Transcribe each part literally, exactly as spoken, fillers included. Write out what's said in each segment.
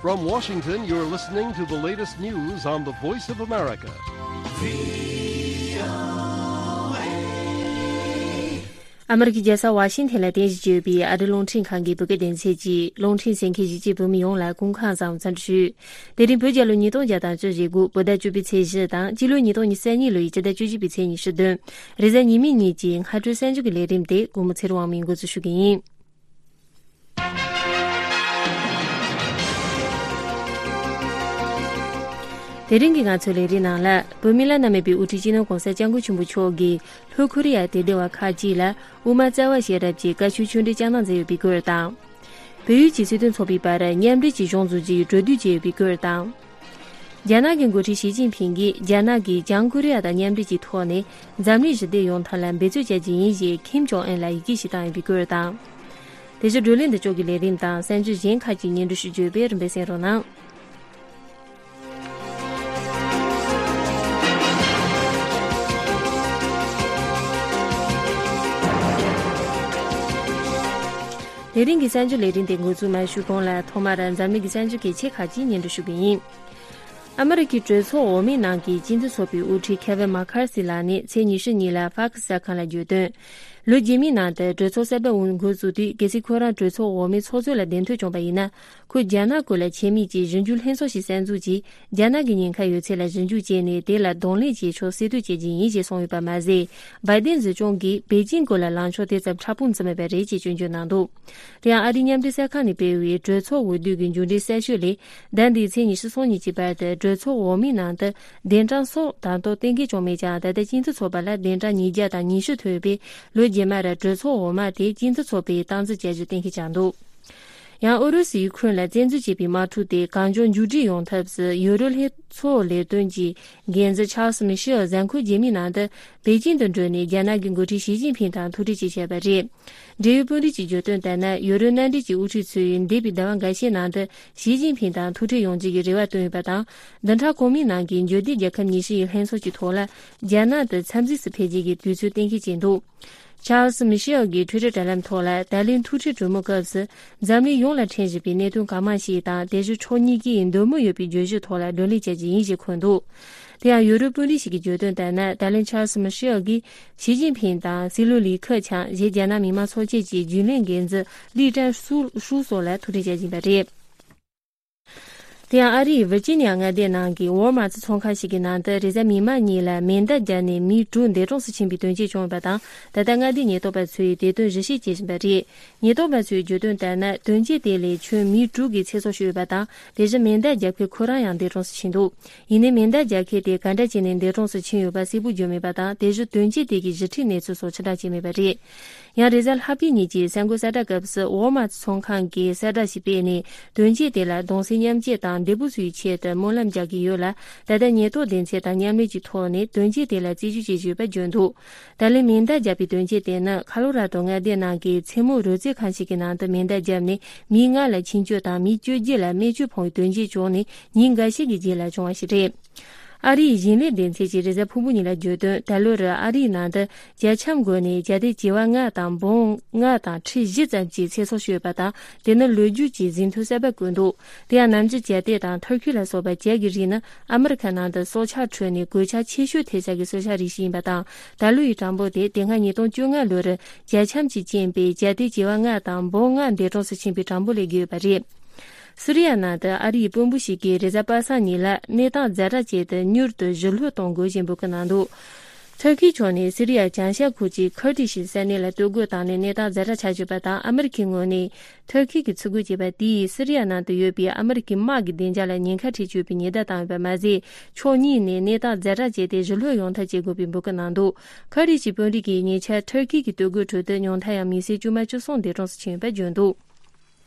From Washington, you're listening to the latest news on the Voice of America. ཨ་མི་རི་ཀའི་རྒྱལ་ས་ཝ་ཤིང་ཐན་ལ་རྟེན་གཞི་བྱས་ཡོད་པའི་ཨ་རིའི་རླུང་འཕྲིན་ཁང་གི་བོད་སྐད་སྡེ་ཚན་གྱིས་རླུང་འཕྲིན་གསན་མཁན་གཞིས་བྱེས་བོད་མི་ཡོངས་ལ་སྐུ་ཁམས་བཟང་འཚམས་འདྲི་ཞུ། དེ་རིང་བོད་རྒྱལ་ལོ་ཉིས་སྟོང་བརྒྱ་དང་བཅུ་བཞི་དགུ་བོད་ཟླ་བཅུ་པའི་ཚེས་བཞི་དང་སྤྱི་ལོ་ཉིས་སྟོང་ཉི་ཤུ་རྩ་གཉིས་ལོའི་སྤྱི་ཟླ་བཅུ་བཞི་པའི་ཚེས་ཉི་ཤུ་བདུན། རེས་གཟའ་ཉི་མའི་ཉིན་གྱི་སྔ་དྲོའི་གསར་འགྱུར་གྱི་ལས་རིམ་དེ་སྒོ་མོ་ཚེ་རིང་དབང་མོས་འགོ་འཛུགས་ཞུ་གི་ཡིན། དེ་རིང་གི་ང་ཚོའི་ལས་རིམ་ནང་ལ། བོད་མི་བླ་ན་མེད་པའི་དབུ་ཁྲིད་སྤྱི་ནོར་༸གོང་ས་༸སྐྱབས་མགོན་ཆེན་པོ་མཆོག་གིས་ལྷོ་ཁོ་རི་ཡ་དད་ལྡན་པ་ཁག་ཅིག་ལ་དབུ་མ་རྩ་བ་ཤེས་རབ་ཀྱི་བཀའ་ཆོས་ཆོས་འབྲེལ་བསྐྱངས་གནང་མཛད་ཡོད་པའི་སྐོར་དང་། བལ་ཡུལ་གྱི་སྲིད་དོན་ཚོགས་པའི་བར་མཉམ་འབྲེལ་གྱི་གཞུང་བཟོ་རྒྱུའི་གྲོས་བསྡུར་བྱས་ཡོད་པའི་སྐོར་དང་། རྒྱ་ནག་གི་འགོ་ཁྲིད་ཞི་ཅིན་ཕིང་གིས་རྒྱ་ནག་གིས་བྱང་ཀོ་རི་ཡ་དང་མཉམ་འབྲེལ་གྱི་ཐོག་ནས་འཛམ་གླིང་ཞི་བདེ་ཡོང་ཐབས་ལ་འབད་རྩོལ་བྱ་རྒྱུ་ཡིན་ཞེས་ཁིམ་ཇོང་ཨན་ལ་ཡི་གེ་ཞིག་བཏང་ཡོད་པའི་སྐོར་དང་། དེ་བཞིན་བགྲོ་གླེང་འདི་ཕྱོགས་ཀྱི་ལས་རིམ་དང་གསར་འགྱུར་གཞན་ཁག་ཅིག་སྙན་སྒྲོན་ཞུ་རྒྱུ་ཡོད་པས་རིམ་པས་གསན་རོགས་གནང་། དེ་རིང་གི་གསར་འགྱུར་ལས་རིམ་དེ་འགོ་འཛུགས་མ་ཞུས་གོང་ལ་ཐོག་མར་འཛམ་གླིང་གི་གསར་འགྱུར་གལ་ཆེ་ཁག་ཅིག་སྙན་སྒྲོན་ཞུ་གི་ཡིན། ཨ་མི་རི་ཀའི་གྲོས་ཚོགས་འོག་མའི་ནང་གི་སྤྱི་མཐུན་ཚོགས་པའི་དབུ་ཁྲིད་ཁེ་ཝིན་མ་ཁར་སི་ལགས་ནས་ཚེས་ཉི་ཤུ་ཉིན་ལ་ཕག་གི་གསར་ཁང་ལ་བརྗོད་དོན། ལོ་རྗེས་མའི་ནང་དུ་གྲོས་ཚོགས་གསར་པ་འོས་འགོ་བཙུགས་དུས་གལ་སྲིད་ཁོ་རང་གྲོས་ཚོགས་འོག་མའི་ཚོགས་གཙོ་ལ་གདན་ཐོབ་བྱུང་བ་ཡིན་ན། ཁོས་རྒྱ་ནག་སྐོར་ལ་ཆེད་དམིགས་ཀྱིས་ཞིབ་འཇུག་ལྷན་ཚོགས་ཤིག་གསར་འཛུགས་ཀྱིས་རྒྱ་ནག་གི་ཉེན་ཁ་ཡོད་ཚད་ལ་ཞིབ་འཇུག་བྱས་ནས་དེ་ལ་གདོང་ལེན་བྱེད་ཕྱོགས་གསལ་སྟོན་བྱེད་རྒྱུ་ཡིན་ཞེས་གསུངས་ཡོད་པ་མ་ཟད། བའི་ཏིན་གཞི་ཚོགས་ཀྱིས་པེ་ཅིང་སྐོར་ལ་ལངས་ཕྱོགས་དེ་ཙམ་ཕྲག་དཔུང་བརྩི་མེད་པ་རེད་ཅེས་སྐྱོན་བརྗོད་གནང་འདུག་དེ་ཡང་ཨ་རིའི་མཉམ་འབྲེལ་གསར་ཁང་ནས་སྤེལ་བའི་གྲོས་ཚོགས་འོས་བསྡུ་གི་མཇུག་འབྲས་གསལ་ཤོས་ལས། ཟླ་འདིའི་ཚེས་ཉི་ཤུ་སོ་གཉིས་ཀྱི་བར་དུ་གྲོས་ཚོགས་འོག་མའི་ནང་དུ་གདན་གྲངས་སོགས་དང་ཐོག་གཏན་འཁེལ་བྱུང་མེད་ཀྱང་། ད་ལྟ་སྤྱི་མཐུན་ཚོགས་པ་ལ་གདན་གྲངས་ཉིས་བརྒྱ་དང་ཉི་ཤུ་ཐོབ་ཡོད་པས། ལོ་རྗེས་མར་གྲོས་ཚོགས་འོག་མ་དེ་སྤྱི་མཐུན་ཚོགས་པས་སྟངས་འཛིན་བྱ་རྒྱུ་གཏན་འཁེལ་བྱུང་འདུག་ཡང་ཨུ་རུ་སུའི་ཁུན་ལ་བཙན་འཛུལ་བྱས་པའི་དམག་འཁྲུག་དེ་གང་མགྱོགས་མཇུག་སྒྲིལ་ཡོང་ཐབས་སུ་ཡུ་རོབ་ལྷན་ཚོགས་ལས་དོན་གྱི་འགན་འཛིན་ཆཱལ་སི་མི་ཤེལ་གཟའ་འཁོར་རྗེས་མའི་ནང་དུ་པེ་ཅིང་དུ་འགྲོ་ནས་རྒྱ་ནག་གི་འགོ་ཁྲིད་ཞི་ཅིན་ཕིང་དང་ཐུག་འཕྲད་བྱས་བྱས་པ་རེད། འབྲེལ་ཡོད་དཔོན་རིགས་ཀྱིས་བརྗོད་དོན་ལྟར་ན། ཡུ་རོབ་མནའ་འབྲེལ་གྱི་དབུ་ཁྲིད་ཚོས་འདས་པའི་ཟླ་བ་འགའ་ཤས་ནང་དུ་ཞི་ཅིན་ཕིང་དང་ཐུག་འཕྲད་ཡོང་རྒྱུ་གི་རེ་བ་བཏོན་ཡོད་པ་དང་། བདུན་ཕྲག་གོང་མའི་ནང་གི་འབྱོར་ལྡན་རྒྱལ་ཁབ་ཉི་ཤུ་ཡི་ལྷན་ཚོགས་ཀྱི་ཐོག་ལ་རྒྱ་ནག་ཏུ་འཚམས་གཟིགས་སུ་ཕེབས་རྒྱུ་གི་དུས་ཚོད་གཏན་འཁེལ་བྱས་འདུག་ཆཱལ་སི་མི་ཤེལ་གྱིས་ཊུའི་ཊར་དྲ་ལམ་ཐོག་ལ། ད་ལན་ཐུག་འཕྲད་གྲོས་མོལ་སྐབས་སུ་འཛམ་གླིང་ཡོངས་ལ་འཕྲད་བཞིན་པའི་གནད་དོན་གང་མང་ཞིག་དང་། དེ་བཞིན་ཕྱོགས་གཉིས་ཀས་འདོད་མོས་ཡོད་པའི་བརྗོད་གཞིའི་ཐོག་ལ་བགྲོ་གླེང་བྱ་རྒྱུ་ཡིན་ཞེས་འཁོད་འདུག་དེ་ཡང་ཡུ་རོབ་དཔོན་རིགས་ཤིག་གིས་བརྗོད་དོན་ལྟར་ན། ད་ལན་ཆཱལ་སི་མི་ཤེལ་གྱིས་ཞི་ཅིན་ཕིང་དང་སྲིད་བློན་ལི་ཁེ་ཆང་། གཞན་རྒྱ་ནག་མི་དམངས་ཚོགས་ཆེན་གྱི་རྒྱུན་ལས་འགན་འཛིན་ལི་ཀྲན་ཧྲུའུ་སོགས་ལ་ཐུག་འཕྲད་བྱ་བཞིན་པ་རེད། དེ་ཡང་ཨ་རིའི་ཝིར་ཇི་ནི་ཡ་མངའ་སྡེའི་ནང་གི་ཝོལ་མཱར་ཚོང་ཁང་ཞིག་གི་ནང་དུ་རེས་གཟའ་མིག་དམར་ཉིན་ལ་མེ་མདའ་བརྒྱབ་ནས་མི་དྲུག་འདས་གྲོངས་སུ་ཕྱིན་པའི་དོན་རྐྱེན་བྱུང་ཡོད་པ་དང་། ད་ལྟ་མངའ་སྡེའི་ཉེན་རྟོག་པ་ཚོས་དེ་དོན་ཞིབ་བཤེར་བྱེད་བཞིན་པ་རེད། ཉེན་རྟོག་པ་ཚོས་བརྗོད་དོན་ལྟར་ན། དོན་རྐྱེན་དེ་ལས་ཁྱོན་མི་དྲུག་གི་ཚེ་སྲོག་ཤོར་ཡོད་པ་དང་། དེ་བཞིན་མེ་མདའ་རྒྱབ་མཁན་ཁོ་རང་ཡང་འདས་གྲོངས་སུ་ཕྱིན་འདུག་ཡིན་ནའི་མེ་མདའ་རྒྱབ་མཁན་དེ་ག་འདྲ་བྱས་ནས་འདས་གྲོངས་སུ་ཕྱིན་ཡོད་པ་གསལ་པོ་བརྗོད་མེད་པ་དང་། དེ་བཞིན་དོན་རྐྱེན་དེ་གི་ཞིབ་ཕྲའི་གནས་ཚུལ་སོགས་ཕྱིར་བསྒྲགས་བྱས་མེད་པ་རེད། ཡང་རེས་གཟའ་ལྷག་པའི་ཉིན་གྱི་གསར་འགོད་གསལ་བསྒྲགས་སྐབས་སུ་ཝོལ་མཱར་ཚོང་ཁང་གིས་གསལ་བསྒྲགས་ཤིག་སྤེལ་ནས། དོན་རྐྱེན་དེ་ལ་གདུང་སེམས་མཉམ་སྐྱེད་དང་འདས་པོ་ཚོའི་ཆེད་དུ་སྨོན་ལམ་རྒྱག་གི་ཡོད་ལ། ད་ལྟ་ཉེན་རྟོག་སྡེ་ཚན་དང་མཉམ་ལས་ཀྱི་ཐོག་ནས་དོན་རྐྱེན་དེ་ལ་རྩད་གཅོད་བྱེད་བཞིན་ཡོད་པ་བརྗོད་འདུག་ད་ལན་མེ་མདའ་བརྒྱབ་པའི་དོན་རྐྱེན་དེ་ནི་ཁ་ལོ་ར་ཏོ་མངའ་སྡེ་ནང་གི་མཚན་མོ་རོལ་རྩེད་ཁང་ཞིག་གི་ནང་དུ་མེ་མདའ་བརྒྱབ་ནས་མི་ལྔ་ལ་འཆིང་སྐྱོད་དང་མི་བཅོ་བརྒྱད་ལ་རྨས་སྐྱོན་ཕོག་པའི་དོན་རྐྱེན་བྱུང་ནས་ཉིན་འགའ་ཤས་ཀྱི་རྗེས་ལ་བྱུང་བ་ཞིག་རེད། ཨ་རིའི་ཞིང་ལས་སྡེ་ཚན་གྱིས་རེས་གཟའ་ཕུར་བུ་ཉིན་ལ་བརྗོད་དོན། ད་ལོར་ཨ་རིའི་ནང་དུ་རྒྱ་ཁྱམས་བགོས་ནས་རྒྱ་སྡེ་བྱེ་བ་ལྔ་དང་འབུམ་ལྔ་དང་ཁྲི་བཞི་ཙམ་གྱི་ཚེ་སྲོག་ཤོར་ཡོད་པ་དང་། དེ་ནི་ལོ་རྒྱུས་ཀྱི་ཟིན་ཐོ་གསར་པ་བཀོད་འདུག་དེ་ཡང་ནམ་རྒྱུན་རྒྱ་སྡེ་དང་ཐུར་ཁེ་ལ་སོགས་པ་བྱ་གི་རིགས་ནི་ཨ་མི་རི་ཁ་ནང་དུ་སྲོག་ཆགས་ཁྲོད་ནས་གོད་ཆག་ཆེ་ཤོས་ཐེབས་ས་གི་སྲོག་ཆགས་རིགས་ཤིག་ཡིན་པ་དང་། ད་ལོ་ཡི་གྲངས་འབོར་དེ་དེ་སྔ་ཉིས་སྟོང་བཅོ་ལྔ་ལོར་རྒྱ་ཁྱམས་ཀྱིས་རྐྱེན་པས་རྒྱ་སྡེ་བྱེ་བ་ལྔ་དང་འབུམ་ལྔ་འདས་གྲོངས་སུ་ཕྱིན་པའི་གྲངས་འབོར་ལས་བརྒལ་ཡོད་པ་རེད། སི་རི་ཡ་ནང་དུ་ཨ་རིའི་དཔོན་པོ་ཞིག་གིས་རེས་གཟའ་པ་སངས་ཉིན་ལ་གནས་སྟངས་ཛ་དྲག་ཆེད་དུ་མྱུར་དུ་ཞི་ལྷོད་གཏོང་དགོས་ཞེས་འབོད་སྐུལ་གནང་འདུག་ཐུར་ཁེའི་ཕྱོགས་ནས་སི་རི་ཡ་བྱང་ཤར་ཁུལ་གྱི་ཁུར་ཏི་ཤི་ས་གནས་ལ་གཏོར་རྒོལ་བཏང་ནས་གནས་སྟངས་ཛ་དྲག་ཆགས་ཡོད་པ་དང་། ཨ་མི་རི་ཁའི་ངོས་ནས་ཐུར་ཁེ་གིས་ཚུར་རྒོལ་བྱས་པ་དེས་སི་རི་ཡ་ནང་དུ་ཡོད་པའི་ཨ་མི་རི་ཁའི་དམག་གི་བདེ་འཇགས་ལ་ཉེན་ཁ་འཕྲད་ཀྱི་ཡོད་པའི་ཉེན་བརྡ་བཏང་ཡོད་པ་མ་ཟད། ཕྱོགས་གཉིས་ནས་གནས་སྟངས་ཛ་དྲག་བྱས་ཏེ་ཞི་ལྷོད་ཡོང་ཐབས་བྱེད་དགོས་པའི་འབོད་སྐུལ་གནང་འདུག་ཁུར་ཏི་ཤི་དཔོན་རིགས་ཀྱིས་ཉེ་ཆར་ཐུར་ཁེ་གི་གཏོར་རྒོལ་ཁྲོད་དུ་ཉུང་མཐའ་ཡང་མི་སེར་དཀྱུས་མ་བཅུ་གསུམ་འདས་གྲོངས་སུ་ཕྱིན་ཡོད་པ་བརྗོད་འདུག་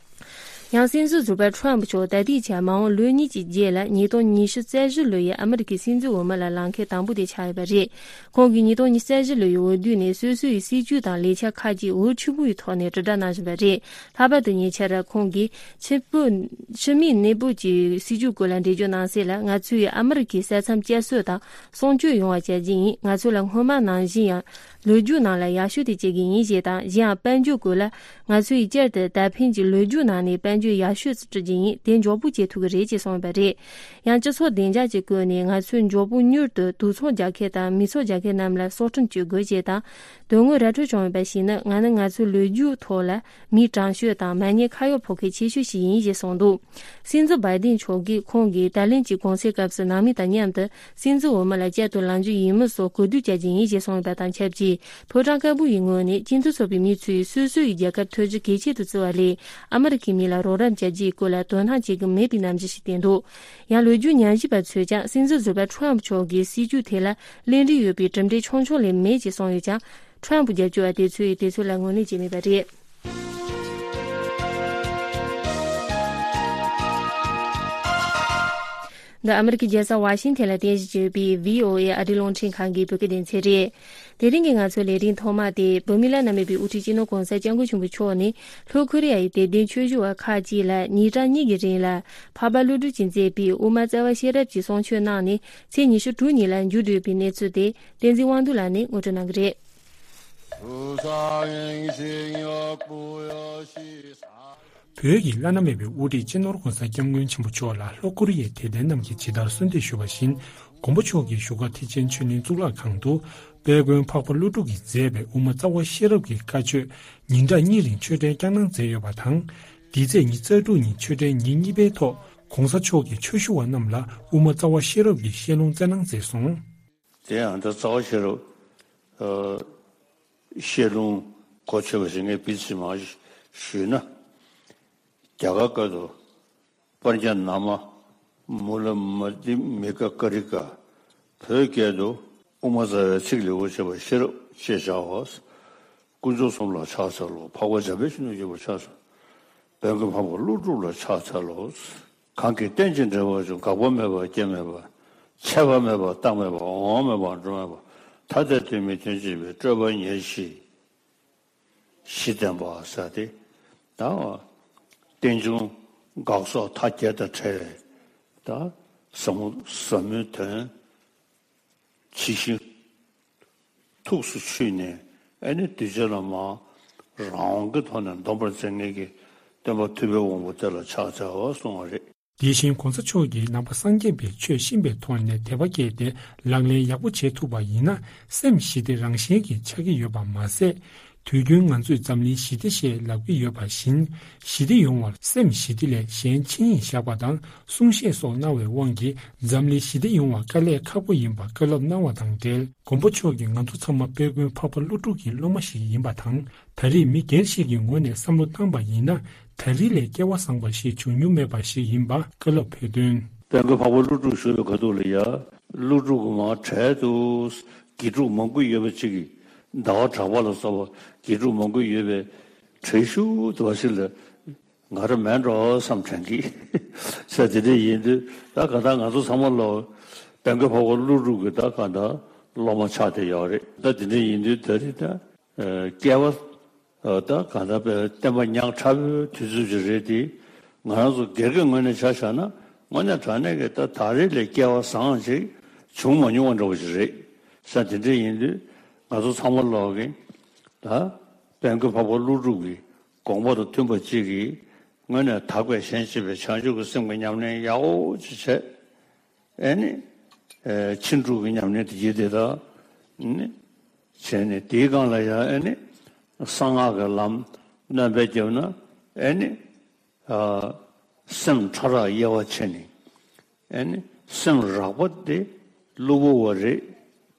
ཡང་སྲིད་འཛིན་ཟུར་པ་ཁྲོམ་མཆོག་ད་ལྟའི་ཆར་མ་འོངས་ལོ་གཉིས་ཀྱི་རྗེས་ལ་ཉིས་སྟོང་ཉི་ཤུ་རྩ་བཞི་ལོ་ཡི་ཨ་མི་རི་ཀའི་སྲིད་འཛིན་འོས་མི་ལ་ལངས་མཁན་དང་པོ་དེ་ཆགས་ཡོད་པ་རེད། ཁོང་གིས་ཉིས་སྟོང་ཉི་ཤུ་རྩ་བཞི་ལོ་ཡི་འོས་བསྡུ་ནས་སོ་སོའི་སྲིད་ཇུས་དང་ལས་འཆར་ཁག་ཅིག་འོས་ཆུང་བའི་ཐོག་ནས་དྲིལ་བསྒྲགས་གནང་བཞིན་པ་རེད། ལྷག་པར་དུ་ཉེ་ཆར་ཁོང་གིས་ཕྱི་པོ་ཕྱི་མིའི་གནས་བབ་ཀྱི་སྲིད་ཇུས་སྐོར་ལ་འགྲེལ་བརྗོད་གནང་གསལ་ལ། ང་ཚོས་ཨ་མི་རི་ཀའི་ས་མཚམས་བསྐྱར་གསོ་དང་སྲུང་སྐྱོབ་ཡོང་བ་བྱ་རྒྱུ་ཡིན། ང་ཚོ་ལ་སྔོན་མ་ནང་བཞིན་ཡང་ལོ་རྒྱུས་ནང་ལ་ཡག་ཤོས་དེ་བྱེད་ཀྱི་ཡིན་ཞེས་དང་། གཞན་ཡང་དཔལ་འབྱོར་སྐོར་ལ་ང་ཚོས་བསྐྱར་དུ་ད་ཕན་གྱི་ལོ་རྒྱུས་ནང་ནས་དཔལ་ བརྗོད་ཡག་ཤོས་སུ་བཀྲི་རྒྱུ་ཡིན། དེ་མགྱོགས་པོ་བྱེད་ཐུབ་ཀྱི་རེད་ཅེས་གསུངས་ཡོད་པ་རེད། ཡང་སྤྱི་ཚོགས་བདེ་འཇགས་ཀྱི་བཀོད་ནས་ང་ཚོས་མགྱོགས་པོ་མྱུར་དུ་དུག་ཚོང་རྒྱག་མཁན་དང་མི་ཚོགས་རྒྱག་མཁན་རྣམས་ལ་སྲོག་ཁྲིམས་གཅོད་དགོས་ཅེས་དང་། དོན་དངོས་ར་འཕྲོད་བྱུང་ཡོད་པར་གཞིགས་ན། ང་ནི་ང་ཚོའི་ལོ་རྒྱུས་ཐོག་ལ་མི་དྲང་ཤོས་དང་མ་ཉེས་ཁ་གཡོག་ཕོག་མཁན་ཆེ་ཤོས་ཤིག་ཡིན་ཞེས་གསུངས་འདུག། སྲིད་འཛིན་བྷའི་ཏིན་མཆོག་གིས་ཁོང་གིས་ཏཱ་ལན་གྱི་གུང་སེང་སྐབས་སུ་ནང་མི་དང་མཉམ་དུ་སྲིད་འཛིན་འོས་མི་ལ་བསྐྱར་དུ་ལངས་རྒྱུ་ཡིན་མིན་སོགས་གོ་བསྡུར་བྱ་རྒྱུ་ཡིན་ཞེས་གསུངས་ཡོད་པ་དང་ཆབས་ཅིག། ཕོ་བྲང་དཀར་པོ་ཡི་ངོས་ནས་སྤྱི་མཐུན་ཚོགས་པའི་མི་ཚོས་སོ་སོ་ཡི་རྒྱལ་ཁབ་ཐོན་རྒྱུ་གལ་ཆེ་དུ་བརྩི་བ་ལས། ཨ་མི་རི་ཁའི་མི་ལ་རོགས་རམ་བྱ་རྒྱུའི་སྐོར་ལ་དོ་སྣང་བྱེད་ཀྱི་མེད་པའི་རྣམ་འགྱུར་ཞིག་བསྟན་འདུག། ཡང་ལོ་རྒྱུས་ཉམས་ཞིབ་པ་ཚོས་ཀྱང་སྲིད་འཛིན་ཟུར་པ་ཁྲོམ་མཆོག་གི་སྲིད་ཇུས་དེ་ལ་ལན་འདེབས་ཡོད་པའི་གྲུབ་འབྲས་ཆུང་ཆུང་ལས་མེད་ཅེས་གསུངས་ཡོད་ཀྱང་། ཁྲོམ་རྒྱབ་སྐྱོར་བ་དེ་ཚོས་དེ་ཚོ་ལ་ངོས་ལེན་བྱས་མེད་པ་རེད། འདི་ཨ་མི་རི་ཀའི་རྒྱལ་ས་ཝ་ཤིང་ཐན་ལ་རྟེན་གཞི་བྱས་ཡོད་པའི་ཝི་ཨོ་ཨེ་ཨ་རིའི་རླུང་འཕྲིན་ཁང་གི་བོད་སྐད་སྡེ་ཚན་རེད། དེ་རིང་གི་ང་ཚོའི་ལས་རིམ་ཐོག་མ་དེ་བོད་མི་བླ་ན་མེད་པའི་དབུ་ཁྲིད་སྤྱི་ནོར་༸གོང་ས་༸སྐྱབས་མགོན་ཆེན་པོ་མཆོག་ནས་ལྷོ་ཁོ་རི་ཡ་ཡི་དད་ལྡན་ཆོས་ཞུ་བ་ཁག་ཅིག་ལ་ཉིན་གྲངས་གཉིས་ཀྱི་རིང་ལ་འཕགས་པ་ཀླུ་སྒྲུབ་ཀྱིས་མཛད་པའི་དབུ་མ་རྩ་བ་ཤེས་རབ་ཀྱི་གསུང་ཆོས་གནང་ནས་ཚེས་ཉི་ཤུ་དྲུག་ཉིན་ལ་མཇུག་བསྒྲིལ་བའི་གནས་ཚུལ་དེ་བསྟན་འཛིན་དབང་འདུས་ལགས་ནས་ངོ་སྤྲོད་གནང་གི་རེད། བོད་ཀྱི་བླ་ན་མེད་པའི་དབུ་ཁྲིད་སྤྱི་ནོར་༸གོང་ས་༸སྐྱབས་མགོན་ཆེན་པོ་མཆོག་ལ་ལྷོ་ཀོ་རི་ཡའི་དད་ལྡན་རྣམས་ཀྱིས་ཇི་ལྟར་གསོལ་འདེབས་ཞུས་པ་བཞིན། མགོན་པོ་མཆོག་གིས་བཞུགས་སྒར་ཐེག་ཆེན་ཆོས་གླིང་གཙུག་ལག་ཁང་དུ་དཔལ་མགོན་འཕགས་པ་ཀླུ་སྒྲུབ་ཀྱིས་མཛད་པའི་དབུ་མ་རྩ་བ་ཤེས་རབ་ཀྱི་བཀའ་ཆོས་ཉིན་གྲངས་གཉིས་རིང་ཆོས་འབྲེལ་བསྐྱངས་གནང་མཛད་ཡོད་པ་དང་། འདི་ཚེས་ཉི་ཤུ་རྩ་དྲུག་ཉིན་ཆོས་འབྲེལ་ཉིན་གཉིས་པའི་ཐོག་༸གོང་ས་མཆོག་གིས་ཆོས་ཞུ་བ་རྣམས་ལ་དབུ་མ་རྩ་བ་ཤེས་རབ་ཀྱི་བཤད་ལུང་སྩལ་གནང་མཛད་སོང་། དེ་ཡང་ད་རྩ་བ་ཤེས་རབ་ཨ་བཤད་ལུང་གོ་ཆོད་པ་ཞིག་ངས་བིས་ཙམ་ཞུས་ན། རྒྱ་གར་སྐད་དུ་པྲཛྙཱ་ན་མ་མུ་ལ་མ་དྷི་མི་ཀ་ཀ་རི་ཀ། བོད་སྐད་དུ་དབུ་མ་རྩ་བའི་ཚིག་ལེའུར་བྱས་པ་ཤེས་རབ་ཅེས་བྱའོ། དཀོན་མཆོག་གསུམ་ལ་ཕྱག་འཚལ་ལོ། འཕགས་པ་འཇམ་དཔལ་ཆོས་ཀྱི་རྒྱལ་པོར་ཕྱག་འཚལ། དཔལ་མགོན་འཕགས་པ་ཀླུ་སྒྲུབ་ལ་ཕྱག་འཚལ་ལོ། གང་གིས་རྟེན་ཅིང་འབྲེལ་བར་འབྱུང་། འགག་པ་མེད་པ་སྐྱེ་མེད་པ། ཆད་པ་མེད་པ་རྟག་མེད་པ། འོང་བ་མེད་པ་འགྲོ་མེད་པ། ཐ་དད་དོན་མིན་དོན་གཅིག་པའི་སྤྲོས་པ་ཉེར་ཞི་བཞི་བསྟན་པ་ཟེར་ཏེ། ད་རྟེན་འབྱུང་འགག་སོགས་མཐའ་བརྒྱད་དང་བྲལ་བའི་ད་ཟབ་མོ་ཟབ་མོའི་དོན་ཇི་བཞིན་ཐུགས་སུ་ཆུད་ནས། ཨ་ནི་གདུལ་བྱ་རྣམས་རང་དབང་གི་ཐོག་ནས་འདོམས་པར་མཛད་མཁན་གྱི་སྟོན་པ་ཐུབ་པའི་དབང་པོ་དེ་ལ་ཕྱག་འཚལ་བ་གསུངས་པ་རེད། དེ་བཞིན་༸གོང་ས་མཆོག་གིས་ནང་པ་སངས་རྒྱས་པའི་ཆོས་ཤེས་པའི་ཐོག་ནས་དད་པ་སྐྱེས་ཏེ་ལག་ལེན་ཡག་པོ་བྱེད་ཐུབ་པ་ཡིན་ན། སེམས་ཞི་བདེ་རང་བཞིན་གྱིས་ཆགས་ཀྱི་ཡོད་པ་མ་ཟད། དུས་རྒྱུན་ང་ཚོས་འཛམ་གླིང་ཞི་བདེ་ཞེས་ལབ་ཀྱི་ཡོད་པ་བཞིན། ཞི་བདེ་ཡོང་བར་སེམས་ཞི་བདེ་ལས་གཞན་ཆིངས་ཡིག་བཞག་པ་དང་གསུང་བཤད་སོགས་གནང་བའི་དབང་གིས་འཛམ་གླིང་ཞི་བདེ་ཡོང་བ་དཀའ་ལས་ཁག་པོ་ཡིན་པ་བཀའ་སློབ་གནང་བ་དང་འབྲེལ། མགོན་པོ་མཆོག་གིས་ང་ཚོ་ཚང་མ་དཔལ་མགོན་འཕགས་པ་ཀླུ་སྒྲུབ་ཀྱི་སློབ་མ་ཞིག་ཡིན་པ་དང་། ད་རེས་མི་སྒེར་ཞིག་གི་ངོས་ནས་བསམ་བློ་བཏང་པ་ཡིན་ན། ད་རེས་ལས་སྐལ་བ་བཟང་པ་ཞིག་བྱུང་མྱོང་མེད་པ་ཞིག་ཡིན་པ་བཀའ་སློབ་ཕེབས་དོན། དཔལ་མགོན་འཕགས་པ་ཀླུ་སྒྲུབ་བཞུགས་པའི་ཁ་ཐུག་ལ་ཡ། ཀླུ་སྒྲུབ་ཀྱི་མར་གྲལ་དུ་དགེ་ཕྲུག་མང་པོ་ཡོད་པ་ཅིག་གིས་ཟླ་བ་གྲགས་པ་ལ་སོགས་པ་དགེ་ཕྲུག་མང་པོ་ཡོད་པའི་གྲལ་ཤུལ་དུ་བ་ཞིག་ལ་ང་རང་མེད་འགྲོ་བསམ་དྲན་གི། ས་དེ་འདྲ་ཡིན་དུས་ད་ག་ད་ང་ཚོ་ཚང་མ་ལོ་དཔལ་མགོན་འཕགས་པ་ཀླུ་སྒྲུབ་ཀྱི་ད་ག་ད་སློབ་མ་ཆགས་བསྡད་ཡོད་རེད། ད་དེ་འདྲ་ཡིན་དུས་ད་རེས་ད། སྐལ་བ། ད་གང་ལྟར་བསྟན་པ་ཉག་ཕྲ་བོའི་དུས་ཚོད་ཅིག་རེད་དེ། ང་རང་ཚོ་སྒེར་གྱི་ངོས་ནས་ཆ་བཞག་ན་དངོས་གནས་དྲང་གནས་ཀྱི་ད་ད་རེས་ལས་སྐལ་བ་བཟང་ཅིག་བྱུང་མ་མྱོང་བ་འདྲ་བོ་ཅིག་རེད། ས་དེ་འདྲ་ཡིན་དུས་ང་ཚོ་ཚང་མ་ལོག་གིས་ད་དཔལ་མགོན་འཕགས་པ་ཀླུ་སྒྲུབ་ཀྱི་དགོངས་པ་དང་མཐུན་པ་ཅིག་གིས་དངོས་གནས་དག་པའི་ཞེན་བྱེད་པའི་བྱང་ཆུབ་ཀྱི་སེམས་ཀྱི་ཉམས་ལེན་ཡག་པོ་ཅིག་བྱས། ཨེ་ནི། ཕྱིན་དྲུག་གི་ཉམས་ལེན་དེ་ཡིན་དེ་དག་ནི། བྱས་ནས་དེའི་སྒང་ལ་ཡང་ཨེ་ནི། གསང་སྔགས་ཀྱི་ལམ་སྣོན་པ་བརྒྱབ་ན་ཨེ་ནི། སེམས་ཕྲ་རགས་དབྱེ་བ་ཕྱེ་ནས་ཨེ་ནི། སེམས་རགས་པ་དེ་གློ་བུར་བ་རེད།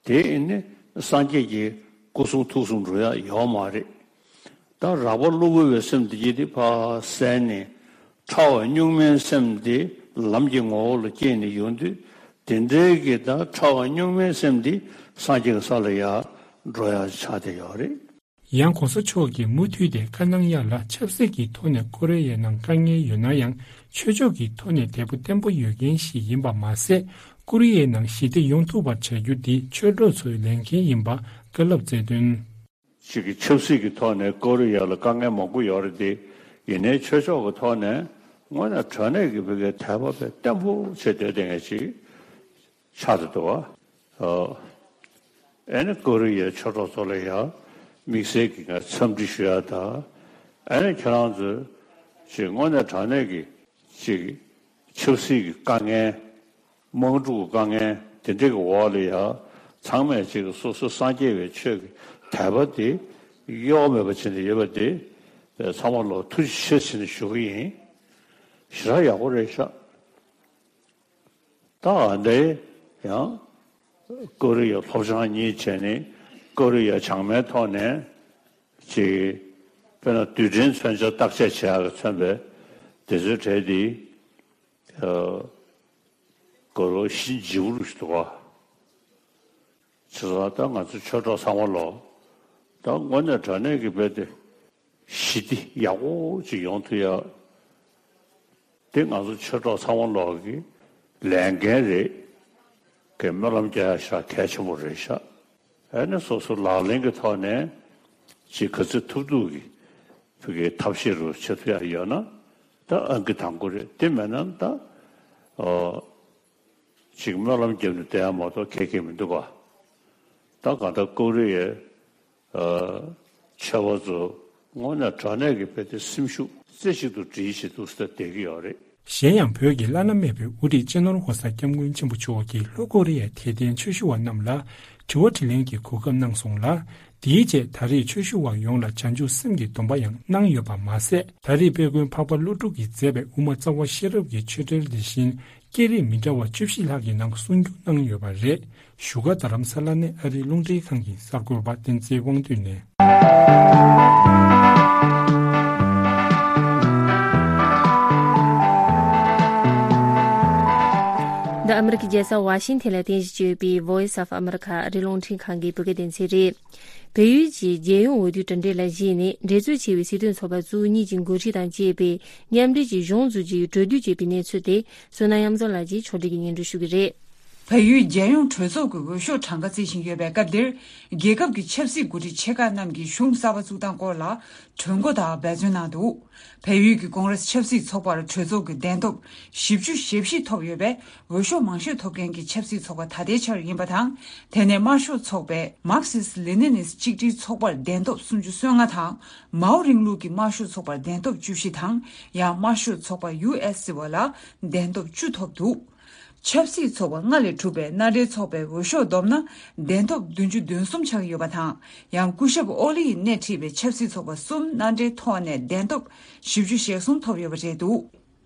དེ་ཨེ་ནི་སངས་རྒྱས་ཀྱི་སྐུ་གསུང་ཐུགས་གསུང་འགྲོ་ཡ་ཡོད་མ་རེད། ད་རགས་པ་གློ་བུར་བའི་སེམས་དེ་ཡིན་དེ་ཕར་བསལ་ནས། ཕྲ་བ་གཉུག་མའི་སེམས་དེ་ལམ་གྱི་ངོ་བོ་ལ་སྐྱེས་ནས་ཡོང་དུས། དེ་འདྲའི་གི་ད་ཕྲ་བ་གཉུག་མའི་སེམས་དེ་སངས་རྒྱས་ཀྱི་ས་ལ་ཡར་འགྲོ་ཡ་ཆགས་བསྡད་ཡོད་རེད། ཡང་༸གོང་ས་མཆོག་གིས་མུ་མཐུད་དེ་བཀའ་གནང་ཡ་ལ་ཆབ་སྲིད་ཀྱི་ཐོག་ནས་ཀོ་རི་ཡའི་ནང་དཀའ་ངལ་ཡོད་ན་ཡང་ཆོས་ཕྱོགས་ཀྱི་ཐོག་ནས་དད་པ་བརྟན་པོ་ཡོད་མཁན་ཞིག་ཡིན་པ་མ་ཟད། ཀོ་རི་ཡའི་ནང་ཞི་བདེ་ཡོང་ཐུབ་པར་བྱ་རྒྱུ་འདི་ཆོས་གྲོགས་ཚོའི་ལས་འགན་ཡིན་པ་བཀའ་སློབ་སྩལ་དོན། ཅིག་གི་ཆབ་སྲིད་ཀྱི་ཐོག་ནས་ཀོ་རི་ཡ་ལ་དཀའ་ངལ་མང་པོ་ཡོད་རེད་དེ། ཡིན་ནའི་ཆོས་ཕྱོགས་ཀྱི་ཐོག་ནས་དངོས་གནས་དྲང་གནས་ཀྱི་བོད་སྐད་དད་པ་དཔེ་བརྟན་པོ་བྱས་སྡོད་བསྡད་མཁན་ཅིག་ཆགས་བསྡད་འདུག་བ། ཨ་ནི་ཀོ་རི་ཡའི་ཆོས་གྲོགས་ཚོ་ལ་ཡང་དམིགས་བསལ་གྱི་ངས་འཚམས་འདྲི་ཞུ་ཡ་དང་། ཨ་ནི་ཁྱེད་རང་ཚོས་ ཅིག་དངོས་གནས་དྲང་གནས་ཀྱི་ཅིག་ཆབ་སྲིད་ཀྱི་དཀའ་ངལ། དམག་འཁྲུག་གི་དཀའ་ངལ་དེ་འདྲ་གི་འོག་ལ་ཡ་ཚང་མས་ཅིག་སོ་སོ་སངས་རྒྱས་པའི་ཆོས་ཀྱི་དད་པ་དེ་གཡོ་བ་མེད་པ་བྱས་ནས་ཡོད་པ་དེ་ཚང་མ་ལ་ཐུགས་རྗེ་ཆེ་ཟེར་ནས་ཞུ་གི་ཡིན། ཞེ་དྲག་ཡག་པོ་རེད་ཤག་ད་ཨ་འདྲའི་ཡང་ཀོ་རི་ཡ་སློབ་སྦྱོང་གཉིས་བྱས་ནས་ཀོ་རི་ཡ་བྱང་མའི་ཐོག་ནས་ཅིག་དཔེར་ན་རྡུལ་ཕྲན་མཚོན་ཆ་བརྟག་དཔྱད་བྱེད་ཡག་གི་མཚོན་པའི་དེ་ཚོའི་གྲས་དེ་ཨ་གོ་ལོ་གཤིན་རྗེ་པོ་རུ་ཞིག་འདུག་ག་བྱས་ཙང་ད་ང་ཚོ་ཆོས་གྲོགས་ཚང་མ་ལོ། ད་དངོས་གནས་དྲང་གནས་ཀྱི་དཔེ་དེ་ཞི་བདེ་ཡག་པོ་ཅིག་ཡོང་ཐུབ་ཡ། དེ་ང་ཚོ་ཆོས་གྲོགས་ཚང་མ་ལོག་གི་ལས་འགན་རེད། གི་སྨོན་ལམ་རྒྱག་ཡ་ཤ་གལ་ཆེན་པོ་རེད་ཤག་ཨ་ནི་སོ་སོ་ལག་ལེན་གྱི་ཐོག་ནས་ཅིག་ག་ཚོད་ཐུབ་ཐུབ་ཀྱི་ཕ་གིའི་ཐབས་ཤེས་རུ་བྱེད་ཐུབ་ཡ་ཡོད་ན་ད་ཨང་ཀི་དང་པོ་རེད། དེ་མེད་ན་ད་ཨོ་ཅིག་སྨོན་ལམ་བརྒྱབ་ནས་བསྡད་ཡ་མ་གཏོགས་ཁེ་ཁེ་མི་འདུག་ག་ད་གང་ལྟར་ཀོ་རི་ཡའི་ཨ་ཆེ་བ་ཚོ་དངོས་གནས་དྲང་གནས་ཀྱི་དཔེ་དེ་སེམས་ཤུགས་རྩེ་གཅིག་ཏུ་སྒྲིལ་བྱེད་འདུག་ཟེར་བསྡད་ཀྱི་ཡོད་རེད། གཞན་ཡང་བོད་ཀྱི་བླ་ན་མེད་པའི་དབུ་ཁྲིད་སྤྱི་ནོར་ྋགོང་ས་ྋསྐྱབས་མགོན་ཆེན་པོ་མཆོག་གིས་ལྷོ་ཀོ་རི་ཡའི་དད་ལྡན་ཆོས་ཞུ་བ་རྣམས་ལ་དྲི་བ་དྲིས་ལན་གྱི་གོ་སྐབས་གནང་སོང་ལ། དེའི་རྗེས་ད་རེས་ཆོས་ཞུ་བ་ཡོངས་ལ་བྱང་ཆུབ་སེམས་ཀྱི་སྡོམ་པ་ཡང་གནང་ཡོད་པ་མ་ཟད། ད་རེས་དཔལ་མགོན་འཕགས་པ་ཀླུ་སྒྲུབ་ཀྱིས་མཛད་པའི་དབུ་མ་རྩ་བ་ཤེས་རབ་ཀྱི་ཆོས་འབྲེལ་འདི་བཞིན་སྐད་རིགས་མི་འདྲ་བ་བཅུ་བཞི་ལྷག་གི་ནང་གསུང་བསྒྱུར་གནང་ཡོད་པ་རེད། བཞུགས་སྒར་རྡ་རམ་ས་ལ་ནས་ཨ་རིའི་རླུང་འཕྲིན་ཁང་གི་གསར་འགོད་པ་བསྟན་འཛིན་དབང་འདུས་ནས། འདི་ཨ་མི་རི་ཀའི་རྒྱལ་ས་ཝ་ཤིང་ཐན་ལ་རྟེན་གཞི་བྱས་ཡོད་པའི་Voice of America ཨ་རིའི་རླུང་འཕྲིན་ཁང་གི་བོད་སྐད་སྡེ་ཚན་རེད། བལ་ཡུལ་གྱི་རྒྱལ་ཡོངས་འོས་བསྡུའི་གྲུབ་འབྲས་ལ་གཞིགས་ནས་འགྲན་རྩོད་ཆེ་བའི་སྲིད་དོན་ཚོགས་པ་བཅུ་གཉིས་ཀྱི་འགོ་ཁྲིད་དང་བཅས་པའི་མཉམ་འབྲེལ་གྱི་གཞུང་འཛུགས་རྒྱུའི་གྲོས་བསྡུར་བྱས་པའི་གནས་ཚུལ་དེ་བསོད་ནམས་གཡང་འཛོམས་ལགས་ཀྱིས་ཕྱོགས་སྒྲིག་གིས་སྙན་སྒྲོན་ཞུ་གི་རེད། བལ་ཡུལ་རྒྱལ་ཡོངས་གྲོས་ཚོགས་ཀྱི་འོས་ཤོག་གྲངས་ཀ་བརྩི་བཞིན་ཡོད་པའི་སྐབས་འདིར། རྒྱལ་ཁབ་ཀྱི་ཆབ་སྲིད་འགོ་ཁྲིད་ཆེ་ཁག་རྣམས་ཀྱིས་གཞུང་གསར་པ་བཙུགས་སྟངས་སྐོར་ལ་གྲོས་འགོ་དང་འབད་བརྩོན་གནང་འདུག་བལ་ཡུལ་གྱི་ཀོང་རེས་ཆབ་སྲིད་ཚོགས་པར་གྲོས་ཚོགས་ཀྱི་གདན་ཐོབ་བཞི་བཅུ་ཞེ་བཞི་ཐོབ་ཡོད་པས། འོས་ཤོག་མང་ཤོས་ཐོབ་མཁན་གྱི་ཆབ་སྲིད་ཚོགས་པ་ད་ལྟའི་ཆར་ཡིན་པ་དང་། དེ་ནས་དམར་ཤོག་ཚོགས་པས་Marxist Leninist གཅིག་སྒྲིལ་ཚོགས་པར་གདན་ཐོབ་སུམ་ཅུ་སོ་ལྔ་དང་། མའོ་རིང་ལུགས་ཀྱི་དམར་ཤོག་ཚོགས་པར་གདན་ཐོབ་བཅུ་བཞི་དང་། ཡང་དམར་ཤོག་ཚོགས་པ་ཡུ་ཨེས་ཟེར་བ་ལ་གདན་ཐོབ་བཅུ་ཐོབ་འདུག་ཆབ་སྲིད་ཚོགས་པ་ལྔ་ལས་གྲུབ་པའི་མནའ་འབྲེལ་ཚོགས་པའི་འོས་ཤོག་བསྡོམས་ན་གདན་ཐོབ་བདུན་ཅུ་དོན་གསུམ་ཆགས་ཡོད་པ་དང་། ཡང་སྐུ་ཞབས་ཨོ་ལི་ཡིས་སྣེ་ཁྲིད་པའི་ཆབ་སྲིད་ཚོགས་པ་གསུམ་མནའ་འབྲེལ་ཐོག་ནས་གདན་ཐོབ་བཞི་བཅུ་ཞེ་གསུམ་ཐོབ་ཡོད་པ་རེད་འདུག་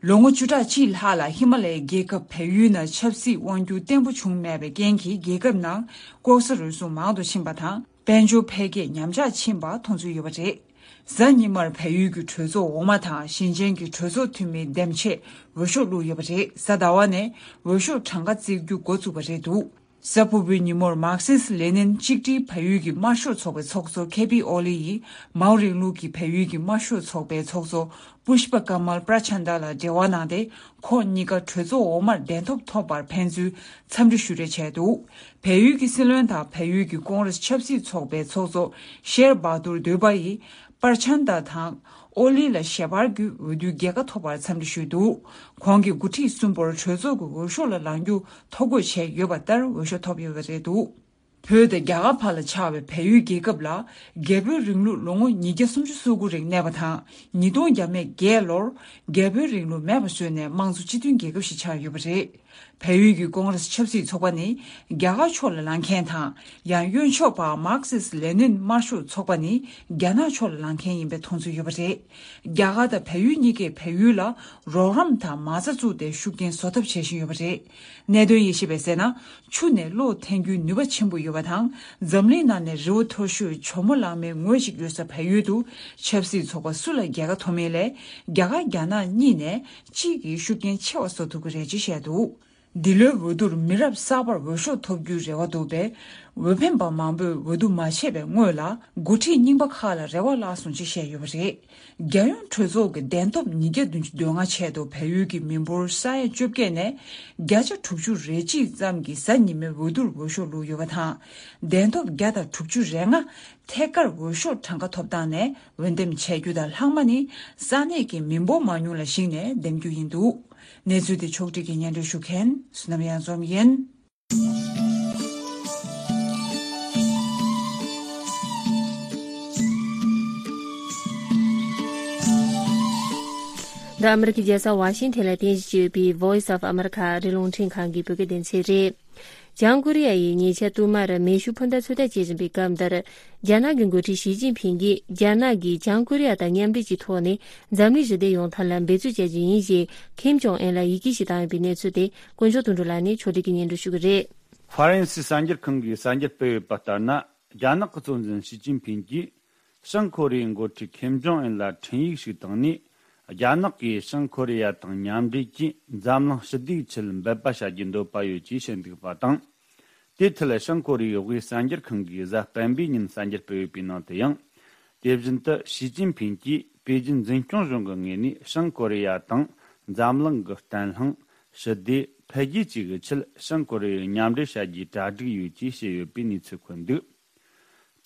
ལོ་ངོ་བཅུ་ཕྲག་གཅིག་ལྷག་ལ་ཧི་མ་ལ་ཡའི་རྒྱལ་ཁབ་བལ་ཡུལ་ནང་ཆབ་སྲིད་དབང་སྒྱུར་བརྟན་པོ་བྱུང་མེད་པའི་རྐྱེན་གྱིས་རྒྱལ་ཁབ་ནང་ལྐོག་ཟ་རུལ་སུངས་མང་དུ་ཕྱིན་པ་དང་། དཔལ་འབྱོར་འཕེལ་རྒྱས་ཉམས་ཆག་ཕྱིན་པ་མཐོང་ཚུལ་ཡོད་པ་རེད། གཟའ་ཉི་མར་བལ་ཡུལ་གྱི་གྲོས་ཚོགས་འོག་མ་དང་ཞིང་ཆེན་གྱི་གྲོས་ཚོགས་འཐུས་མིའི་འདེམས་ཆས་འོས་ཤོག་བླུགས་ཡོད་པ་རེད། གཟའ་ཟླ་བ་ནས་འོས་ཤོག་གྲངས་ཀ་བརྩི་རྒྱུ་འགོ་བཙུགས་པ་རེད་འདུག་གཟའ་ཕུར་བུའི་ཉིན་མོར་Marxist Lenin གཅིག་སྒྲིལ་བལ་ཡུལ་གྱི་དམར་ཤོག་ཚོགས་པའི་ཚོགས་གཙོ་ཁེ་པི་ཨོ་ལི་ཡིས་མའོ་རིང་ལུགས་ཀྱི་བལ་ཡུལ་གྱི་དམར་ཤོག་ཚོགས་པའི་ཚོགས་གཙོ་པུཤ་པ་ཀ་མལ་པྲ་ཆན་དཱ་ལ་འབྲེལ་བ་གནང་སྟེ། ཁོང་གཉིས་ཀ་གྲོས་ཚོགས་འོག་མར་གདན་ཐོབ་ཐོབ་པར་ཕན་ཚུན་འཚམས་འདྲི་ཞུ་རེས་བྱས་འདུག་བལ་ཡུལ་གྱི་སྲིད་བློན་དང་བལ་ཡུལ་གྱི་ཀོང་རེས་ཆབ་སྲིད་ཚོགས་པའི་ཚོགས་གཙོ་ཤེར་བྷ་དུར་དོས་པ་ཡིས་པར་ཆན་དཱ་དང་ཨོ་ལི་ལ་ཞལ་པར་བརྒྱུད་འོས་བསྡུའི་རྒྱལ་ཁ་ཐོབ་པར་འཚམས་འདྲི་ཞུས་འདུག་ཁོང་གིས་འགོ་ཁྲིད་གསུམ་པོར་གྲོས་ཚོགས་ཀྱི་འོས་ཤོག་ལ་ལངས་རྒྱུ་ཐོ་འགོད་བྱས་ཡོད་པ་ལྟར་འོས་ཤོག་ཐོབ་ཡོད་པ་རེད་འདུག་བོད་དང་རྒྱ་གར་བར་ལ་ཆགས་པའི་བལ་ཡུལ་རྒྱལ་ཁབ་ལ་རྒྱལ་པོའི་རིང་ལུགས་ལོ་ངོ་ཉིས་བརྒྱ་སུམ་ཅུ་སོ་དགུ་རིང་གནས་པ་དང་། ཉིས་སྟོང་བརྒྱ་མེད་བརྒྱད་ལོར་རྒྱལ་པོའི་རིང་ལུགས་མེད་པ་བཟོས་ནས་དམངས་གཙོ་སྤྱི་མཐུན་རྒྱལ་ཁབ་ཞིག་ཆགས་ཡོད་པ་རེད། བལ་ཡུལ་གྱི་ཀོང་རེས་ཆབ་སྲིད་ཚོགས་པ་ནི་རྒྱ་གར་ཕྱོགས་ལ་ལངས་མཁན་དང་། ཡང་གཡོན་ཕྱོགས་པ་Marxist Lenin དམར་ཤོག་ཚོགས་པ་ནི་རྒྱ་ནག་ཕྱོགས་ལ་ལངས་མཁན་ཡིན་པའི་མཐོང་ཚུལ་ཡོད་པ་རེད། རྒྱ་གར་དང་བལ་ཡུལ་གཉིས་ཀས་བལ་ཡུལ་ལ་རོགས་རམ་དང་མ་རྩ་བཙུགས་ཏེ་ཤུགས་རྐྱེན་བཟོ་ཐབས་བྱེད་བཞིན་ཡོད་པ་རེད། གནད་དོན་དབྱེ་ཞིབ་པས་གསལ་ན། ཆུ་ནས་གློག་འཐེན་རྒྱུའི་ནུས་པ་ཆེན་པོ་ཡོད་པ་དང་། འཛམ་གླིང་ནང་ནས་རི་བོ་མཐོ་ཤོས་ཇོ་མོ་གླང་མའི་ངོས་ཤིག་ཡོད་ས་བལ་ཡུལ་དུ་ཆབ་སྲིད་ཚོགས་པ་སུ་ལ་རྒྱལ་ཁ་ཐོབ་མིན་ལས། རྒྱ་གར་རྒྱ་ནག་གཉིས་ནས་གཅིག་གིས་ཤུགས་རྐྱེན་ཆེ་བ་བཟོ་ཐུབ་ཀྱི་རེད་ཅེས་བཤད་འདུག་འདི་ལོའི་འོས་བསྡུར་མི་རབས་གསར་པར་འོས་ཤོག་ཐོབ་རྒྱུའི་རེ་བ་འདུག་པས། འོས་འཕེན་པ་མང་པོས་འོས་བསྡུ་མ་བྱས་པའི་སྔོན་ལ། འགོ་ཁྲིད་རྙིང་པ་ཁག་ལ་རེ་བ་བརླག་སོང་ཅེས་བཤད་ཡོད་པ་རེད། རྒྱལ་ཡོངས་གྲོས་ཚོགས་ཀྱི་གདན་ཐོབ་ཉིས་བརྒྱ་བདུན་ཅུ་དོན་ལྔ་ཆེད་དུ་བལ་ཡུལ་གྱི་མི་འབོར་ས་ཡ་བཅོ་བརྒྱད་ནས་བརྒྱ་ཆ་དྲུག་ཅུ་རེ་གཅིག་ཙམ་གྱིས་གཟའ་ཉི་མའི་འོས་བསྡུར་འོས་ཤོག་བླུགས་ཡོད་པ་དང་། གདན་ཐོབ་བརྒྱ་དང་དྲུག་ཅུ་རེ་ལྔ་ཐད་ཀར་འོས་ཤོག་གྲངས་ཀ་ཐོབ་སྟངས་ནས་འོས་འདེམས་བྱེད་རྒྱུ་དང་ལྷག་མ་ནི་ས་གནས་ཀྱི་མི་འབོར་མང་ཉུང་ལ་གཞིགས་ནས་འདེམས་རྒྱུ་ཡིན་འདུག་གནས་ཚུལ་དེ་ཕྱོགས་སྒྲིག་གིས་སྙན་སྒྲོན་ཞུ་མཁན་བསོད་ནམས་གཡང་འཛོམས་ཡིན། འདི་ཨ་མི་རི་ཀའི་རྒྱལ་ས་ཝ་ཤིང་ཐན་ལ་རྟེན་གཞི་བྱས་ཡོད་པའི་Voice of America ཨ་རིའི་རླུང་འཕྲིན་ཁང་གི་བོད་སྐད་སྡེ་ཚན་རེད། བྱང་ཀོ་རི་ཡ་ཡིས་ཉེ་ཆར་དུ་མར་མེ་ཤུགས་འཕུར་མདའ་ཚོད་ལྟ་བྱེད་བཞིན་པའི་སྐབས་འདིར། རྒྱ་ནག་གི་འགོ་ཁྲིད་ཞི་ཅིན་ཕིང་གིས་རྒྱ་ནག་གིས་བྱང་ཀོ་རི་ཡ་དང་མཉམ་འབྲེལ་གྱི་ཐོག་ནས་འཛམ་གླིང་ཞི་བདེ་ཡོང་ཐབས་ལ་འབད་རྩོལ་བྱ་རྒྱུ་ཡིན་ཞེས་ཁེམ་ཇོང་ཨན་ལ་ཡི་གེ་ཞིག་བཏང་ཡོད་པའི་གནས་ཚུལ་དེ་དཀོན་མཆོག་དོན་གྲུབ་ལགས་ནས་ཕྱོགས་སྒྲིག་གིས་སྙན་སྒྲོན་ཞུ་གི་རེད། ཧྥ་རན་སི་གསར་འགྱུར་ཁང་གིས་གསར་འགྱུར་སྤེལ་ཡོད་པ་ལྟར་ན། རྒྱ་ནག་གི་གཙོ་འཛིན་ཞི་ཅིན་ཕིང་གིས་བྱང་ཀོ་རི་ཡའི་འགོ་ཁྲིད་ཁེམ་ཇོང་ཨན་ལ་འཕྲིན་ཡིག་ཞིག་བཏང་ནས། རྒྱ་ནག་གིས་བྱང་ཀོ་རི་ཡ་དང་མཉམ་འབྲེལ་གྱིས་འཛམ་གླིང་ཞི་བདེའི་ཆེད་འབད་པ་བྱ་རྒྱུའི་འདོད་པ་ཡོད་ཅེས་བཤད་འདུག་པ་དང་། དེའི་ཐད་བྱང་ཀོ་རི་ཡའི་དབུས་གསར་འགྱུར་ཁང་གིས་གཟའ་སྤེན་པའི་ཉིན་གསར་འགྱུར་སྤེལ་ཡོད་པའི་ནང་དུ་ཡང་། དེ་བཞིན་དུ་ཞི་ཅིན་ཕིང་གིས་པེ་ཅིན་འཛིན་སྐྱོང་གཞུང་གི་ངོས་ནས་བྱང་ཀོ་རི་ཡ་དང་འཛམ་གླིང་གི་བརྟན་ལྷིང་། ཞི་བདེ། འཕེལ་རྒྱས་བཅས་ཀྱི་ཆེད་བྱང་ཀོ་རི་ཡའི་མཉམ་འབྲེལ་བྱ་རྒྱུའི་གྲ་སྒྲིག་ཡོད་ཅེས་བཤད་ཡོད་པའི་གནས་ཚུལ་འཁོད་འདུག་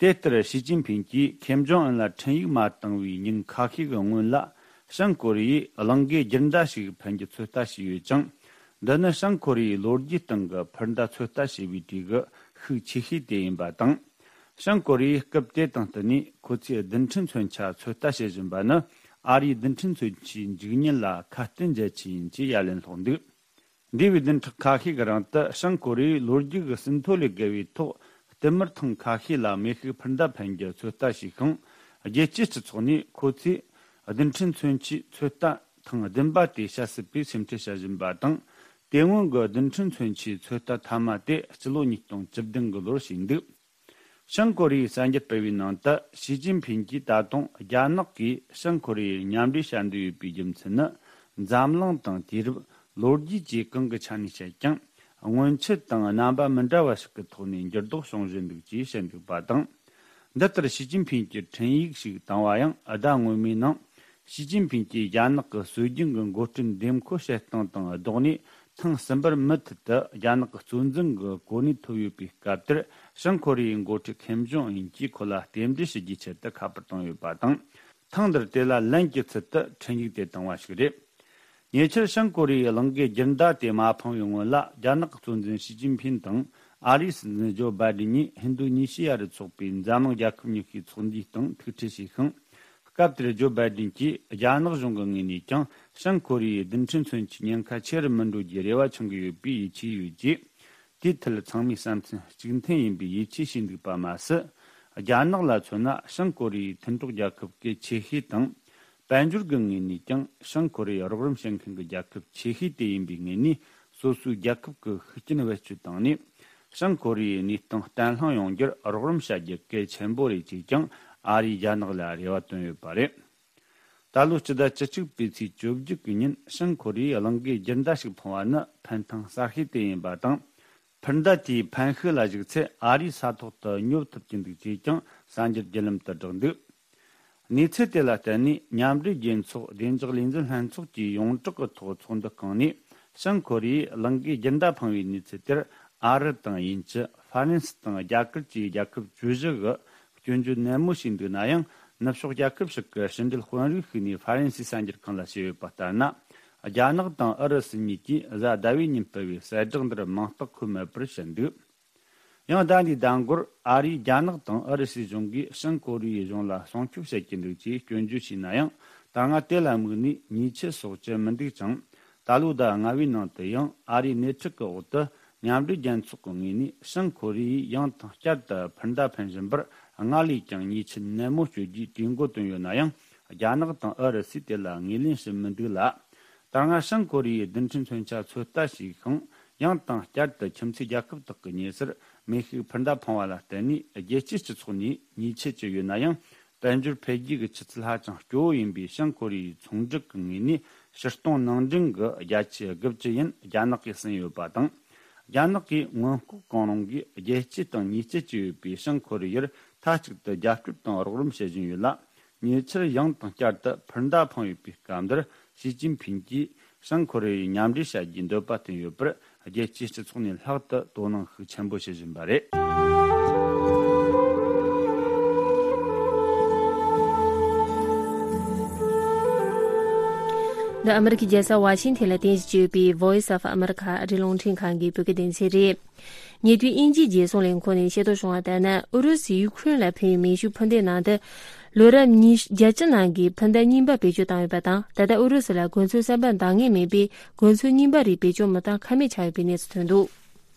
དེ་ལྟར་ཞི་ཅིན་ཕིང་གིས་ཁེམ་ཇོང་ཨན་ལ་འཕྲིན་ཡིག་མ་བཏང་བའི་ཉིན་ཁ་ཤས་ཀྱི་སྔོན་ལ། བྱང་ཀོ་རི་ཡས་གླིང་གའི་རྒྱུན་ཟླ་ཞིག་འཕེན་རྒྱུ་ཚོད་ལྟ་བྱས་ཡོད་ཅིང་། འདི་ནི་བྱང་ཀོ་རི་ཡའི་ལོ་རྒྱུས་སྟེང་གི་འཕུར་མདའ་ཚོད་ལྟ་བྱས་པའི་གྲས་ཀྱི་ཤུགས་ཆེ་ཤོས་དེ་ཡིན་པ་དང་། བྱང་ཀོ་རི་ཡས་སྐབས་དེ་དང་བསྟུན་ནས་ཁོ་ཚོས་རྡུལ་ཕྲན་མཚོན་ཆ་ཚོད་ལྟ་བྱེད་བཞིན་པ་ནི། ཨ་རིའི་རྡུལ་ཕྲན་མཚོན་ཆའི་འཇིག་ཉེན་ལ་ཁ་གཏད་འཇལ་ཆེད་ཡིན་ཅེས་ཡ་ལན་སློག་འདུག་འདས་པའི་བདུན་ཕྲག་ཁ་ཤས་ཀྱི་རིང་དུ། བྱང་ཀོ་རི་ཡས་ལོ་རྒྱུས་ཀྱི་ཟིན་ཐོ་ལས་བརྒལ་བའི་ཐོག་བསྟུད་མར་ཐེངས་ཁ་ཤས་ལ་མེ་ཤུགས་འཕུར་མདའ་འཕེན་རྒྱུ་ཚོད་ལྟ་བྱས་ཤིང་། རྒྱལ་སྤྱིའི་སྤྱི་ཚོགས་ནས་ཁོ་ཚོས་རྡུལ་ཕྲན་མཚོན་ཆའི་ཚོད་ལྟ་ཐེངས་བདུན་པ་དེ་བྱ་སྲིད་པའི་སེམས་ཁྲལ་བྱ་བཞིན་པ་དང་། དེ་སྔོན་གྱི་རྡུལ་ཕྲན་མཚོན་ཆའི་ཚོད་ལྟ་མཐའ་མ་དེ་སྤྱི་ལོ་ཉིས་སྟོང་བཅུ་བདུན་གྱི་ལོར་བྱས་འདུག་བྱང་ཀོ་རི་ཡས་གསར་འགྱུར་སྤེལ་བའི་ནང་དུ། ཞི་ཅིན་ཕིང་གིས་ད་དུང་རྒྱ་ནག་གིས་བྱང་ཀོ་རི་ཡར་མཉམ་འབྲེལ་བྱ་འདོད་ཡོད་པའི་རྒྱུ་མཚན་ནི། འཛམ་གླིང་དང་དུས་རབས། ལོ་རྒྱུས་བཅས་གང་གི་ཆ་ནས་བཤད་ཀྱང་། སྔོན་ཆད་དང་རྣམ་པ་མི་འདྲ་བ་ཞིག་གི་ཐོག་ནས་འགྱུར་ལྡོག་བྱུང་བཞིན་འདུག་ཅེས་བཤད་འདུག་པ་དང་། འདི་ལྟར་ཞི་ཅིན་ཕིང་གིས་འཕྲིན་ཡིག་ཞིག་བཏང་བ་ཡང་ཟླ་སྔོན་མའི་ནང་། ཞི་ཅིན་ཕིང་གིས་རྒྱ་ནག་གི་སྲོལ་རྒྱུན་གྱི་འགོ་ཁྲིད་འདེམས་བསྐོ་བྱེད་སྟངས་དང་ལྡོག་ནས། ཐེངས་གསུམ་པར་མུ་མཐུད་དུ་རྒྱ་ནག་གི་གཙོ་འཛིན་གྱི་གོ་གནས་ཐོབ་ཡོད་པའི་སྐབས་དེར། བྱང་ཀོ་རི་ཡའི་འགོ་ཁྲིད་ཁེམ་ཇོང་ཨུན་གྱིས་ཁོ་ལ་རྟེན་འབྲེལ་ཞུ་རྒྱུའི་ཆེད་དུ་ཁ་པར་བཏང་ཡོད་པ་དང་། ཐེངས་འདིར་དེ་ལ་ལན་གྱི་ཚུལ་དུ་འཕྲིན་ཡིག་དེ་བཏང་བ་ཞིག་རེད། ཉེ་ཆར་བྱང་ཀོ་རི་ཡའི་གླིང་གའི་རྒྱུན་ཟླ་དེ་མ་འཕངས་པའི་སྔོན་ལ། རྒྱ་ནག་གི་གཙོ་འཛིན་ཞི་ཅིན་ཕིང་དང་ཨ་རིའི་སྲིད་འཛིན་ཇོ་བྷའི་ཌེན་གཉིས་ཧིན་རྡུ་ཉི་ཞི་ཡ་རུ་འཚོགས་པའི་འཛམ་གླིང་རྒྱལ་ཁབ་ཉི་ཤུའི་ཚོགས་འདུའི་སྟེང་ཐུག་འཕྲད་བྱས་ཤིང་། སྐབས་དེར་ཇོ་བྷའི་ཌེན་གྱིས་རྒྱ་ནག་གཞུང་གི་ངོས་ནས་ཀྱང་། བྱང་ཀོ་རི་ཡའི་རྡུལ་ཕྲན་མཚོན་ཆའི་ཉེན་ཁ་ཆེ་རུ་མི་འགྲོ་རྒྱུའི་རེ་བ་འཆང་གི་ཡོད་པའི་ཡིད་ཆེས་ཡོད་ཅེས། དེའི་ཐད་ཚང་མས་བསམ་ཚུལ་གཅིག་མཐུན་ཡིན་པའི་ཡིད་ཆེས་བྱས་འདུག་པ་མ་ཟད། རྒྱ་ནག་ལ་མཚོན་ན། བྱང་ཀོ་རི་ཡའི་མཐུན་གྲོགས་རྒྱལ་ཁབ་གལ་ཆེ་ཤོས་དང་། དཔལ་འབྱོར་གྱི་ངོས་ནས་ཀྱང་། བྱང་ཀོ་རི་ཡར་རོགས་རམ་བྱེད་མཁན་གྱི་རྒྱལ་ཁབ་ཆེ་ཤོས་དེ་ཡིན་པའི་ངོས་ནས། སོ་སོའི་རྒྱལ་ཁབ་ཀྱི་ཤུགས་རྐྱེན་བེད་སྤྱོད་བཏང་ནས། བྱང་ཀོ་རི་ཡའི་གནས་སྟངས་བརྟན་ལྷིང་ཡོང་རྒྱུར་རོགས་རམ་བྱ་རྒྱུ་གལ་ཆེན་པོ་རེད་ཅེས་ཀྱང་ཨ་རིས་རྒྱ་ནག་ལ་རེ་བ་བཏོན་ཡོད་པ་རེད། ད་ལོའི་སྤྱི་ཟླ་བཅུ་གཅིག་པའི་ཚེས་བཅོ་བརྒྱད་ཀྱི་ཉིན། བྱང་ཀོ་རི་ཡས་གླིང་གའི་རྒྱུན་ཟླ་ཞིག་འཕངས་པ་ནི་ཕན་ཐང་གསར་ཤོས་དེ་ཡིན་པ་དང་། འཕུར་མདའ་དེའི་འཕེན་ཤུགས་ལ་གཞིགས་ཚེ། ཨ་རིའི་ས་ཐོག་ཏུ་སྙོབ་ཐུབ་ཀྱི་འདུག་ཅེས་ཀྱང་གསར་འགྱུར་བརྒྱུད་ལམ་དུ་བསྒྲགས་འདུག་གནས་ཚུལ་དེ་ལ་བརྟེན་ནས། མཉམ་འབྲེལ་རྒྱལ་ཚོགས་བདེ་འཇགས་ལས་འཛིན་ལྷན་ཚོགས་ཀྱིས་ཡོངས་གྲགས་ཀྱི་ཐོག་ཚོགས་འདུ་བསྐངས་ནས། བྱང་ཀོ་རི་ཡས་གླིང་གའི་རྒྱུན་ཟླ་འཕངས་པའི་གནས་ཚུལ་དེར། ཨ་རི་དང་དབྱིན་ཇི། ཧྥ་རན་སི་དང་རྒྱ་གར་བཅས་རྒྱལ་ཁབ་བཅུ་བཞི་གིས་སྐྱོན་བརྗོད་ནན་མོ་བྱས་འདུག་ན་ཡང་། ནུབ་ཕྱོགས་རྒྱལ་ཁབ་ཞིག་གི་ཕྱི་འབྲེལ་དཔོན་རིགས་ཤིག་ནས་ཧྥ་རན་སིའི་གསར་འགྱུར་ཁང་ལ་བཤད་ཡོད་པ་ལྟར་ན། རྒྱ་ནག་དང་ཨུ་རུ་སུ་གཉིས་ཀྱིས་གཟའ་ཟླ་བའི་ཉིན་སྤེལ་བའི་གསལ་བསྒྲགས་འདིར་མིང་རྟགས་འཁོད་མེད་པར་བཤད་འདུག་ཡང་ཟླ་འདིའི་ཟླ་འགོར། ཨ་རིས་རྒྱ་ནག་དང་ཨུ་རུ་སུའི་གཞུང་གིས་བྱང་ཀོ་རི་ཡའི་གཞུང་ལ་སྲུང་སྐྱོབ་བྱེད་ཀྱི་འདུག་ཅེས་སྐྱོན་བརྗོད་བྱས་ན་ཡང་། ད་སྔ་དེ་ལ་དམིགས་ནས་ཉེས་ཆད་སོགས་བཅད་མི་འདུག་ཅིང་། ད་ལོའི་ཟླ་ལྔ་པའི་ནང་དུ་ཡང་ཨ་རིའི་སྣེ་ཁྲིད་ཀྱི་འོག་ཏུ། མཉམ་འབྲེལ་རྒྱལ་ཚོགས་ཀྱི་ངོས་ནས་བྱང་ཀོ་རི་ཡས་ཡང་དང་བསྐྱར་དུ་འཕུར་མདའ་འཕེན་བཞིན་པར། སྔར་ལས་ཀྱང་ཉེས་ཆད་ནན་མོ་གཅོད་རྒྱུའི་གྲོས་འགོ་བཏོན་ཡོད་ན་ཡང་། རྒྱ་ནག་དང་ཨུ་རུ་སུས་དེ་ལ་ངོས་ལེན་བྱེད་མི་འདུག་ལ། ད་སྔ་བྱང་ཀོ་རི་ཡས་རྡུལ་ཕྲན་མཚོན་ཆ་ཚོད་ལྟ་བྱས་ཤིང་། ཡང་དང་བསྐྱར་དུ་ཁྱིམ་མཚེས་རྒྱལ་ཁབ་དག་གི་ཉེ་སར་མེ་ཤུགས་འཕུར་མདའ་འཕངས་པ་ལ་བརྟེན་ནས། རྒྱལ་སྤྱིའི་སྤྱི་ཚོགས་ནས་ཉེས་ཆད་བཅད་ཡོད་ན་ཡང་། དཔལ་འབྱོར་འཕེལ་རྒྱས་ཀྱི་ཆུ་ཚད་ཧ་ཅང་སྐྱོ་བོ་ཡིན་པའི་བྱང་ཀོ་རི་ཡའི་ཚོང་སྒྲིག་གི་ངོས་ནས། ཕྱིར་གཏོང་ནང་འདྲེན་གྱི་བརྒྱ་ཆ་དགུ་བཅུ་ཡན་རྒྱ་ནག་གིས་ཟིན་ཡོད་པ་དང་། རྒྱ་ནག་གིས་སྔོན་འགོག་གང་རུང་གིས་རྒྱལ་སྤྱི་དང་ཉེས་ཆད་བཅད་ཡོད་པའི་བྱང་ཀོ་རི་ཡར་མཐའ་གཅིག་ཏུ་རྒྱབ་སྐྱོར་དང་རོགས་རམ་བྱེད་བཞིན་ཡོད་ལ། ཉེ་ཆར་ཡང་དང་བསྐྱར་དུ་འཕུར་མདའ་འཕངས་ཡོད་པའི་སྐབས་འདིར། ཞི་ཅིན་ཕིང་གིས་བྱང་ཀོ་རི་ཡའི་མཉམ་འབྲེལ་བྱ་རྒྱུའི་འདོད་པ་བསྟན་ཡོད་པར། རྒྱལ་སྤྱིའི་སྤྱི་ཚོགས་ནས་ལྷག་ཏུ་དོ་སྣང་ཤུགས་ཆེན་པོ་བྱེད་བཞིན་པ་རེད། འདི་ཨ་མི་རི་ཀའི་རྒྱལ་ས་ཝ་ཤིང་ཐན་ལ་རྟེན་གཞི་བྱས་ཡོད་པའི་Voice of America ཨ་རིའི་རླུང་འཕྲིན་ཁང་གི་བོད་སྐད་སྡེ་ཚན་རེད། ཉེ་དུས་དབྱིན་ཇིའི་རྒྱལ་སྲུང་ལས་ཁུངས་ནས་ཤེས་རྟོགས་བྱུང་བ་ལྟར་ན། ཨུ་རུ་སུས་ཡུ་ཁུ་རེན་ལ་འཕེན་པའི་མེ་ཤུགས་འཕུར་མདེལ་ནང་དུ། ལོ་རབས་ཉི་བརྒྱད་ཅུ་ནང་གི་འཕུར་མདའ་རྙིང་པ་བེད་སྤྱོད་བཏང་ཡོད་པ་དང་། ད་ལྟ་ཨུ་རུ་སུ་ལ་གོ་མཚོན་གསར་པ་འདང་ངེས་མེད་པས། གོ་མཚོན་རྙིང་པ་རིགས་བེད་སྤྱོད་མི་གཏང་ཁ་མེད་ཆགས་ཡོད་པའི་གནས་ཚུལ་ཐོན་འདུག་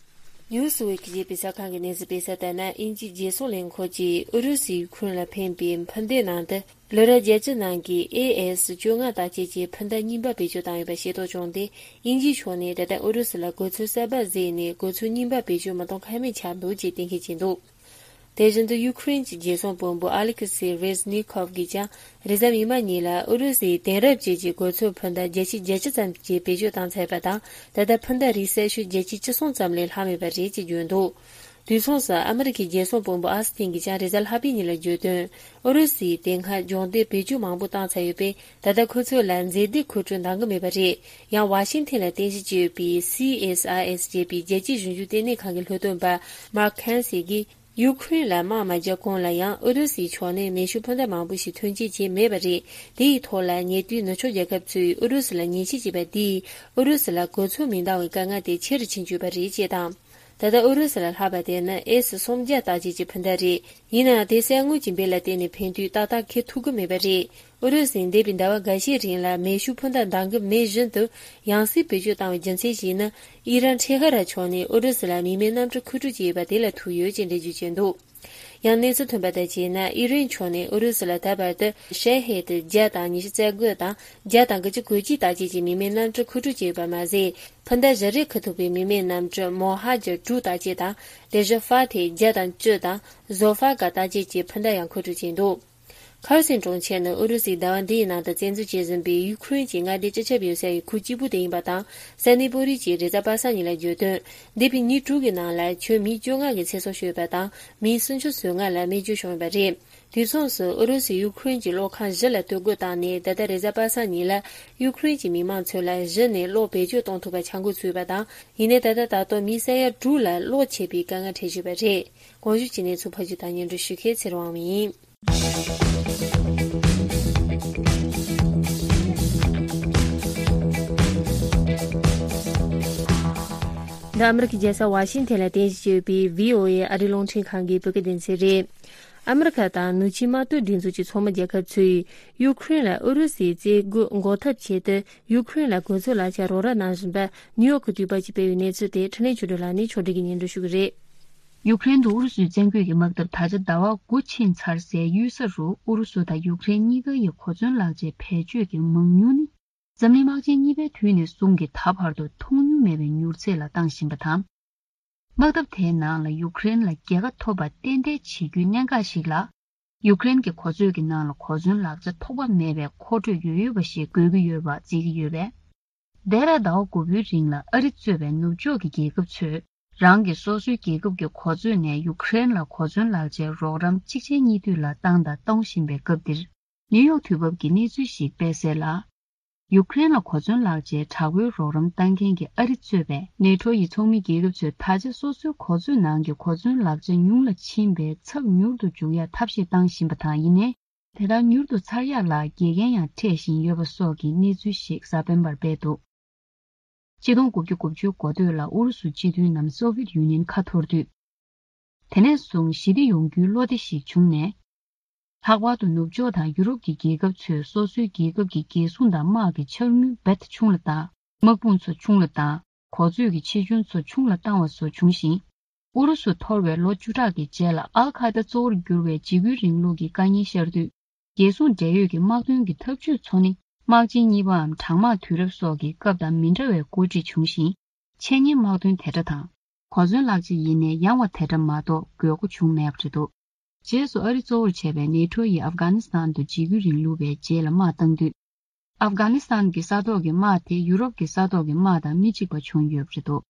ནིའུ་སི་ཝིག་གིས་སྤེལ་བའི་གསར་ཁང་གི་གནས་ཚུལ་སྤེལ་གསལ་ལྟར་ན། དབྱིན་ཇིའི་རྒྱལ་སྲུང་ལས་ཁུངས་ཀྱིས་ཨུ་རུ་སུས་ཡུ་ཁུ་རེན་ལ་འཕེན་པའི་འཕུར་མདེལ་ནང་དུ། ལོ་རབས་བརྒྱད་ཅུ་ནང་གི་ཨེ་ཨེས་བཅོ་ལྔ་དང་བཅས་ཀྱི་འཕུར་མདའ་རྙིང་པ་བེད་སྤྱོད་བཏང་ཡོད་པ་ཤེས་རྟོགས་བྱུང་སྟེ། དབྱིན་ཇིའི་ཕྱོགས་ནས་ད་ལྟ་ཨུ་རུ་སུ་ལ་གོ་མཚོན་གསར་པ་བཟོས་ནས། གོ་མཚོན་རྙིང་པ་བེད་སྤྱོད་མི་གཏང་ཁ་མེད་ཆགས་འདུག་ཅེས་གཏན་འཁེལ་བྱས་འདུག་དེ་བཞིན་དུ། ཡུ་ཁུ་རེན་གྱི་རྒྱལ་སྲུང་དཔོན་པོ་ཨ་ལེ་ཁི་སི་རེ་ཟི་ནི་ཁོབ་ཀྱིས་ཀྱང་། རེས་གཟའ་མིག་དམར་ཉིན་ལ་ཨུ་རུ་སུའི་དེང་རབས་ཅན་གྱི་གོ་མཚོན་འཕུར་མདའ་བརྒྱད་ཅུ་གྱ་གཅིག་ཙམ་ཞིག་བེད་སྤྱོད་བཏང་ཚར་བ་དང་། ད་ལྟ་འཕུར་མདའ་རིགས་གསལ་ཤོས་བརྒྱད་ཅུ་གྱ་གསུམ་ཙམ་ལས་ལྷག་མེད་པ་རེད་ཅེས་བརྗོད་འདུག་དུས་མཚུངས་སུ། ཨ་མི་རི་ཀའི་རྒྱལ་སྲུང་དཔོན་པོ་ཨོ་སི་ཐིན་གྱིས་ཀྱང་རེས་གཟའ་ལྷག་པའི་ཉིན་ལ་བརྗོད་དོན། ཨུ་རུ་སུས་དེ་སྔ་སྦྱོང་སྡེར་བེད་སྤྱོད་མང་པོ་བཏང་ཚར་ཡོད་པས། ད་ལྟ་ཁོ་ཚོ་ལ་མཛེས་སྡུག་མཁོ་སྤྲོད་འདང་གི་མེད་པ་རེད། ཡང་ཝ་ཤིང་ཐན་ལ་རྟེན་གཞི་བྱས་ཡོད་པའི་སི་ཨེས་ཨའི་ཨེས་ཅེས་པའི་རྒྱལ་སྤྱིའི་གཞུང་གཅིག་ལྟེ་གནས་ཁང་གི་ལྷོ་སྟོན་པ་མར་ཁན་སི་གིས། ཡུ་ཁུ་རེན་ལ་དམག་མ་རྒྱག་གོང་ལ་ཡང་། ཨུ་རུ་སུའི་ཕྱོགས་ནས་མེ་ཤུགས་འཕུར་མདའ་མང་པོ་ཞིག་ཐོན་སྐྱེད་བྱས་མེད་པ་རེད། དེ་ཡི་ཐོག་ལ། ཉེ་དུས་ནུབ་ཕྱོགས་རྒྱལ་ཁབ་ཚོས་ཨུ་རུ་སུ་ལ་ཉེས་ཆད་བཅད་པ་འདིས། ཨུ་རུ་སུ་ལ་གོ་མཚོན་མི་འདང་བའི་དཀའ་ངལ་དེ་ཆེ་རུ་ཕྱིན་བཅུག་པ་རེད་ཅེས་དང་། ད་ལྟ་ཨུ་རུ་སུ་ལ་ལྷག་པ་དེ་ནི་ཨེ་སི་སུམ་བརྒྱ་ལྟ་ཅན་གྱི་འཕུར་མདའ་རེད། ཡིན་ནའང་། དེ་གསེར་དངུལ་གྱི་འབེན་ལ་བརྟེན་ནས་འཕེན་དུས་ཏག་ཏག་འཁེལ་ཐུབ་ཀྱི་མེད་པ་རེད། ཨུ་རུ་སུས་འདས་པའི་ཟླ་བ་འགའ་ཤས་རིང་ལ་མེ་ཤུགས་འཕུར་མདའ་འདང་གི་མེད་བཞིན་དུ། ཡང་སེ་བེད་སྤྱོད་བཏང་བའི་རྒྱུ་མཚན་ཞིག་ནི། ཨི་རན་ཁྲེ་ཧ་ར་ཕྱོགས་ནས་ཨུ་རུ་སུ་ལ་མི་མེད་གནམ་གྲུ་མཁོ་སྤྲོད་བྱས་ཡོད་པ་དེ་ལ་ཐུག་ཡོད་ཅེས་འགྲེལ་བརྗོད་བྱས་འདུག་ཡང་གནས་ཚུལ་ཐོན་པ་ལྟར་བྱས་ན། ཨི་རན་ཕྱོགས་ནས་ཨུ་རུ་སུ་ལ་ད་བར་དུ་ཤེ་ཧེད་བརྒྱ་དང་ཉི་ཤུ་རྩ་དགུ་དང་། བརྒྱ་དང་དགུ་བཅུ་གོ་གཅིག་དང་བཅས་ཀྱི་མི་མེད་གནམ་གྲུ་མཁོ་སྤྲོད་བྱས་ཡོད་པ་མ་ཟད། འཕུར་མདའ་བཞི་རེ་འཁུར་ཐུབ་པའི་མི་མེད་གནམ་གྲུ་མོ་ཧ་ཇར་དྲུག་དང་བཅས་དང་། དེ་བཞིན་ཧྥ་ཐེ་བརྒྱ་དང་བཅུ་དང་། ཟོ་ཧྥ་ག་དང་བཅས་ཀྱི་འཕུར་མདའ་ཡང་མཁོ་སྤྲོད་བྱས་འདུག་ཁར་སན་གྲོང་ཁྱེར་ནི་ཨུ་རུ་སུས་ཟླ་བ་འདིའི་ནང་དུ་བཙན་འཛུལ་བྱེད་བཞིན་པའི་ཡུ་ཁུ་རེན་གྱི་མངའ་སྡེ་སྤྱི་ཁྱབ་ཡོད་སའི་ཁུལ་གཅིག་པུ་དེ་ཡིན་པ་དང་། སན་ནི་པོ་རི་གྱིས་རེས་གཟའ་པ་སངས་ཉིན་ལ་བརྗོད་དོན། འདས་པའི་ཉིན་དྲུག་གི་ནང་ལ་ཁྱོན་མི་བཅོ་ལྔ་གི་ཚེ་སྲོག་ཤོར་བ་དང་། མི་སུམ་ཅུ་སོ་ལྔ་ལ་རྨས་སྐྱོན་བྱུང་བ་རེད། དུས་མཚུངས་སུ། ཨུ་རུ་སུས་ཡུ་ཁུ་རེན་གྱི་གློག་ཁང་བཞི་ལ་གཏོར་རྒོལ་བཏང་ནས། ད་ལྟ་རེས་གཟའ་པ་སངས་ཉིན་ལ་ཡུ་ཁུ་རེན་གྱི་མི་མང་ཚོ་ལ་གཞི་ནས་གློག་བེད་སྤྱོད་གཏོང་ཐུབ་པ་བྱ་འགུལ་ཚུད་པ་དང་། ཡིན་ནའི་ད་ལྟ་ད་དུང་མི་ས་ཡ་དྲུག་ལ་གློག་ཆད་པའི་དཀའ་ངལ་འཕྲད་བཞིན་པ་རེད། གོང་ཞུས་ཀྱི་གནས་ཚུལ་ཕབ་སྒྱུར་དང་སྙན་སྒྲོན་ཞུ་མཁན་ཚེ་རིང་དབང་མོ་ཡིན། འདི་ཨ་མི་རི་ཀའི་རྒྱལ་ས་ཝ་ཤིང་ཐན་ལ་རྟེན་གཞི་བྱས་ཡོད་པའི་བྷི་ཨོ་ཨེ་ཨ་རིའི་རླུང་འཕྲིན་ཁང་གི་བོད་སྐད་སྡེ་ཚན་རེད། ཨ་མི་རི་ཁ་དང་ནུབ་ཆིངས་དམག་དོན་སྒྲིག་འཛུགས་ཀྱི་ཚོགས་མི་རྒྱལ་ཁབ་ཚོས་ཡུ་ཁུ་རེན་ལ་ཨུ་རུ་སུའི་རྩིས་དགོས་འགོག་ཐབས་ཆེད་དུ། ཡུ་ཁུ་རེན་ལ་གོ་མཚོན་ལག་ཆ་རོགས་རམ་གནང་བཞིན་པ་ནིའུ་ཡོག་གི་དུས་བབ་ཀྱིས་སྤེལ་བའི་གནས་ཚུལ་དེ། འཕྲིན་ལས་ཆོས་སྒྲོན་ལགས་ནས་ཕྱོགས་སྒྲིག་གིས་སྙན་སྒྲོན་ཞུ་གི་རེད། ཡུ་ཁུ་རེན་དུ་ཨུ་རུ་སུའི་བཙན་རྒོལ་གྱི་དམག་འཐབ་ད་ཆ་ཟླ་བ་དགུ་ཕྱིན་ཚར་སའི་གཡུལ་ས་རུ། ཨུ་རུ་སུ་དང་ཡུ་ཁུ་རེན་གཉིས་ཀ་ཡི་གོ་མཚོན་ལག་ཆའི་བེད་སྤྱོད་ཀྱི་མང་ཉུང་ནི། འཛམ་གླིང་དམག་ཆེན་གཉིས་པའི་དུས་ནས་བཟུང་གི་ད་བར་དུ་མཐོང་མྱོང་མེད་པའི་མྱུར་ཚད་ལ་བཏང་བཞིན་པ་དང་། དམག་འཐབ་དེའི་ནང་ལ་ཡུ་ཁུ་རེན་ལ་རྒྱལ་ཁ་ཐོབ་པ་ཏན་ཏན་བྱེད་རྒྱུའི་གནད་འགག་ཞིག་ལ། ཡུ་ཁུ་རེན་གྱི་གོ་མཚོན་གྱི་ནང་ལ་གོ་མཚོན་ལག་ཆ་ཐོགས་པ་མེད་པའི་མཁོ་སྤྲོད་ཡོད་ཡོད་པ་ཞིག་དགོས་ཀྱི་ཡོད་པ་བརྩི་གི་ཡོད་པས། འདས་པའི་ཟླ་བ་དགུ་པའི་རིང་ལ་ཨ་རི་གཙོས་པའི་ནུབ་ཕྱོགས་ཀྱི་རྒྱལ་ཁབ་ཚོས་རང་གི་སོ་སོའི་རྒྱལ་ཁབ་ཀྱི་གོ་མཚོན་ནས་ཡུ་ཁུ་རེན་ལ་གོ་མཚོན་ལག་ཆའི་རོགས་རམ་གཅིག་རྗེས་གཉིས་མཐུད་ལ་བཏང་དང་གཏོང་བཞིན་པའི་སྐབས་འདིར། ནིའུ་ཡོག་དུས་བབ་ཀྱིས་གནས་ཚུལ་ཞིག་སྤེལ་གསལ་ལ། ཡུ་ཁུ་རེན་ལ་གོ་མཚོན་ལག་ཆའི་དྲག་པོའི་རོགས་རམ་བཏང་མཁན་གྱི་ཨ་རི་གཙོས་པའི་ནེ་ཊོ་ཡི་ཚོགས་མི་རྒྱལ་ཁབ་ཚོས་ད་ཆ་སོ་སོའི་གོ་མཚོན་ནང་གི་གོ་མཚོན་ལག་ཆ་ཉུང་ལ་ཕྱིན་པའི་ཚབས་མྱུར་དུ་འཇུག་ཡག་ཐབས་ཤེས་བཏང་བཞིན་པ་དང་། ཡིན་ནའི། དེ་ལྟར་མྱུར་དུ་ཚར་ཡག་ལ་འགལ་རྐྱེན་ཡང་འཕྲད་བཞིན་ཡོད་པ་སོགས་ཀྱི་གནས་ཚུལ་ཞིག་གཟའ་སྤེན་པར་སྤེལ་འདུག་ཆིག་སྟོང་དགུ་བརྒྱ་དགུ་བཅུའི་འགོ་སྟོད་ལ་ཨུ་རུ་སུ་སྤྱི་མཐུན་ནམ་སོ་ཝིད་ཡུ་ནི་ཡན་ཁ་འཐོར་དུས། དེ་ནས་བཟུང་ཞི་བདེ་ཡོང་རྒྱུའི་བློ་བདེ་ཞིག་བྱུང་ནས། ལྷག་པར་དུ་ནུབ་ཕྱོགས་དང་ཡུ་རོབ་ཀྱི་རྒྱལ་ཁབ་ཚོས་སོ་སོའི་རྒྱལ་ཁབ་ཀྱི་རྒྱལ་སྲུང་དང་དམག་གི་འཆར་དངུལ་རྦད་དེ་ཆུང་ལ་བཏང་། དམག་དཔུང་ཚོ་ཆུང་ལ་བཏང་། གོ་མཛོད་ཀྱི་ཆེ་ཆུང་ཚོ་ཆུང་ལ་བཏང་བ་སོགས་བྱུང་ཞིང་། ཨུ་རུ་སུ་འཐོར་བའི་ལོ་བཅུ་ཕྲག་གི་རྗེས་ལ་ཨལ་ཁ་ད་གཙོ་བོར་གྱུར་བའི་འཇིགས་སྐུལ་རིང་ལུགས་ཀྱི་དཀའ་ངལ་ཤར་དུས། རྒྱལ་སྲུང་འབྲེལ་ཡོད་ཀྱི་དམག་དོན་གྱི་ཐབས་ཇུས་ཚོ་ནི་དམག་ཆེན་གཉིས་པའམ་གྲང་དམག་དུས་རབས་སོགས་ཀྱི་སྐབས་དང་མི་འདྲ་བའི་བཀོད་སྒྲིག་བྱུང་ཞིང་། འཆད་ཉན་དམག་དོན་དེ་འདྲ་དང་། གོ་མཚོན་ལག་ཆ་ཡིན་ནའི་ཡང་བ་དེ་འདྲ་མ་གཏོགས་དགོས་མཁོ་བྱུང་མེད་པ་རེད་འདུག་རྗེས་སུ་ཨ་རི་གཙོ་བོར་བྱས་པའི་ནེ་ཊོ་ཡིས་ཨབ་གྷ་ནི་སི་ཐན་དུ་འཇིགས་སྐུལ་རིང་ལུགས་པའི་རྗེས་ལ་དམག་བཏང་དུས། ཨབ་གྷ་ནི་སི་ཐན་གྱི་ས་ཐོག་གི་དམག་དེ་ཡུ་རོབ་ཀྱི་ས་ཐོག་གི་དམག་དང་མི་གཅིག་པ་བྱུང་ཡོད་པ་རེད་འདུག་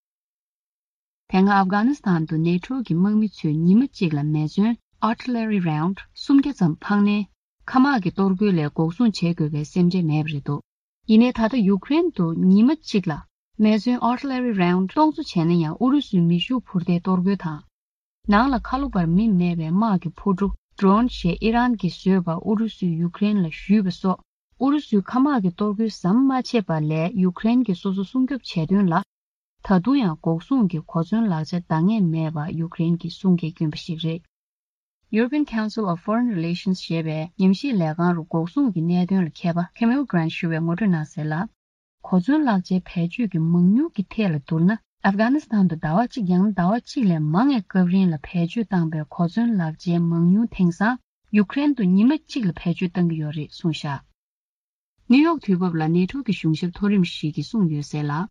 དེ་སྔ་ཨབ་གྷ་ནི་སི་ཐན་དུ་ནེ་ཊོ་གི་དམག་མི་ཚོས་ཉི་མ་གཅིག་ལ་མེ་མཚོན་artillery round་སུམ་བརྒྱ་ཙམ་འཕངས་ནས། མཁའ་དམག་གི་གཏོར་རྒོལ་ལས་འགོག་སྲུང་བྱེད་དགོས་པའི་སེམས་ཁྲལ་མེད་པ་རེད་འདུག་ཡིན་ནའི་ད་ལྟ་ཡུ་ཀེ་རེན་དུ་ཉི་མ་གཅིག་ལ་མེ་མཚོན་artillery round་སྟོང་ཚོ་བྱས་ན་ཡང་ཨུ་རུ་སུའི་མེ་ཤུགས་འཕུར་མདའི་གཏོར་རྒོལ་དང་། ནང་ལ་ཁ་ལོ་བར་མི་མེད་པའི་དམག་གི་འཕུར་གྲུ་drone་ཞེས་ཨི་རན་གྱིས་བཟོས་པ་ཨུ་རུ་སུས་ཡུ་ཀེ་རེན་ལ་གཞུས་པ་སོགས་ ཨུ་རུ་སུའི་མཁའ་དམག་གི་གཏོར་རྒོལ་ཟམ་མ་ཆད་པ་ལས་ཡུཀ་རེན་གྱིས་སོ་སོ་སྲུང་སྐྱོབ་བྱས་དོན་ལ། ད་དུང་ཡང་འགོག་སྲུང་གི་གོ་མཚོན་ལག་ཆ་འདང་ངེས་མེད་པ་ཡུཀ་རེན་གྱིས་གསུང་སྐད་བསྐྱོན་པ་ཞིག་རེད། European Council of Foreign Relations ཞེས་པའི་ཉམས་ཞིབ་ལས་ཁང་རུ་འགོག་སྲུང་གི་གནད་དོན་ལ་མཁས་པ་Camille Grant ཞུ་བས་ངོ་སྤྲོད་གནང་གསལ་ལ། གོ་མཚོན་ལག་ཆའི་བེད་སྤྱོད་ཀྱི་མང་ཉུང་གི་ཐད་ལ་བསྡུར་ན། ཨབ་གྷ་ནི་སི་ཐན་དུ་ཟླ་བ་གཅིག་ཡང་ན་ཟླ་བ་གཅིག་ལས་མང་བའི་སྐབས་རིང་ལ་བེད་སྤྱོད་བཏང་པའི་གོ་མཚོན་ལག་ཆའི་མང་ཉུང་དེང་སང་ཡུཀ་རེན་དུ་ཉི་མ་གཅིག་ལ་བེད་སྤྱོད་བཏང་གི་ཡོད་རེད་གསུངས་བཞག་ནིའུ་ཡོག་དུས་བབ་ལ་ནེ་ཊོ་གི་གཞུང་ཞབས་མཐོ་རིམ་ཞིག་གིས་གསུངས་ཡོད་གསལ་ལ།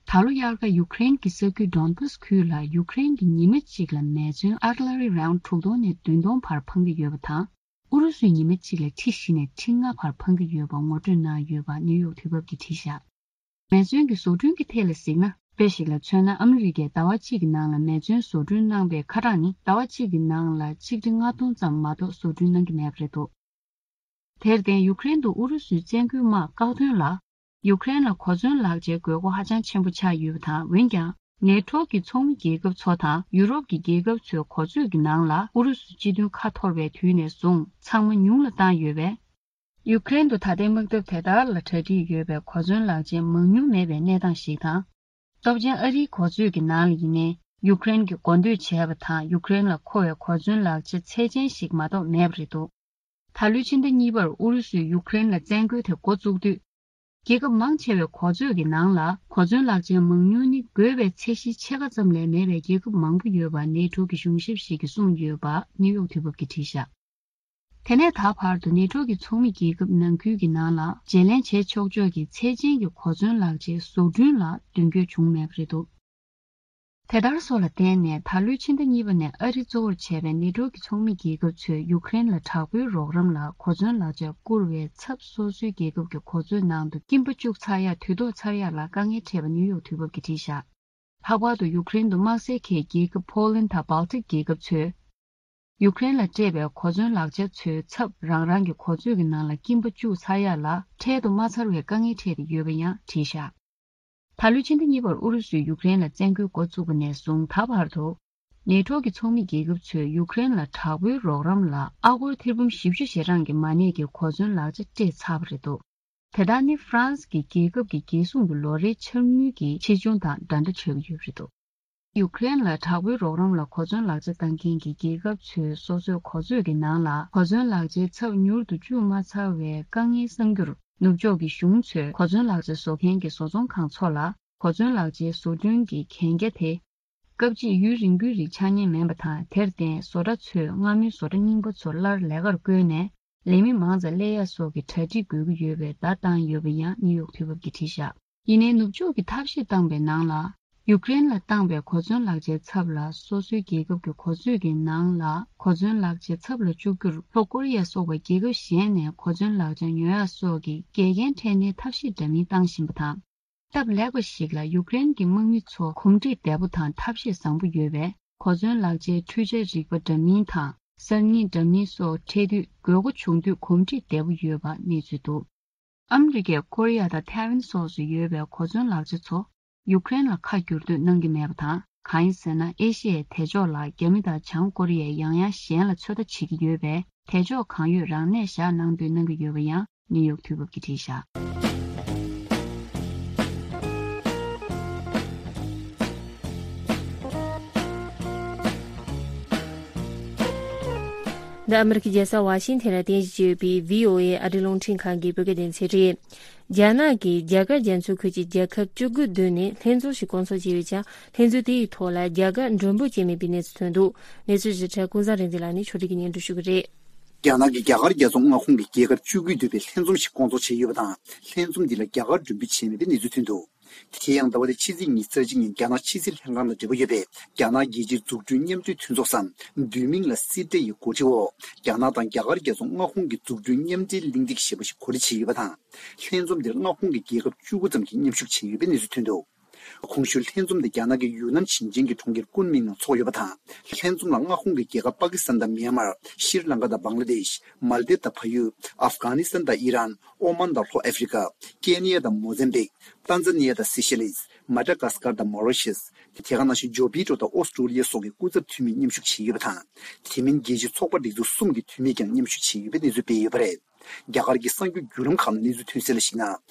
ད་ལོ་དབྱར་ཁ་ཡུཀ་རེན་གྱི་ས་ཁུལ་ཌོན་བྷ་སི་ཁུལ་ལ་ཡུཀ་རེན་གྱིས་ཉི་མ་གཅིག་ལ་མེ་མཚོན་ཨར་ཊི་ལ་རི་རའུན་ཌི་དྲུག་སྟོང་ནས་བདུན་སྟོང་བར་འཕང་གི་ཡོད་པ་དང་། ཨུ་རུ་སུས་ཉི་མ་གཅིག་ལ་ཁྲི་བཞི་ནས་ཁྲི་ལྔ་བར་འཕང་གི་ཡོད་པ་ངོ་སྤྲོད་གནང་ཡོད་པ་ནིའུ་ཡོག་དུས་བབ་ཀྱིས་བྲིས་བཞག་མེ་མཚོན་གྱི་བཟོ་སྐྲུན་གྱི་ཐད་ལ་གཟིགས་ན། དཔེ་ཞིག་ལ་མཚོན་ན། ཨ་མི་རི་ཀས་ཟླ་བ་གཅིག་གི་ནང་ལ་མེ་མཚོན་བཟོ་སྐྲུན་གནང་པའི་ཁ་གྲངས་ནི་ཟླ་བ་གཅིག་གི་ནང་ལ་ཆིག་ཁྲི་ལྔ་སྟོང་ཙམ་མ་གཏོགས་བཟོ་སྐྲུན་གནང་གི་མེད་པ་རེད་འདུག་དེར་བརྟེན། ཡུཀ་རེན་དུ་ཨུ་རུ་སུའི་བཙན་རྒོལ་དམག་བཀག་དོན་ལ། ཡུཀ་རེན་ལ་གོ་མཚོན་ལག་ཆའི་དགོས་མཁོ་ཧ་ཅང་ཆེན་པོ་ཆགས་ཡོད་པ་དང་། འོན་ཀྱང་། ནེ་ཊོ་གི་ཚོགས་མི་རྒྱལ་ཁབ་ཚོ་དང་ཡུ་རོབ་ཀྱི་རྒྱལ་ཁབ་ཚོའི་གོ་མཛོད་ཀྱི་ནང་ལ་ཨུ་རུ་སུ་སྤྱི་མཐུན་ཁ་འཐོར་བའི་དུས་ནས་བཟུང་ཚང་མ་ཉུང་ལ་བཏང་ཡོད་པས། ཡུཀ་རེན་དུ་ད་ལྟའི་དམག་འཐབ་དེ་ལྟར་ལ་གྲ་སྒྲིག་ཡོད་པའི་གོ་མཚོན་ལག་ཆའི་མང་ཉུང་མེད་པའི་གནས་སྟངས་ཤིག་དང་། སྟོབས་ཆེན་ཨ་རིའི་གོ་མཛོད་ཀྱི་ནང་ལ་ཡིན་ནའི་ཡུཀ་རེན་གྱིས་མགོ་འདོད་བྱས་པ་དང་ཡུཀ་རེན་ལ་མཁོ་བའི་གོ་མཚོན་ལག་ཆ་ཚད་ཅན་ཞིག་མ་གཏོགས་མེད་པ་རེད་འདུག་ད་ལོའི་ཕྱི་ཟླ་གཉིས་པར་ཨུ་རུ་སུས་ཡུཀ་རེན་ལ་བཙན་རྒོལ་དེ་འགོ་བཙུགས་དུས། རྒྱལ་ཁབ་མང་ཆེ་བའི་གོ་མཛོད་ཀྱི་ནང་ལ་གོ་མཚོན་ལག་ཆའི་མང་ཉུང་ནི་དགོས་པའི་ཚད་གཞིའི་ཕྱེད་ཀ་ཙམ་ལས་མེད་པའི་རྒྱལ་ཁབ་མང་པོ་ཡོད་པ་ནེ་ཊོ་གི་གཞུང་ཞབས་ཤིག་གིས་གསུངས་ཡོད་པ་ནིའུ་ཡོག་དུས་བབ་ཀྱིས་བྲིས་བཞག་དེ་ནས་ད་བར་དུ་ནེ་ཊོ་གི་ཚོགས་མི་རྒྱལ་ཁབ་ནང་ཁུལ་གྱི་ནང་ལ་བརྗེ་ལེན་བྱེད་ཆོག་ཆོག་གི་ཚད་ཅན་གྱི་གོ་མཚོན་ལག་ཆའི་བཟོ་སྐྲུན་ལ་མདུན་སྐྱོད་བྱུང་མེད་པ་རེད་འདུག་དེ་ལྟར་སོགས་ལ་བརྟེན་ནས་ད་ལོའི་ཕྱི་ཟླ་གཉིས་པ་ནས་ཨ་རི་གཙོ་བོར་བྱས་པའི་ནེ་ཊོ་གི་ཚོགས་མི་རྒྱལ་ཁབ་ཚོས་ཡུཀ་རེན་ལ་དྲག་པོའི་རོགས་རམ་ལ་གོ་མཚོན་ལག་ཆ་བསྐུར་བའི་ཚབ་སོ་སོའི་རྒྱལ་ཁབ་ཀྱི་གོ་མཛོད་ནང་དུ་སྐྱིན་པ་བཅུག་ཚར་ཡག་དུས་ཐོག་ཚར་ཡག་ལ་དཀའ་ངལ་འཕྲད་པ་ནིའུ་ཡོག་དུས་བབ་ཀྱིས་བྲིས་བཞག་ལྷག་པར་དུ་ཡུཀ་རེན་དུ་དམག་སའི་ཁའི་རྒྱལ་ཁབ་ཕོ་ལན་དང་སྦལ་ཏིག་རྒྱལ་ཁབ་ཚོས། ཡུཀ་རེན་ལ་སྤྲད་པའི་གོ་མཚོན་ལག་ཆ་ཚོའི་ཚབ་རང་རང་གི་གོ་མཛོད་ཀྱི་ནང་ལ་སྐྱིན་པ་བཅུག་ཚར་ཡག་ལ་འཕྲལ་དུ་མ་ཚར་བའི་དཀའ་ངལ་འཕྲད་དེ་ཡོད་པ་ཡང་བྲིས་བཞག་ད་ལོའི་ཕྱི་ཟླ་གཉིས་པར་ཨུ་རུ་སུས་ཡུཀ་རེན་ལ་བཙན་རྒོལ་འགོ་བཙུགས་པ་ནས་བཟུང་ད་བར་དུ། ནེ་ཊོ་གི་ཚོགས་མི་རྒྱལ་ཁབ་ཚོས་ཡུཀ་རེན་ལ་དྲག་པོའི་རོགས་རམ་ལ་ཨ་སྒོར་ཐེར་འབུམ་བཞི་བཅུ་ཞེ་གྲངས་ཀྱི་མ་གནས་ཀྱི་གོ་མཚོན་ལག་ཆ་སྤྲད་ཚར་བ་རེད་འདུག་དེ་དག་ནི་ཧྥ་རན་སི་གི་རྒྱལ་ཁབ་ཀྱི་རྒྱལ་སྲུང་གི་ལོ་རེའི་འཆར་དངུལ་གྱི་ཆེ་ཆུང་དང་འདྲ་འདྲ་ཆགས་ཀྱི་ཡོད་པ་རེད་འདུག་ཡུཀ་རེན་ལ་དྲག་པོའི་རོགས་རམ་ལ་གོ་མཚོན་ལག་ཆ་བཏང་མཁན་གྱི་རྒྱལ་ཁབ་ཚོས་སོ་སོའི་གོ་མཛོད་ཀྱི་ནང་ལ་གོ་མཚོན་ལག་ཆའི་ཚབ་མྱུར་དུ་བཅུག་མ་ཚར་བའི་དཀའ་ངལ་སེལ་རྒྱུར། ནུབ་ཕྱོགས་ཀྱི་གཞུང་ཚོས་གོ་མཚོན་ལག་ཆ་བཟོ་མཁན་གྱི་བཟོ་ཚོང་ཁང་ཚོ་ལ་གོ་མཚོན་ལག་ཆའི་བཟོ་སྐྲུན་གྱི་གན་རྒྱ་དེ། སྐབས་གཅིག་ཡུན་རིང་པོའི་རིང་ཆགས་ཉེན་མིན་པ་དང་། དེར་བརྟེན་བཟོ་གྲྭ་ཚོས་སྔ་མོའི་བཟོ་གྲྭ་རྙིང་པ་ཚོ་སླར་ལས་ཀར་བསྐོས་ནས་ལས་མི་མང་ཙམ་སླེབས་ཡག་སོགས་ཀྱི་གྲ་སྒྲིག་དགོས་ཀྱི་ཡོད་པའི་བརྡ་བཏང་ཡོད་པ་ཡང་ནིའུ་ཡོག་དུས་བབ་ཀྱིས་བྲིས་བཞག་ཡིན་ནའི་ནུབ་ཕྱོགས་ཀྱིས་ཐབས་ཤེས་བཏང་པའི་ནང་ལ། ཡུཀ་རེན་ལ་བཏང་པའི་གོ་མཚོན་ལག་ཆའི་ཚབ་ལ་སོ་སོའི་རྒྱལ་ཁབ་ཀྱི་གོ་མཛོད་ཀྱི་ནང་ལ་གོ་མཚོན་ལག་ཆའི་ཚབ་ལ་བཅུག་རྒྱུར་ལྷོ་ཀོ་རི་ཡ་སོགས་པ་རྒྱལ་ཁབ་གཞན་ནས་གོ་མཚོན་ལག་ཆ་ཉོ་ཡག་སོགས་ཀྱི་འགལ་རྐྱེན་འཕྲད་ནས་ཐབས་ཤེས་འདྲ་མིན་བཏང་བཞིན་པ་དང་། སྟབས་ལེགས་པ་ཞིག་ལ་ཡུཀ་རེན་གྱི་དམག་མི་ཚོ་གོམས་འདྲིས་བདེ་པོ་དང་ཐབས་ཤེས་བཟང་པོ་ཡོད་པས། གོ་མཚོན་ལག་ཆའི་འཕྲུལ་ཆས་རིག་པ་འདྲ་མིན་དང་གསར་རྙིང་འདྲ་མིན་སོགས་འཕྲད་དུས་དགོས་མཁོ་བྱུང་དུས་གོམས་འདྲིས་བདེ་པོ་ཡོད་པ་གནས་ཚུལ་འདུག་ཨ་མི་རི་ཀས་ཀོ་རི་ཡ་དང་ཐའེ་ཝན་སོགས་སུ་ཡོད་པའི་གོ་མཚོན་ལག་ཆ་ཚོ་ཡུཀ་རེན་ལ་ཁ་བསྒྱུར་གཏོད་གནང་གི་མེད་པ་དང་། གང་ཡིན་ཟེར་ན། ཨེ་ཤི་ཡའི་དེ་ཕྱོགས་ལ་རྒྱ་མི་དང་བྱང་ཀོ་རི་ཡས་ཡང་ཡང་གཞན་ལ་ཚོད་ལྟ་བྱེད་ཀྱི་ཡོད་པས། དེ་ཕྱོགས་གང་ཡོད་རང་གནས་བཞག་གནང་འདོད་གནང་གི་ཡོད་པ་ཡང་ནིའུ་ཡོག་དུས་བབ་ཀྱིས་བྲིས་བཞག་འདི་ཨ་མི་རི་ཀའི་རྒྱལ་ས་ཝ་ཤིང་ཐན་ལ་རྟེན་གཞི་བྱས་ཡོད་པའི་བྷི་ཨོ་ཨེ་ཨ་རིའི་རླུང་འཕྲིན་ཁང་གི་བོད་སྐད་སྡེ་ཚན་རེད། རྒྱ་ནག་གིས་རྒྱ་གར་རྒྱ་མཚོའི་ཁུལ་གྱི་རྒྱལ་ཁབ་བཅུ་དགུ་བསྡུས་ནས་ལྷན་འཛོམས་ཤིག་བསྐོང་ཚོགས་བྱས་ཡོད་ཀྱང་། ལྷན་འཛོམས་དེ་ཡི་ཐོག་ལ་རྒྱ་གར་མགྲོན་འབོད་བྱས་མེད་པའི་གནས་ཚུལ་ཐོན་འདུག་གནས་ཚུལ་ཞིབ་ཕྲ་ཀུན་བཟང་རིག་འཛིན་ལགས་ནས་ཕྱོགས་སྒྲིག་གིས་སྙན་སྒྲོན་ཞུ་གི་རེད། རྒྱ་ནག་གིས་རྒྱ་གར་རྒྱ་མཚོ་མངའ་ཁོངས་ཀྱི་རྒྱལ་ཁབ་བཅུ་དགུ་བསྡུས་པའི་ལྷན་འཛོམས་ཤིག་བསྐོང་ཚོགས་བྱས་ཡོད་པ་དང་། ལྷན་འཛོམས་འདི་ལ་རྒྱ་གར་མགྲོན་འབོད་བྱས་མེད་པའི་གནས་ཚུལ་ཐོན་འདུག་དེ་ཡང་ཟླ་བ་འདིའི་ཕྱི་ཚེས་ཉི་ཤུ་རྩ་གཅིག་ཉིན་རྒྱ་ནག་ཕྱི་སྲིད་ལྷན་ཁང་དང་འབྲེལ་བ་ཡོད་པའི་རྒྱ་ནག་རྒྱལ་སྤྱིའི་འཛུགས་སྐྲུན་མཉམ་འབྲེལ་མཐུན་ཚོགས་སམ། བསྡུས་མིང་ལ་སི་ཏྲེ་ཡི་འགོ་ཁྲིད་འོག་རྒྱ་ནག་དང་རྒྱ་གར་རྒྱ་མཚོ་མངའ་ཁོངས་ཀྱི་འཛུགས་སྐྲུན་མཉམ་འབྲེལ་གླེང་སྟེགས་ཞེས་པ་ཞིག་གོ་སྒྲིག་བྱས་ཡོད་པ་དང་། ལྷན་འཛོམས་འདིར་མངའ་ཁོངས་ཀྱི་རྒྱལ་ཁབ་བཅུ་དགུ་ཙམ་གྱིས་མཉམ་ཞུགས་བྱས་ཡོད་པའི་གནས་ཚུལ་ཐོན་འདུག་གོང་ཞུས་ལྷན་འཛོམས་དེ་རྒྱ་ནག་གི་ཡུན་ནན་ཞིང་ཆེན་གྱི་གྲོང་ཁྱེར་ཀུན་མིང་ནང་འཚོགས་ཡོད་པ་དང་། ལྷན་འཛོམས་ལ་མངའ་ཁོངས་ཀྱི་རྒྱལ་ཁབ་པ་ཀི་སི་ཐན་དང་མིའན་མར། ཤྲི་ལང་ཀ་དང་བང་ལ་དེཤ། མལ་དིབ་དང་ཕ་ཡུལ། ཨབ་གྷ་ནི་སི་ཐན་དང་ཨི་རན། ཨོ་མན་དང་ལྷོ་ཨ་ཧྥེ་རི་ཀ། ཀེ་ནི་ཡ་དང་མོ་ཟེམ་བིག། ཏན་ཛ་ནི་ཡ་དང་སི་ཤེ་ལིས། མ་ཌ་གྷ་སི་ཀར་དང་མོ་རི་ཤེས། དེ་ག་ནང་བཞིན་ཇོ་པི་ཏྲོ་དང་ཨོ་སི་ཀྲོ་ལི་ཡ་སོགས་ཀྱི་སྐུ་ཚབ་འཐུས་མིས་མཉམ་ཞུགས་བྱས་ཡོད་པ་དང་། དེ་མིན་རྒྱལ་སྤྱིའི་ཚོགས་པ་སྒྲིག་འཛུགས་གསུམ་གྱི་འཐུས་མིས་ཀྱང་མཉམ་ཞུགས་བྱས་ཡོད་པའི་གནས་ཚུལ་སྤེལ་ཡོད་པ་རེད། རྒྱ་གར་གྱི་གསར་འགྱུར་བརྒྱུད་ལམ་ཁག་ནས་གནས་ཚུལ་ཐོན་གསལ་ལ་གཞིགས་ན།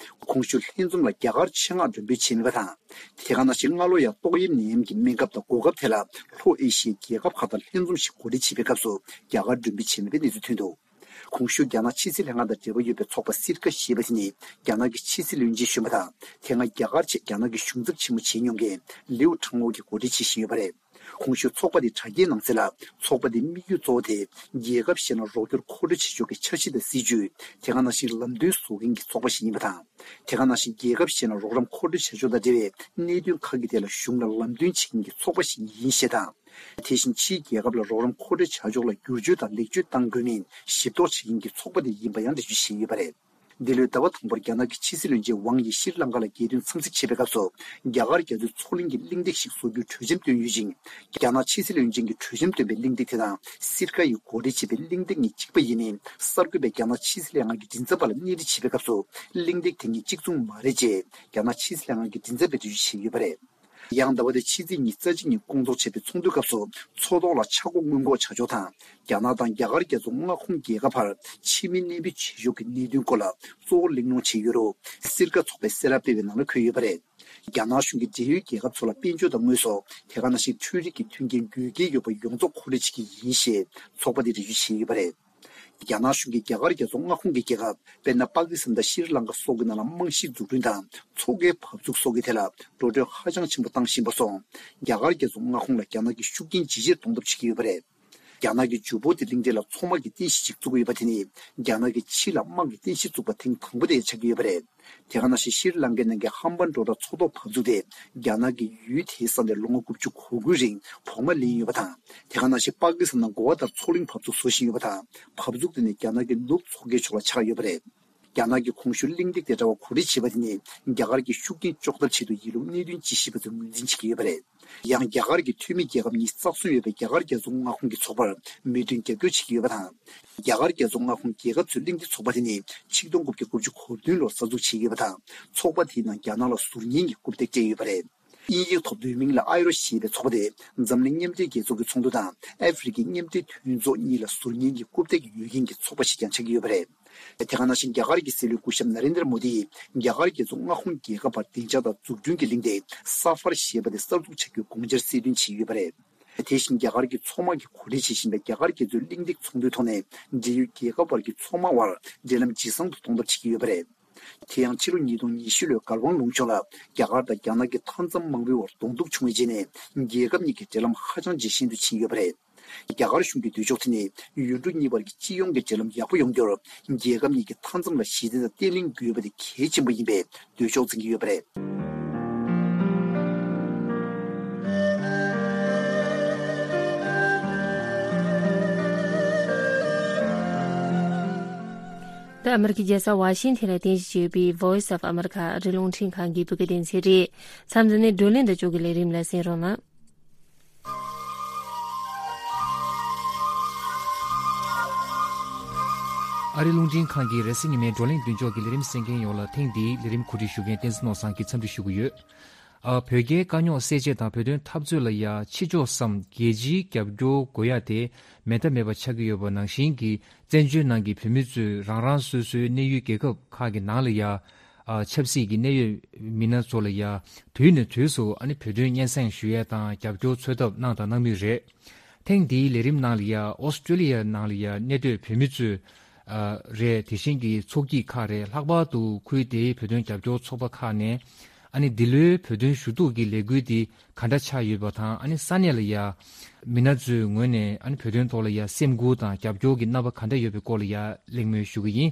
གོང་ཞུས་ལྷན་འཛོམས་ལ་རྒྱ་གར་ཆེད་མངགས་མགྲོན་འབོད་བྱས་མེད་པ་དང་། དེ་ག་ནང་བཞིན་སྔ་ལོ་ཡང་ཏོག་དབྱིབས་ནད་ཡམས་ཀྱི་སྨན་ཁབ་དང་འགོག་ཁབ་དེ་ལ་ལྷོ་ཨེ་ཤི་ཡའི་རྒྱལ་ཁབ་ཁག་དང་ལྷན་འཛོམས་ཤིག་གོ་སྒྲིག་བྱེད་པའི་སྐབས་སུ་རྒྱ་གར་མགྲོན་འབོད་བྱས་མེད་པའི་གནས་ཚུལ་ཐོན་འདུག་གོང་ཞུས་རྒྱ་ནག་ཕྱི་སྲིད་ལྷན་ཁང་དང་འབྲེལ་བ་ཡོད་པའི་ཚོགས་པ་སིར་ཀ་ཞེས་པ་དེ་ནི་རྒྱ་ནག་གི་ཕྱི་སྲིད་བློན་ཆེན་གཞོན་པ་དང་། དེ་སྔ་རྒྱ་གར་ཆེད་རྒྱ་ནག་གི་གཞུང་ཚབ་ཆེན་མོ་བྱས་མྱོང་མཁན་ལིའུ་ཁྲང་ཨོ་གིས་གོ་སྒྲིག་བྱེད་བཞིན་ཡོད་པ་རེད། གོང་ཞུས་ཚོགས་པ་དེའི་དྲ་རྒྱའི་ནང་གསལ་ལ། ཚོགས་པ་དེའི་དམིགས་ཡུལ་གཙོ་བོ་དེ་རྒྱལ་ཁབ་གཞན་ལ་རོགས་སྐྱོར་མཁོ་སྤྲོད་བྱེད་ཕྱོགས་ཀྱི་འཆར་གཞི་དང་སྲིད་ཇུས། དེ་ག་ནང་བཞིན་ལམ་སྟོན་བཟོ་མཁན་གྱི་ཚོགས་པ་ཞིག་ཡིན་པ་དང་། དེ་ག་ནང་བཞིན་རྒྱལ་ཁབ་གཞན་ལ་རོགས་རམ་མཁོ་སྤྲོད་བྱ་ཕྱོགས་དང་འབྲེལ་བའི་གནད་དོན་ཁག་གི་ཐད་ལ་གཞུང་ལ་ལམ་སྟོན་བྱེད་མཁན་གྱི་ཚོགས་པ་ཞིག་ཡིན་ཞེས་དང་། དེ་བཞིན་ཕྱིའི་རྒྱལ་ཁབ་ལ་རོགས་རམ་མཁོ་སྤྲོད་བྱ་ཕྱོགས་ལ་བསྒྱུར་བཅོས་དང་ལེགས་བཅོས་གཏང་དགོས་མིན་ཞིབ་རྟོག་བྱེད་མཁན་གྱི་ཚོགས་པ་དེ་ཡིན་པ་ཡང་འགྲེལ་བརྗོད་བྱས་ཡོད་པ་རེད། འདི་ལོའི་ཟླ་བ་དང་པོར་རྒྱ་ནག་གི་ཕྱི་སྲིད་བློན་ཆེན་ཝང་ཡི་ཤྲི་ལང་ཀ་ལ་རྒྱལ་དོན་འཚམས་གཟིགས་བྱེད་པའི་སྐབས་སུ། རྒྱ་གར་རྒྱ་མཚོའི་མཚོ་གླིང་གི་གླེང་སྟེགས་ཤིག་བཟོ་རྒྱུའི་གྲོས་འཆམ་བཏོན་ཡོད་ཅིང་། རྒྱ་ནག་ཕྱི་སྲིད་བློན་ཆེན་གྱིས་གྲོས་འཆམ་བཏོན་པའི་གླེང་སྟེགས་དེ་དང་སིར་ཀ་ཡིས་གོ་སྒྲིག་བྱས་པའི་གླེང་སྟེགས་གཉིས་གཅིག་པ་ཡིན་མིན་གསར་འགོད་པས་རྒྱ་ནག་ཕྱི་སྲིད་ལྷན་ཁང་གི་མགྲིན་ཚབ་པ་ལ་སྣེ་ཁྲིད་བྱེད་པའི་སྐབས་སུ། གླེང་སྟེགས་དེ་གཉིས་གཅིག་མཚུངས་མ་རེད་ཅེས་རྒྱ་ནག་ཕྱི་སྲིད་ལྷན་ཁང་གི་མགྲིན་ཚབ་པས་འགྲེལ་བརྗོད་བྱས་ཡོད་པ་རེད། ཡང་ཟླ་བ་འདིའི་ཕྱི་ཚེས་ཉི་ཤུ་རྩ་གཅིག་ཉིན་སྐོང་ཚོགས་བྱས་པའི་ཚོགས་འདུའི་སྐབས་སུ། མཚོ་ཐོག་ལ་ཆག་སྒོ་སྔོན་འགོག་བྱ་ཕྱོགས་དང་། རྒྱ་ནག་དང་རྒྱ་གར་རྒྱལ་ཚོགས་མངའ་ཁོངས་རྒྱལ་ཁབ་བར་ཕྱི་མི་གནས་སྤོས་བྱེད་ཕྱོགས་ཀྱི་གནད་དོན་སྐོར་ལ་གཙོ་བོ་གླེང་སློང་བྱས་ཡོད་རུང་། སིར་ཀ་ཚོགས་པས་གསལ་བསྒྲགས་སྤེལ་བའི་ནང་ལ་འཁོད་ཡོད་པ་རེད། རྒྱ་ནག་གཞུང་གིས་འབྲེལ་ཡོད་རྒྱལ་ཁབ་ཚོ་ལ་དཔལ་འབྱོར་དང་དངོས་ཟོག་དེ་ག་ནང་བཞིན་འཕྲུལ་རིག་གི་མཐུན་རྐྱེན་དགོས་གལ་ཡོད་པ་ཡོངས་རྫོགས་མཁོ་སྤྲོད་བྱེད་ཀྱི་ཡིན་ཞེས་ཚོགས་པ་དེས་འགྲེལ་བརྗོད་བྱས་ཡོད་པ་རེད། རྒྱ་ནག་གཞུང་གིས་རྒྱ་གར་རྒྱལ་ཚོགས་མངའ་ཁོངས་ཀྱི་རྒྱལ་ཁབ། དཔེར་ན། པ་ཀི་སི་ཐན་དང་ཤྲི་ལང་ཀ་སོགས་ཀྱི་ནང་ལ་རྨང་གཞི་འཛུགས་སྐྲུན་དང་མཚོ་ཁའི་བབས་ཚུགས་སོགས་ཀྱི་ཐད་ལ་འགྲོ་གྲོན་ཧ་ཅང་ཆེན་པོ་བཏང་བཞིན་པ་སོགས། རྒྱ་གར་རྒྱལ་ཚོགས་མངའ་ཁོངས་ལ་རྒྱ་ནག་གི་ཤུགས་རྐྱེན་ཇེ་ཆེར་གཏོང་ཐབས་བྱེད་ཀྱི་ཡོད་པ་རེད། རྒྱ་ནག་གིས་ཇུ་བོ་ཏི་གླིང་ཕྲན་ལ་མཚོ་དམག་གི་རྟེན་གཞི་ཞིག་བཙུགས་ཀྱི་ཡོད་པ་དེ་ནི། རྒྱ་ནག་གིས་ཕྱི་ལ་དམག་གི་རྟེན་གཞི་བཙུགས་པ་ཐེངས་དང་པོ་དེ་ཆགས་ཀྱི་ཡོད་པ་རེད། དེ་ག་ནང་བཞིན་ཤྲི་ལང་ཀའི་ནང་གི་ཧམ་བན་ཏོ་ཊ་མཚོ་ཐོག་བབས་ཚུགས་དེ། རྒྱ་ནག་གིས་ཡུལ་དེའི་ས་ནས་ལོ་ངོ་དགུ་བཅུ་གོ་དགུའི་རིང་བོགས་མ་ལེན་ཡོད་པ་དང་། དེ་ག་ནང་བཞིན་པ་ཀི་སི་ཐན་ནང་གོ་བ་ལྟར་མཚོ་གླིང་བབས་ཚུགས་བཟོ་བཞིན་ཡོད་པ་དང་། བབས་ཚུགས་དེ་ནི་རྒྱ་ནག་གི་ནུབ་མཚོ་ཁའི་ཕྱོགས་ལ་ཆགས་ཡོད་པ་རེད། རྒྱ་ནག་གིས་གོང་ཞུས་གླེང་སྟེགས་དེ་འདྲ་བ་གོ་སྒྲིག་བྱས་པ་དེ་ནི། རྒྱ་གར་གྱི་ཤུགས་རྐྱེན་གཅོག་ཐབས་ཆེད་དུ་ཡིན་ལུགས་གནད་དོན་དཔྱད་ཞིབ་པ་ཚོས་ངོས་འཛིན་བྱེད་ཀྱི་ཡོད་པ་རེད། ཡང་རྒྱ་གར་གྱི་འཐུས་མི་རྒྱལ་ཁབ་གཉིས་རྩ་གསུམ་ཡོད་པའི་རྒྱ་གར་རྒྱལ་ཚོགས་མངའ་ཁོངས་ཀྱི་ཚོགས་པར་མོས་མཐུན་རྒྱབ་སྐྱོར་བྱེད་ཀྱི་ཡོད་པ་དང་། རྒྱ་གར་རྒྱལ་ཚོགས་མངའ་ཁོངས་རྒྱལ་ཁབ་ཚོའི་གླེང་སྟེགས་ཚོགས་པ་དེ་ནི་ཆིག་སྟོང་དགུ་བརྒྱ་དགུ་བཅུ་གོ་བདུན་ལོར་གསར་འཛུགས་བྱས་ཡོད་པ་དང་། ཚོགས་པ་དེའི་ནང་རྒྱ་ནག་ལ་ཟུར་ཉན་གྱི་རྐུབ་སྟེགས་སྤྲད་ཡོད་པ་རེད། དབྱིན་ཡིག་ཐོག་བསྡུས་མིང་ལ་ཨའི་རོ་ཞེས་པའི་ཚོགས་པ་དེ་འཛམ་གླིང་མཉམ་འབྲེལ་རྒྱལ་ཚོགས་ཀྱི་ཚོགས་འདུ་དང་ཨ་ཧྥེ་རི་ཁའི་མཉམ་འབྲེལ་མཐུན་ཚོགས་གཉིས་ལ་ཟུར་ཉན་གྱི་རྐུབ་སྟེགས་ཡོད་མཁན་གྱི་ཚོགས་པ་ཞིག་ཀྱང་ཆགས་ཀྱི་ཡོད་པ་རེད། དེ་ག་ནང་བཞིན་རྒྱ་གར་གྱི་སྲིད་བློན་སྐུ་ཞབས་ན་རེན་དྲ་མོ་དི་ཡིས་རྒྱ་གར་རྒྱལ་ཚོགས་མངའ་ཁོངས་རྒྱལ་ཁབ་བར་བདེ་འཇགས་དང་འཛུགས་སྐྲུན་གྱི་གླེང་སྟེགས་ས་ཧྥར་ཞེས་པ་དེ་གསར་འཛུགས་བྱ་རྒྱུའི་དགོངས་འཆར་གསལ་སྟོན་བྱས་ཡོད་པ་རེད། དེ་བཞིན་རྒྱ་གར་གྱི་མཚོ་དམག་གིས་གོ་སྒྲིག་བྱེད་བཞིན་པའི་རྒྱ་གར་རྒྱལ་ཚོའི་གླེང་སྟེགས་ཚོགས་འདུའི་ཐོག་ནས་འབྲེལ་ཡོད་རྒྱལ་ཁབ་བར་གྱི་མཚོ་དམག་དབར་འབྲེལ་ལམ་ཇེ་བཟང་དུ་གཏོང་ཐབས་བྱེད་ཀྱི་ཡོད་པ་རེད། དེ་ཡང་ཕྱི་ལོ་ཉིས་སྟོང་ཉི་ཤུ་ལོའི་གར་དབང་ལུང་ཕྱོགས་ལ་རྒྱ་གར་དང་རྒྱ་ནག་གི་མཐའ་མཚམས་དམག་མིའི་དབར་གདོང་ཐུག་བྱུང་བའི་རྗེས་ནས་རྒྱལ་ཁབ་གཉིས་ཀྱི་འབྲེལ་ལམ་ཧ་ཅང་ཇེ་ཞན་དུ་ཕྱིན་ཡོད་པ་རེད། རྒྱ་གར་གཞུང་གི་འདོད་ཕྱོགས་དེ་ནི་ཡུལ་གྲུ་གཉིས་བར་གྱི་སྤྱི་ཡོངས་ཀྱི་འབྲེལ་ལམ་ཡག་པོ་ཡོང་རྒྱུར་རྒྱལ་ཁབ་གཉིས་ཀྱི་མཐའ་མཚམས་ལ་ཞི་བདེ་དང་བརྟན་ལྷིང་དགོས་པ་དེ་གལ་ཆེན་པོ་ཡིན་པའི་འདོད་ཕྱོགས་འཛིན་གྱི་ཡོད་པ་རེད། ད་ཨ་མེ་རི་ཁའི་རྒྱལ་ས་ཝ་ཤིང་ཐན་ལ་རྟེན་གཞི་བྱས་ཡོད་པའི་Voice of America ཨ་རིའི་རླུང་འཕྲིན་ཁང་གི་བོད་སྐད་སྡེ་ཚན་རེད། མཚམས་འདི་ནས་བགྲོ་གླེང་དང་ཕྱོགས་ཀྱི་ལས་རིམ་ལ་གསན་རོགས་གནང་། ཨ་རིའི་རླུང་འཕྲིན་ཁང་གི་རེས་གཟའ་ཉི་མའི་བགྲོ་གླེང་མདུན་ཅོག་གི་ལས་རིམ་གསན་མཁན་ཡོངས་ལ་ཐེངས་འདིའི་ལས་རིམ་གོ་སྒྲིག་ཞུ་མཁན་བསྟན་འཛིན་ནོར་བཟང་གིས་འཚམས་འདྲི་ཞུ་གི་ཡོད། ཨ། བོད་རྒྱའི་དཀའ་རྙོག་སེལ་ཆེད་དང་བོད་དོན་འཐབ་རྩོད་ལ་ཡ་ཕྱི་ཕྱོགས་སམ་རྒྱལ་སྤྱིའི་རྒྱབ་སྐྱོར་དགོས་ཡ་དེ་མེད་ཐབས་མེད་པ་ཆགས་ཀྱི་ཡོད་པ་ནང་བཞིན་གྱི་བཙན་བྱོལ་ནང་གི་བོད་མི་ཚོས་རང་རང་སོ་སོའི་གནས་ཡུལ་རྒྱལ་ཁབ་ཁག་གི་ནང་ལ་ཡ། ཨ། ཆབ་སྲིད་ཀྱི་གནད་ཡོད་མི་སྣ་ཚོ་ལ་ཡ་དུས་ནས་དུས་སུ་ཨ་ནི་བོད་དོན་སྙན་སེང་ཞུ་ཡས་དང་རྒྱབ་སྐྱོར་འཚོལ་ཐབས་གནང་དང་གནང་མུས་རེད། ཐེངས་འདིའི་ལས་རིམ་ནང་ལ་ཡ་ཨོ་སི་ཀྲོ་ལི་ཡའི་ནང་ལ་ཡ་གནས་སྡོད་བོད་མི་ཚོས་ཨ། རེད། དེ་བཞིན་གྱི་ཚོགས་སྐྱིད་ཁག་རེད། ལྷག་པར་དུ་ཁུལ་དེའི་བོད་དོན་རྒྱབ་སྐྱོར་ཚོགས་པ་ཁག་ནས་ཨ་ནི་འདི་ལོའི་བོད་དོན་ཞུ་གཏུག་གི་ལས་འགུལ་འདི་ག་འདྲ་ཆགས་ཡོད་པ་དང་། ཨ་ནི་ས་གནས་ལ་ཡ་མི་སྣ་ཚོའི་ངོས་ནས་ཨ་ནི་བོད་དོན་ཐོག་ལ་ཡ་སེམས་འགུལ་དང་རྒྱབ་སྐྱོར་གྱི་རྣམ་པ་ག་འདྲ་ཡོད་པའི་སྐོར་ལ་ཡ་གླེང་མོལ་ཞུ་གི་ཡིན།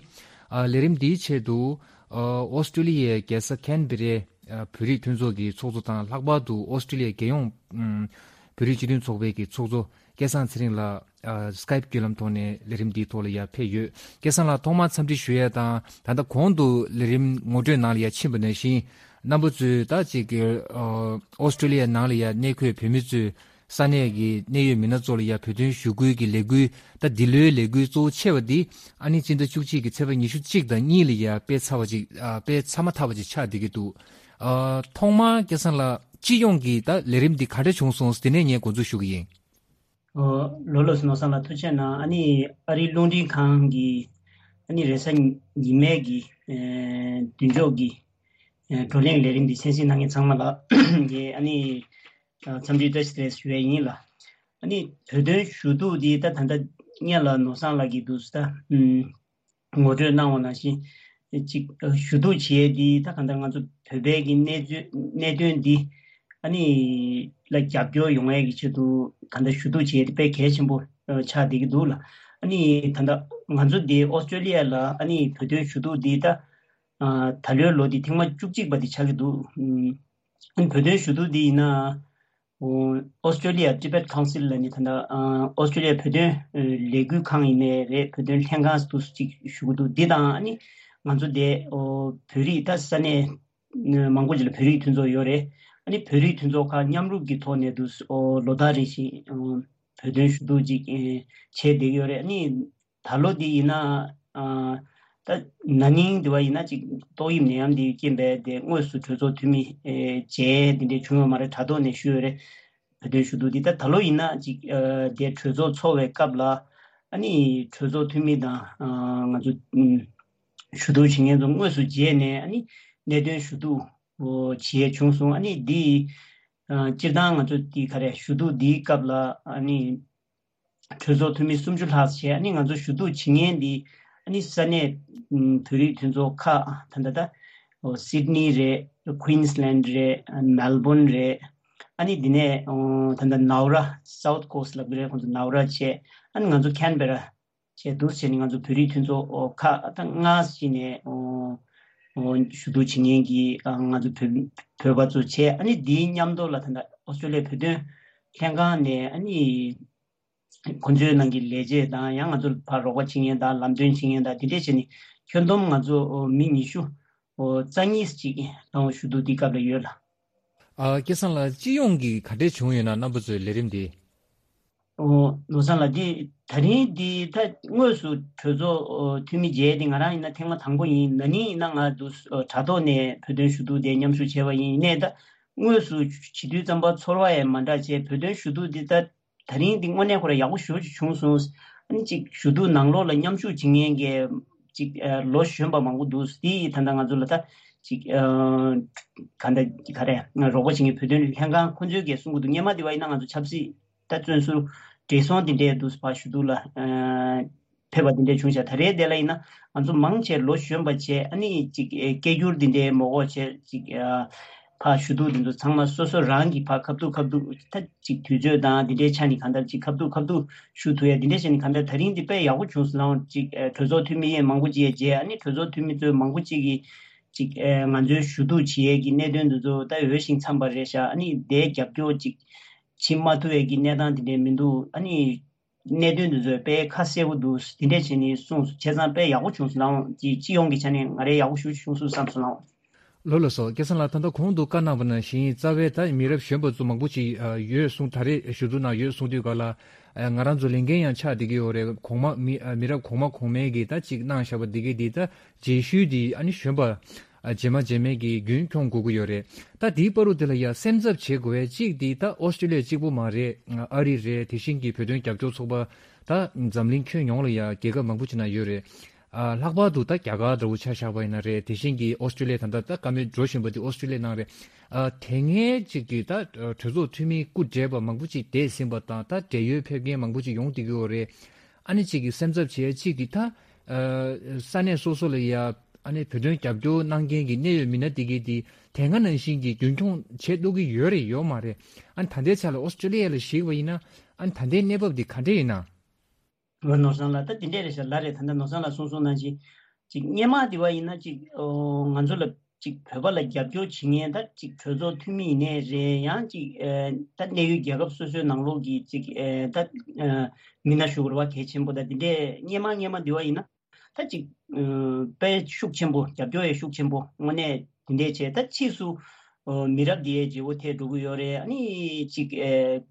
ཨ། ལས་རིམ་འདིའི་ཆེད་དུ་ཨ། ཨོ་སི་ཀྲོ་ལི་ཡའི་རྒྱལ་ས་ཁན་བེ་རའི་ཨ། བོད་རིགས་མཐུན་ཚོགས་ཀྱི་ཚོགས་གཙོ་དང་། ལྷག་པར་དུ་ཨོ་སི་ཀྲོ་ལི་ཡའི་རྒྱལ་ཡོངས་ཨམ། བོད་རིགས་སྤྱི་མཐུན་ཚོགས་པའི་གི་ཚོགས་གཙོ་སྐལ་བཟང་ཚེ་རིང་ལགས་ཨ། སི་ཀའིབ་བརྒྱུད་ལམ་ཐོག་ནས་ལས་རིམ་འདིའི་ཐོག་ལ་ཡར་ཕེབས་ཡོད། སྐལ་བཟང་ལགས་ཐོག་མར་འཚམས་འདྲི་ཞུ་ཡས་དང་། ད་ལྟ་གོང་དུ་ལས་རིམ་ངོ་སྤྲོད་ནང་ལ་ཡར་ཕྱིན་པ་ནང་བཞིན་རྣམ་པ་ཚོས་ད་ཅིག་གི་ཨ། ཨོ་སི་ཀྲོ་ལི་ཡའི་ནང་ལ་ཡ་གནས་འཁོད་བོད་མི་ཚོས་ས་གནས་ཀྱི་གནད་ཡོད་མི་སྣ་ཚོ་ལ་ཡ་བོད་དོན་ཞུ་སྐུལ་གྱི་ལས་འགུལ། ད་འདི་ལོའི་ལས་འགུལ་གཙོ་བོ་ཆེ་བ་འདི་ཨ་ནི་སྤྱི་ཟླ་བཅུ་གཅིག་གི་ཚེས་པ་ཉི་ཤུ་གཅིག་དང་གཉིས་ལ་ཡ་སྤེལ་ཚར་བ་ཅིག་ཨ། སྤེལ་ཚར་མ་ཐག་པ་ཅིག་ཆགས་བསྡད་ཀྱི་འདུག་ཨ། ཐོག་མར་སྐལ་བཟང་ལགས་སྤྱི་ཡོངས་ཀྱི་ད་ལས་རིམ་འདི་ག་འདྲ་བྱུང་སོང་། དེ་ནས་ངས་འགོ་འཛུགས་ཞུ་གི་ཡིན། ཨོ། ལགས་ལགས་སོ། ནོར་བཟང་ལགས་ཐུགས་རྗེ་གནང་། ཨ་ནི་ཨ་རིའི་རླུང་འཕྲིན་ཁང་གི་ ཨ་ནི་རེས་གཟའ་ཉི་མའི་གི་ཨེ་མདུན་ཅོག་གི་ཨེ་བགྲོ་གླེང་ལས་རིམ་འདི་གསན་གཟིགས་གནང་མཁན་ཚང་མ་ལ་ངས་ཨ་ནི་ཨ་འཚམས་འདྲི་བཀྲ་ཤིས་བདེ་ལེགས་ཞུ་ཡས་ཡིན་ལ། ཨ་ནི་བོད་དོན་ཞུ་གཏུག་འདི་ད་ད་ལྟ་སྔོན་ལ་ནོར་བཟང་ལགས་ཀྱིས་འདུག་ད་ཨུམ་ངོ་སྤྲོད་གནང་བ་ནང་བཞིན་ཅིག་ཞུ་གཏུག་བྱེད་ཡས་འདི་ད་གང་ལྟར་ང་ཚོ་བོད་པའི་གི་གནད་དོན་གནད་དོན་འདི་ཨ་ནི་ལ་རྒྱབ་སྐྱོར་ཡོང་ཡས་ཀྱི་ཆེད་དུ་གང་ལྟར་ཞུ་གཏུག་བྱེད་ཡས་དེ་དཔེ་གལ་ཆེན་པོ་ཆགས་བསྡད་ཀྱི་འདུག་ལ། ཨ་ནི་ད་ལྟ་ང་ཚོ་འདི་ཨོ་སི་ཀྲོ་ལི་ཡ་ལ་ཨ་ནི་བོད་དོན་ཞུ་གཏུག་འདི་ད་ཨ་ད་ལོའི་ལོ་འདི་ཐེངས་མ་བཅུ་གཅིག་པ་འདི་ཆགས་ཀྱི་འདུག་ཨ་ནི་བོད་དོན་ཞུ་གཏུག་འདི་ཡིན་ན་ཨོ་ཨོ་སི་ཀྲོ་ལི་ཡ་Tibet Council ལ་ནི་ད་ལྟ་ཨ་ཨོ་སི་ཀྲོ་ལི་ཡ་བོད་དོན་ཨ་ལས་འགུལ་ཁང་ཡིན་ནའི་རེད། བོད་དོན་ལྷན་ཁང་དུ་ཅིག་ཞུ་གི་འདུག་འདི་དང་ཨ་ནི་ང་ཚོ་འདི་ཨོ་བོད་རིགས་ད་ས་གནས་མང་པོ་ཅིག་ལ་བོད་རིགས་མཐུན་ཚོགས་ཡོད་རེད། ཨ་ནི་བོད་རིགས་མཐུན་ཚོགས་ཁག་མཉམ་རུབ་ཀྱི་ཐོག་ནས་དུ་ཨོ་ལོ་ལྟར་རེ་བཞིན་ཨོ་བོད་དོན་ཞུ་གཏུག་ཅིག་ཨེ་བྱས་བསྡད་ཀྱི་ཡོད་རེད། ཨ་ནི་ད་ལོ་འདི་ཡིན་ན་ཨ་ད་ན་ནིང་འདི་བ་ཡིན་ན་ཅིག་ཏོག་དབྱིབས་ནད་ཡམས་འདི་རྐྱེན་པས་དེ་དངོས་སུ་གྲོས་ཚོགས་འཐུས་མི་ཨེ་མཇལ་འདི་འདྲས་བྱུང་ཡོད་མ་རེད། དྲ་ཐོག་ནས་ཞུས་ཡོད་རེད། བོད་དོན་ཞུ་གཏུག་འདི་ད་ད་ལོ་ཡིན་ན་ཅིག་ཨ་དེ་གྲོས་ཚོགས་ཚོགས་པའི་སྐབས་ལ་ཨ་ནི་གྲོས་ཚོགས་འཐུས་མི་དང་ཨ་ང་ཚོ་ཨུམ་ཞུ་གཏུག་བྱེད་མཁན་ཚོ་དངོས་སུ་མཇལ་ནས་ཨ་ནི་གནད་དོན་ཞུ་གཏུག་བྱེད་བྱུང་སོང་། ཨ་ནི་འདི་ཨ་སྤྱིར་བཏང་ང་ཚོ་འདི་ག་རེ་ཞུ་གཏུག་འདིའི་སྐབས་ལ་ཨ་ནི་གྲོས་ཚོགས་འཐུས་མི་སུམ་ཅུ་ལྷག་བྱས། ཨ་ནི་ང་ཚོ་ཞུ་གཏུག་བྱེད་མཁན་འདི་ཨ་ནི་ས་གནས་ཨུམ་བོད་རིགས་མཐུན་ཚོགས་ཁག་ད་ལྟ་ད་སིད་ནི་རེད། ཀུན་སི་ལན་རེད། མེལ་བོན་རེད། ཨ་ནི་འདི་ནས་ཨོ་ད་ལྟ་ནའུ་ར་སའུ་ཐི་ཀོ་སི་ལབ་ཀྱི་རེད། ཁོང་ཚོ་ནའུ་ར་བྱས། ཨ་ནི་ང་ཚོ་ཁན་བེ་ར་བྱས་འདུག་བྱས་ནས་ང་ཚོ་བོད་རིགས་མཐུན་ཚོགས་ཨོ་ཁག་ད་ལྔ་ཞིག་ནས་ཨོ་ཨོ་ཞུ་གཏུག་བྱེད་མཁན་གྱི་ཨ་ང་ཚོ་བོད་བོད་པ་ཚོ་བྱས། ཨ་ནི་འདིའི་མཉམ་དུ་ལ་ད་ལྟ་ཨོ་སི་ཀྲོ་ལི་ཡའི་བོད་དོན་ལྷན་ཁང་ནས་ཨ་ནི་ཁོང་ཚོའི་ནང་གི་ལས་བྱེད་དང་ཡང་ང་ཚོར་ཕར་རོགས་པ་བྱེད་མཁན་དང་ལམ་སྟོན་བྱེད་མཁན་དང་དེ་འདྲས་བྱས་ནས་ཁྱོན་བསྡོམས་ང་ཚོ་མི་ཉི་ཤུ་རྩ་གཉིས་ཅིག་ལ་ཞུ་གཏུག་འདི་སྐབས་ལ་ཡོད་ལ། ཨ་སྐལ་བཟང་ལགས། སྤྱི་ཡོངས་ཀྱི་ག་འདྲས་བྱུང་ཡོད་ན། རྣམ་པ་ཚོའི་ལས་རིམ་འདི། ཨོ་ནོར་བཟང་ལགས། འདི་ད་རིང་འདི་ད་དངོས་སུ་གྲོས་ཚོགས་ཨོ་འཐུས་མི་མཇལ་འདི་ང་རང་ཡིན་ན་ཐེངས་མ་དང་པོ་ཡིན། ན་ནིང་ཡིན་ན་ང་འདུག་ཨོ་དྲ་ཐོག་ནས་བོད་དོན་ཞུ་གཏུག་དེ་མཉམ་ཞུགས་བྱས་པ་ཡིན། ཡིན་ནའི་ད་དངོས་སུ་བྱེད་དུས་ཙམ་པ་ཚོར་བ་ཡང་མ་འདྲ་བྱས། བོད་དོན་ཞུ་གཏུག་འདི་ད་ད་རིང་འདི་དངོས་གནས་ཁོ་རང་ཡག་པོ་ཞེ་པོ་ཅིག་བྱུང་སོང་། ཨ་ནི་ཅིག་ཞུ་གཏུག་ནང་ལོགས་ལ་མཉམ་ཞུགས་བྱེད་མཁན་གྱི་ཅིག་ཨ་ལོ་གཞོན་པ་མང་པོ་འདུག་དེ་ད་ལྟ་ང་ཚོ་ལ་ད་ཅིག་ཨ་ག་འདྲ་ག་རེ་རོགས་པ་བྱེད་མཁན་བོད་དོན་ལྷན་ཁང་ཁོ་ཚོས་གས་གསུང་གི་འདུག་སྔོན་མ་དེ་བ་ཡིན་ན་ང་ཚོ་ཆབ་སྲིད་ད་བཙོན་ཟུར་བགྲེས་སོང་དེ་འདྲས་འདུག་ཕར་ཞུ་གཏུག་ལ་ཨ་ཕེབས་པ་དེ་འདྲས་བྱུང་ཤག་ད་རེས་དེ་ལ་ཡིན་ན་ང་ཚོ་མང་ཆེ་ལོ་གཞོན་པ་བྱས། ཨ་ནི་ཅིག་ཨེ་སྐད་སྒྱུར་དེ་འདྲའི་མོ་གོ་བྱས། ཅིག་ཨ་ཕར་ཞུ་གཏུག་དེ་ཚོ་ཚང་མ་སོ་སོ་རང་གིས་ཕར་ཁ་ཐུག་ཁ་ཐུག་ད་ཅིག་དུས་ཚོད་དང་དེ་འདྲའི་ཆ་ནས་གང་ལྟར་ཅིག་ཁ་ཐུག་ཁ་ཐུག་ཞུ་ཐུབ་ཡ་དེ་འདྲའི་ཆ་ནས་གང་ལྟར་ད་རིང་འདི་དཔེ་ཡག་པོ་བྱུང་སོང་ལ། ཅིག་ཨ་གྲོས་ཚོགས་འཐུས་མི་ཡས་མང་པོ་ཅིག་ཡས་མཇལ། ཨ་ནི་གྲོས་ཚོགས་འཐུས་མི་ཚོས་མང་པོ་ཅིག་གིས་ཅིག་ཨ་ང་ཚོའི་ཞུ་གཏུག་བྱེད་ཡས་ཀྱི་གནད་དོན་དེ་ཚོ་ད་འོས་ཤིང་འཚམས་པ་རེད་ཤག་ཨ་ནི་དེའི་རྒྱབ་སྐྱོར་ཅིག་བྱེད་མ་ཐུབ་ཡས་ཀྱི་གནས་སྟངས་དེ་འདྲའི་མི་འདུག་ཨ་ནི་གནད་དོན་འདི་ཚོ་དཔེ་ཁ་གསལ་པོ་འདུག་དེ་འདྲས་བྱས་ནས་གསུངས་སོང་། བྱས་ཙང་དཔེ་ཡག་པོ་བྱུང་སོང་ལགས། ཅིག་སྤྱི་ཡོངས་ཀྱི་ཆ་ནས་ང་རའི་ཡག་པོ་ཞེ་པོ་བྱུང་སོང་བསམ་སོང་ལགས། ལགས་ལགས་སོ། སྐལ་བཟང་ལགས། ད་ལྟ་གོང་དུ་བཀའ་གནང་བ་ནང་བཞིན་རྩ་བའི་ད་མི་རབས་གཞོན་པ་ཚོ་མང་པོ་ཅིག་ཡོད་གསུངས། ད་རེས་ཞུ་གཏུག་ནང་ཡོད་གསུངས་དུས་ག་ལ་ང་རང་ཚོ་ལས་འགན་ཡང་ཆགས་བསྡད་ཀྱི་ཡོད་རེད། གོང་མ་མི་མི་རབས་གོང་མ་གོང་མའི་གི་ད་ཅིག་གནང་བཞག་པ་འདི་གའི་འདི་ད་རྗེས་ཤུལ་འདི་ཨ་ནི་གཞོན་པ་རྗེས་མ་རྗེས་མའི་གི་རྒྱུན་འཁྱོངས་དགོས་ཀྱི་ཡོད་རེད། ད་དེའི་བར་དུ་དེ་ལ་ཡ་སེམས་འཚབ་བྱེད་དགོས་པའི་གཅིག་འདི་ད་ཨོ་སི་ཀྲོ་ལི་ཡ་གཅིག་པུ་མ་རེད། ཨ་རི་རེད། དེ་བཞིན་གྱི་བོད་དོན་རྒྱབ་སྐྱོར་ཚོགས་པ་ད་འཛམ་གླིང་ཁྱོན་ཡོངས་ལ་ཡ་རྒྱལ་ཁབ་མང་པོ་ཅིག་ནང་ཡོད་རེད། ཨ་ལྷག་པར་དུ་ད་རྒྱ་གར་འདྲ་བོ་ཆ་བཞག་པ་ཡིན་ན་རེད། དེ་བཞིན་གྱི་ཨོ་སི་ཀྲོ་ལི་ཡ་ད་ལྟ་ད་བཀའ་མོལ་འགྲོ་བཞིན་པ་དེ་ཨོ་སི་ཀྲོ་ལི་ཡ་ནང་རེད། ཨ་དེ་སྔའི་གཅིག་གི་ད་གྲོས་ཚོགས་འཐུས་མི་སྐུ་བགྲེས་པ་མང་པོ་ཅིག་འདས་ཟིན་པ་དང་ད་བགྲེས་ཡོལ་ཕེབས་མཁན་མང་པོ་ཅིག་ཡོང་བསྡད་ཀྱི་ཡོད་རེད། ཨ་ནི་གཅིག་གི་སེམས་འཚབ་བྱེད་ཡ་གཅིག་གི་ད་ཨ་ས་གནས་སོ་སོ་ལ་ཡ་ཨ་ནི་བོད་དོན་རྒྱབ་སྐྱོར་གནང་མཁན་གྱི་གནད་ཡོད་མི་སྣ་དེ་གའི་དེ་དེ་སྔ་ནང་བཞིན་གྱི་རྒྱུན་འཁྱོངས་བྱེད་ཐུབ་ཀྱི་ཡོད་རེད་ཡོད་མ་རེད། ཨ་ནི་ད་ལྟའི་ཆ་ལ་ཨོ་སི་ཀྲོ་ལི་ཡ་ལ་གཞིགས་པ་ཡིན་ན་ཨ་ནི་ད་ལྟའི་གནས་བབ་དེ་ག་འདྲས་ཡིན་ན། ཨོ་ནོར་བཟང་ལགས། ད་དེ་འདྲས་རེད་ཤག་ལགས་རེད། ད་ལྟ་ནོར་བཟང་ལགས་གསུངས་སོང་ནང་བཞིན་ཅིག་སྔོན་མ་དེ་བ་ཡིན་ན་ཅིག་ཨོ་ང་ཚོ་ལ་ཅིག་བོད་པ་ལ་རྒྱབ་སྐྱོར་བྱེད་མཁན་ད་ཅིག་གྲོས་ཚོགས་འཐུས་མི་ཡིན་ནའི་རེད། ཡང་ཅིག་ཨེ་ད་གནད་ཡོད་རྒྱལ་ཁབ་སོ་སོའི་ནང་ལོགས་ཀྱི་ཅིག་ཨེ་ད་ཨེ་མི་སྣ་ཞུ་དགོས་རེད་བ། གལ་ཆེན་པོ་ད་དེ་འདྲས་སྔོན་མ་སྔོན་མ་དེ་བ་ཡིན་ན་ད་ཅིག་ཨེ་དཔེ་ཤུགས་ཆེན་པོ། རྒྱབ་སྐྱོར་ཡང་ཤུགས་ཆེན་པོ་དངོས་གནས་དེ་འདྲས་བྱས། ད་ཕྱིས་སུ་ཨོ་མི་རབས་འདི་ཡའི་བརྗེ་བོ་ཐེབས་འགྲོ་གི་ཡོད་རེད། ཨ་ནི་ཅིག་ཨེ་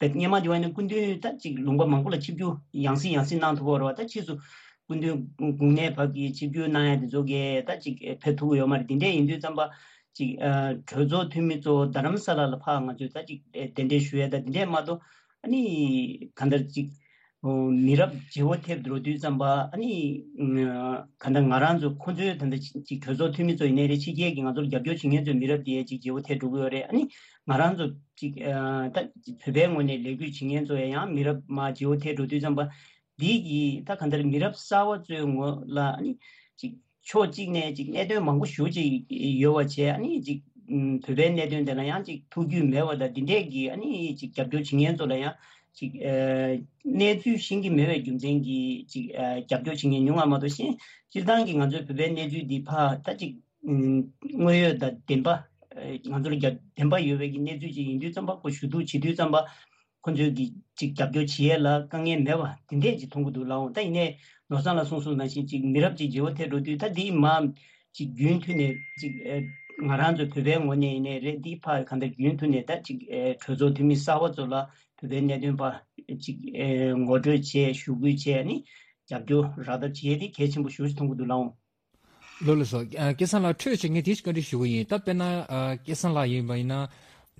བེད་སྔོན་མ་དེ་བ་ཡིན་ན་སྐུ་མདུན་ད་ཅིག་ལུང་པ་མང་པོ་ལ་ཆིབས་བསྒྱུར་ཡང་སེ་ཡང་སེ་གནང་ཐུབ་པ་རེད་བ། ད་ཕྱིས་སུ་སྐུ་མདུན་དགུང་ནས་བབས་ཀྱི་ཆིབས་བསྒྱུར་གནང་ཡ་དེ་ཚོ་གས་ད་ཅིག་ཕེབས་ཐུབ་ཀྱི་ཡོད་མ་རེད། དེ་འདྲས་ཡིན་དུས་ཙམ་པ་ཅིག་ཨ་གྲོས་ཚོགས་འཐུས་མི་ཚོ་རྡ་རམ་ས་ལ་ལ་ཕར་ང་ཚོས་ད་ཅིག་གདན་འདྲེན་ཞུ་ཡ་ད་དེ་འདྲས་མ་གཏོགས་ཨ་ནི་གང་ལྟར་ཅིག་ མི་རབས་བརྗེ་བོ་ཐེབས་འགྲོ་དུས་ཙམ་པ་ཨ་ནི་ག་འདྲ་ང་རང་ཚོ་ཁོང་ཚོའི་ད་ལྟ་ཅིག་གྲོས་ཚོགས་འཐུས་མི་ཚོ་ཡིན་ནའི་རེད། ཕྱི་རྒྱལ་གྱི་ང་ཚོར་རྒྱབ་སྐྱོར་བྱེད་མཁན་ཚོའི་མི་རབས་དེ་ཅིག་བརྗེ་བོ་ཐེབས་འགྲོ་གི་ཡོད་རེད། ཨ་ནི་ང་རང་ཚོ་ཅིག་ད་བོད་པའི་ངོས་ནས་ལས་འགུལ་བྱེད་མཁན་ཚོ་ཡང་མི་རབས་མ་བརྗེ་བོ་ཐེབས་འགྲོ་དུས་ཙམ་པ་འདི་གི་ད་ག་འདྲ་མི་རབས་གསར་བ་ཚོའི་ངོ་ལ་ཨ་ནི་ཅིག་ཕྱོགས་གཅིག་ནས་ཅིག་གནད་དོན་མང་པོ་ཞེ་པོ་ཅིག་ཡོད་པ་བྱས། ཨ་ནི་ཅིག་ཨུམ་བོད་པའི་གནད་དོན་དེ་ལ་ཡང་ཅིག་ཐུགས་རྒྱུས་མེད་པ་དང་། འདི་འདྲས་ཀྱི་ཨ་ནི་ཅིག་རྒྱབ་སྐྱོར་བྱེད་མཁན་ཚོ་ལ་ཡང་ཅིག་ཨ་གནས་ཚུལ་ཤེས་ཀྱི་མེད་པའི་རྒྱུ་མཚན་གྱིས་ཅིག་ཨ་རྒྱབ་སྐྱོར་བྱེད་མཁན་ཉུང་བ་མ་གཏོགས། གཞན་སྤྱིར་བཏང་གི་ང་ཚོའི་བོད་པའི་གནས་ཚུལ་འདི་ཕར་ད་ཅིག་ཨུམ་དངོས་ཡོད་དང་བདེན་པ་ཨ་ང་ཚོ་ལ་རྒྱབ་བདེན་པ་ཡོད་པའི་གི་གནས་ཚུལ་ཅིག་ཡིན་དུས་ཙམ་པ། ཁོ་ཞུ་གཏུག་བྱེད་དུས་ཙམ་པ། ཁོ་ཚོས་ཀྱི་ཅིག་རྒྱབ་སྐྱོར་བྱེད་ཡས་ལ་དཀའ་ངལ་མེད་པ་དེ་འདྲས་ཅིག་མཐོང་གི་འདུག་ལགས་འོང་། ད་ཡིན་ནའི་ནོར་བཟང་ལགས་གསུངས་གསུངས་ནང་བཞིན་ཅིག་མི་རབས་ཅིག་བརྗེ་བོ་ཐེབས་འགྲོ་དུས། ད་འདི་མ་ཅིག་རྒྱུན་མཐུད་ནས་ཅིག་ཨེ་ང་རང་ཚོ་བོད་པའི་ངོས་ནས་ཡིན་ནའི་རེད། འདི་ཕར་གང་ལྟར་རྒྱུན་མཐུད་ནས་ད་ཅིག་ཨེ་གྲོས་ཚོགས་འཐུས་མི་གསར་བ་ཚོ་ལ་བོད་པའི་གནད་དོན་ཕར་ཅིག་ཨེ་ངོ་སྤྲོད་བྱས། ཞུ་སྐུལ་བྱས། ནི་རྒྱབ་སྐྱོར་རག་ཐབས་བྱེད་ཡས་དེ་གལ་ཆེན་པོ་ཞེ་པོ་ཅིག་མཐོང་གི་འདུག་ལགས་འོང་། ལགས་ལགས་སོ། ཨ་སྐལ་བཟང་ལགས་འཕྲོས་བྱས་ངས་དེ་ཞིག་བཀའ་འདྲི་ཞུ་གི་ཡིན། ད་དཔེར་ན་ཨ་སྐལ་བཟང་ལགས་ཡིན་པ་ཡིན་ན།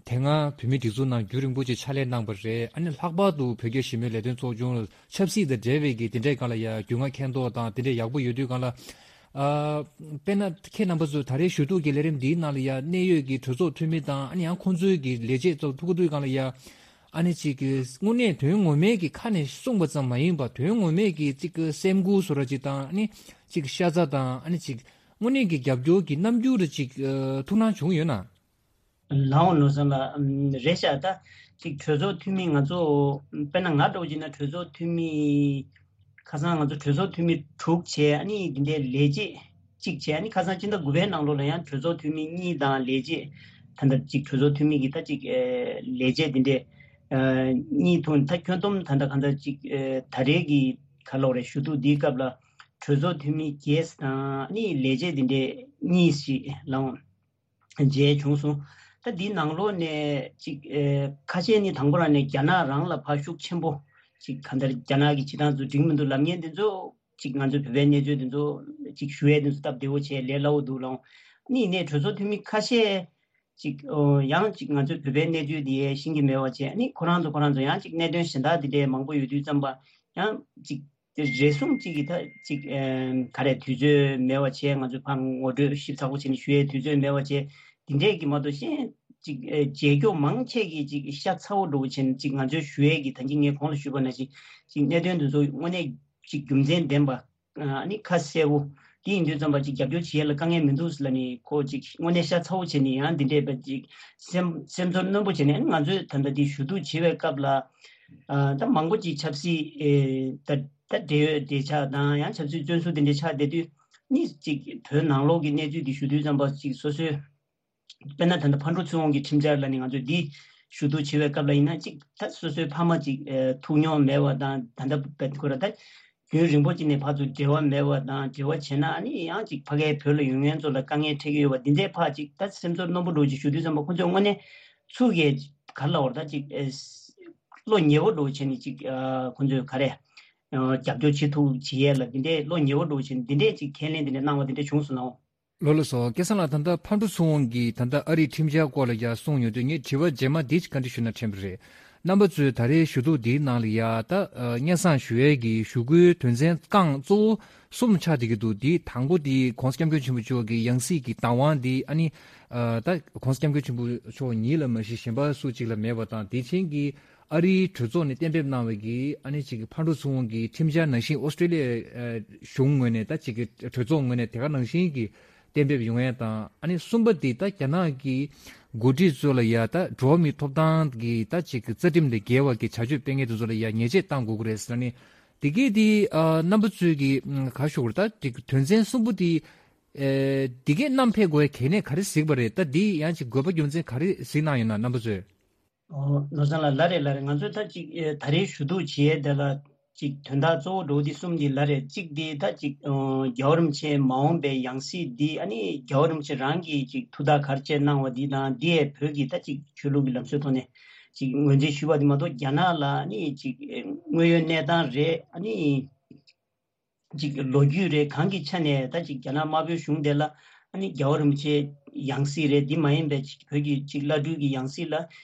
དེ་སྔ་བོད་མིའི་སྒྲིག་འཛུགས་ནང་རྒྱུན་རིང་པོ་ཅིག་ཕྱག་ལས་གནང་བ་རེད། ཨ་ནི་ལྷག་པར་དུ་བོད་རྒྱ་ཞི་མོལ་ལས་དོན་ཚོགས་ཆུང་ལ་ཆབ་སྲིད་དང་འབྲེལ་བའི་གི་དེ་འདྲའི་སྒང་ལ་ཡ་རྒྱུས་མངའ་མཁྱེན་རྟོགས་དང་དེ་འདྲའི་ཡག་པོ་ཡོད་དུས་སྒང་ལ། ཨ་དཔེར་ན་ཁྱེད་རྣམ་པ་ཚོས་ད་རེས་ཞུ་གཏུག་གི་ལས་རིམ་འདིའི་ནང་ལ་ཡ་གནད་ཡོད་ཀྱི་གྲོས་ཚོགས་འཐུས་མི་དང་། ཨ་ནི་ཡང་ཁོང་ཚོའི་གི་ལས་བྱེད་ཚོ་ཐུག་གི་འདུག་སྒང་ལ་ཡ། ཨ་ནི་ཅིག་གི་དངོས་གནས་དོན་ངོ་མའི་གི་ཁ་ནས་གསུངས་པ་ཙམ་མ་ཡིན་པ། དོན་ངོ་མའི་གི་ཅིག་གི་སེམས་འགུལ་བཟོ་འདྲ་ཅིག་དང་། ཨ་ནི་ཅིག་ཤ་ཚ་དང་། ཨ་ནི་ཅིག་དངོས་གནས་ཀྱི་རྒྱབ་སྐྱོར་གྱི་རྣམ་འགྱུར་རེ་ཅིག་ཨ་ཐུགས་སྣང་བྱུང་ཡོད་ན། ལགས་འོང་ནོར་བཟང་ལགས། ཨམ་རེད་ཤག་ད་ཅིག་གྲོས་ཚོགས་འཐུས་མི་ང་ཚོ་དཔེར་ན་ང་འདྲ་བོ་བྱས་ན་གྲོས་ཚོགས་འཐུས་མི་ཁ་སང་ང་ཚོ་གྲོས་ཚོགས་འཐུས་མི་དྲུག་བྱས། ཨ་ནི་འདི་འདྲའི་ལས་བྱེད་གཅིག་བྱས། ཨ་ནི་ཁ་སང་སྤྱི་ཟླ་དགུ་པའི་ནང་ལོགས་ལ་ཡང་གྲོས་ཚོགས་འཐུས་མི་གཉིས་དང་ལས་བྱེད་ད་ལྟ་ཅིག་གྲོས་ཚོགས་འཐུས་མི་གི་ད་ཅིག་ཨེ་ལས་བྱེད་འདི་འདྲའི་ཨ་གཉིས་ཐུག་ད་ཁྱོན་བསྡོམས་ད་ལྟ་གང་ལྟར་ཅིག་ཨེ་ད་རེས་ཀྱི་ག་ལབ་དགོས་རེད། ཞུ་གཏུག་འདིའི་སྐབས་ལ་གྲོས་ཚོགས་འཐུས་མི་བརྒྱད་དང་། ཨ་ནི་ལས་བྱེད་འདི་འདྲའི་གཉིས་ཤིག་ལགས་འོང་། མཇལ་བྱུང་སོང་། ད་འདིའི་ནང་ལོགས་ནས་ཅིག་ཨེ་ཁ་ཤས་ནི་དང་པོ་རང་ནས་རྒྱ་ནག་རང་ལ་ཕར་ཤུགས་ཆེན་པོ་ཅིག་གང་ལྟར་རྒྱ་ནག་གི་བྱེད་སྟངས་ཚོ་འགྲིག་མི་འདུག་ལབ་མཁན་དེ་ཚོ། ཅིག་ང་ཚོའི་བོད་པའི་གནས་ཚུལ་དེ་ཚོ་ཅིག་ཞུ་ཡས་དེ་ཚོ་སྟབས་བདེ་བོ་བྱས་ལས་སླ་བོ་འདུག་ལགས་འོང་། ཨ་ནི་ཡིན་ནའི་གྲོས་ཚོགས་འཐུས་མི་ཁ་ཤས་ཅིག་ཨོ་ཡང་ཅིག་ང་ཚོའི་བོད་པའི་གནས་ཚུལ་དེ་ཤེས་ཀྱི་མེད་པ་བྱས། ཨ་ནི་ཁོ་རང་ཚོ་ཁོ་རང་ཚོ་ཡང་ཅིག་གནད་དོན་གཞན་དག་དེ་འདྲའི་མང་པོ་ཡོད་དུས་ཙམ་པ་ཡང་ཅིག་དེ་རེ་ཟུང་གཅིག་གིས་ད་ཅིག་ཨེམ་ག་རེ་དུས་ཚོད་མེད་པ་བྱས། ང་ཚོས་ཕར་ངོ་སྤྲོད་ཞིབ་ཚགས་པོ་བྱས་ནས་ཞུ་ཡའི་དུས་ཚོད་མེད་པ་བྱས། དེ་འདྲས་ཀྱི་མ་གཏོགས་གཞན་ཅིག་ཨེ་རྒྱལ་སྐྱོང་མང་ཆེ་གིས་ཅིག་ཤ་ཚ་བོ་འདྲ་བོ་བྱས་ནས་ཅིག་ང་ཚོས་ཞུ་ཡས་ཀྱི་ད་གིན་ངས་གོང་ལ་ཞུས་པ་ནང་བཞིན་ཅིག་གནད་དོན་དེ་ཚོ་དངོས་གནས་ཅིག་རྒྱུ་མཚན་ལྡན་པ་ཨ་ནི་ཁ་གསལ་བོ་དེ་ཡིན་དུས་ཙམ་པ་ཅིག་རྒྱབ་སྐྱོར་བྱེད་ཡས་ལ་དཀའ་ངལ་མི་འདུག་ཟེར་ལབ་ནས། ཁོ་ཅིག་དངོས་གནས་ཤ་ཚ་བོ་བྱས་ནས་ཡང་འདི་འདྲས་པ་ཅིག་སེམས་སེམས་ཚོར་རྣོན་པོ་བྱས་ནས། ཨ་ནི་ང་ཚོས་ད་ལྟ་འདི་ཞུ་གཏུག་བྱེད་པའི་སྐབས་ལ། ཨ་ད་མང་པོ་ཅིག་ཆབ་སྲིད་ཨེ་ད་ད་འབྲེལ་ཡོད་འབྲེལ་ཆགས་དང་ཡང་ཆབ་སྲིད་བཙོན་ཟུར་དེ་འདྲའི་ཆགས་བསྡད་དུས་ནི། ཅིག་བོད་ནང་ལོགས་ཀྱི་གནས་ཚུལ་འདི་ཞུ་དུས་ཙམ་པ་ཅིག་སོ་སོའི་དཔེར་ན་ད་ལྟ་ཕར་འགྲོ་ཚུར་འོང་གི་ཁྲིམས་འཆར་ལ་ནི་ང་ཚོས་འདི་ཞུ་གཏུག་བྱེད་པའི་སྐབས་ལ་ཡིན་ན། ཅིག་ད་སོ་སོའི་ཕ་མ་ཅིག་ཨེ་ཐུག་མྱོང་མེད་པ་དང་། ད་ལྟ་བེད་ཁོ་ར་ད་རྒྱུན་རིང་པོ་ཅིག་ནས་ཕར་ཚུར་འབྲེལ་བ་མེད་པ་དང་། འབྲེལ་བ་བྱས་ན་ཨ་ནི་ཡང་ཅིག་ཕ་གིའི་བོད་ལ་ཡོང་མཁན་ཚོ་ལ་དཀའ་ངལ་འཕྲད་ཀྱི་ཡོད་པ་འདི་འདྲའི་ཕར་ཅིག་ད་སེམས་ཚོར་རྣོན་པོ་འདྲ་བོ་ཅིག་ཞུ་དུས་ཙམ་པ། ཁོ་ཚོས་དངོས་གནས་ཚུར་གས་ག་རེ་ལབ་དགོས་རེད། ད་ཅིག་ཨེ་བློ་ཉེ་བོ་འདྲ་བོ་བྱས་ནས་ཅིག་ཨ་ཁོ་ཚོས་ག་རེ་ཨ་རྒྱབ་སྐྱོར་བྱེད་ཐུབ་བྱེད་ཡས་ལ་འདི་འདྲའི་བློ་ཉེ་བོ་འདྲ་བོ་བྱས་ནས་འདི་འདྲའི་ཅིག་ཁས་ལེན་འདི་འདྲ་གནང་བ་འདི་འདྲ་བྱུང་སོང་ནའོ། ལགས་ལགས་སོ། སྐལ་བཟང་ལགས། ད་ལྟ་ཕར་འགྲོ་ཚུར་འོང་གི་ད་ལྟ་ཨ་རིའི་ཁྲིམས་འཆར་སྐོར་ལ་ཡ་གསུངས་ཡོང་དུས། ངས་དྲི་བ་རྗེས་མ་འདི་ཅིག་བཀའ་འདྲི་ཞུ་ན་དྲན་པ་རེད། རྣམ་པ་ཚོས་ད་རེས་ཞུ་གཏུག་འདིའི་ནང་ལ་ཡ་ད་ཨ་སྙན་སེང་ཞུ་ཡས་ཀྱི་ཞུ་སྐུལ་དོན་ཚན་རྐང་གཙོ་བོ་གསུམ་ཆགས་བསྡད་ཀྱི་འདུག་འདི་དང་པོ་འདི་༸གོང་ས་༸སྐྱབས་མགོན་ཆེན་པོ་མཆོག་གི་ཡང་སྲིད་ཀྱི་བདག་དབང་འདི། ཨ་ནི་ཨ་ད་༸གོང་ས་༸སྐྱབས་མགོན་ཆེན་པོ་མཆོག་ཉིད་ལ་མ་གཞི་གཞན་པ་སུ་གཅིག་ལ་མེད་པ་དང་། དེ་བཞིན་གྱི་ཨ་རིའི་གྲོས་ཚོགས་ནས་གཏན་འབེབས་གནང་བའི་གི་ཨ་ནི་ཅིག་གི་ཕར་འགྲོ་ཚུར་འོང་གི་ཁྲིམས་འཆར་ནང་བཞིན། ཨོ་སི་ཀྲི་ལི་ཡའི་ཨ་གཞུང་ངོས་ནས་ད་ཅིག་གི་གྲོས་ཚོགས་ངོས་ནས་དེ་ག་ནང་བཞིན་གྱི་གཏན་འབེབས་ཡོང་ཡ་དང་། ཨ་ནི་གསུམ་པ་འདི་ད་རྒྱ་ནག་གི་འགོ་ཁྲིད་ཚོ་ལ་ཡ་ད་འགྲོ་བ་མིའི་ཐོབ་ཐང་གི་ད་ཅིག་གི་རྩ་ཁྲིམས་ལས་འགལ་བ་གི་བྱ་སྤྱོད་སྤེལ་མཁན་དེ་ཚོ་ལ་ཡ་ཉེས་ཆད་གཏང་དགོས་ཀྱི་རེད་ཟེར་ནས། དེ་གས་དེ་ཨ་རྣམ་པ་ཚོས་ཀྱི་ཨ་ག་ཞུ་དགོས་རེད། ད་ཅིག་དོན་ཚན་གསུམ་པོ་དེ་ཨེ་དེ་གས་བསྣམས་ཕེབས་དགོས་ཡ་གལ་གནད་ག་རེ་གཟིགས་པ་རེད། ད་འདི་ཡང་ཅིག་དགོས་པ་རྒྱུ་མཚན་ག་རེ་གཟིགས་གནང་ཡོད་ན། རྣམ་པ་ཚོས། ཨོ་ནོར་བཟང་ལགས། ལགས་རེད། ལགས་རེད། ང་ཚོས་ད་ཅིག་ཨེ་ད་རེས་ཞུ་གཏུག་བྱེད་ཡས་དེ་ལ་ཅིག་དོན་དག་གཙོ་བོ་འདྲ་བོ་འདི་གསུམ་འདི་ལ་རེད། གཅིག་འདི་ད་ཅིག་ཨོ་རྒྱལ་བ་རིན་པོ་ཆེ་མ་འོངས་པའི་ཡང་སྲིད་འདི། ཨ་ནི་རྒྱལ་བ་རིན་པོ་ཆེ་རང་གིས་ཅིག་ཐུགས་ཐག་ག་རེ་བཅད་གནང་བ་འདི་དང་། འདི་ཡས་བོད་ཀྱི་ད་ཅིག་ཆོས་ལུགས་ཀྱི་ལམ་སྲོལ་ཐོག་ནས་ཅིག་ངོས་འཛིན་ཞུས་པ་འདི་མ་གཏོགས། རྒྱ་ནག་ལ་ཨ་ནི་ཅིག་ཨེ་དངོས་ཡོད་གནས་སྟངས་རེད། ཨ་ནི་ཅིག་ལོ་རྒྱུས་རེད། གང་གི་ཆ་ནས་ད་ཅིག་རྒྱ་ནག་དམར་པོའི་གཞུང་དེ་ལ་ཨ་ནི་རྒྱལ་བ་རིན་པོ་ཆེའི་ཡང་སྲིད་རེད། འདི་མ་ཡིན་པའི་ཅིག་བོད་ཀྱི་ཅིག་བླ་སྤྲུལ་གྱི་ཡང་སྲིད་ལ་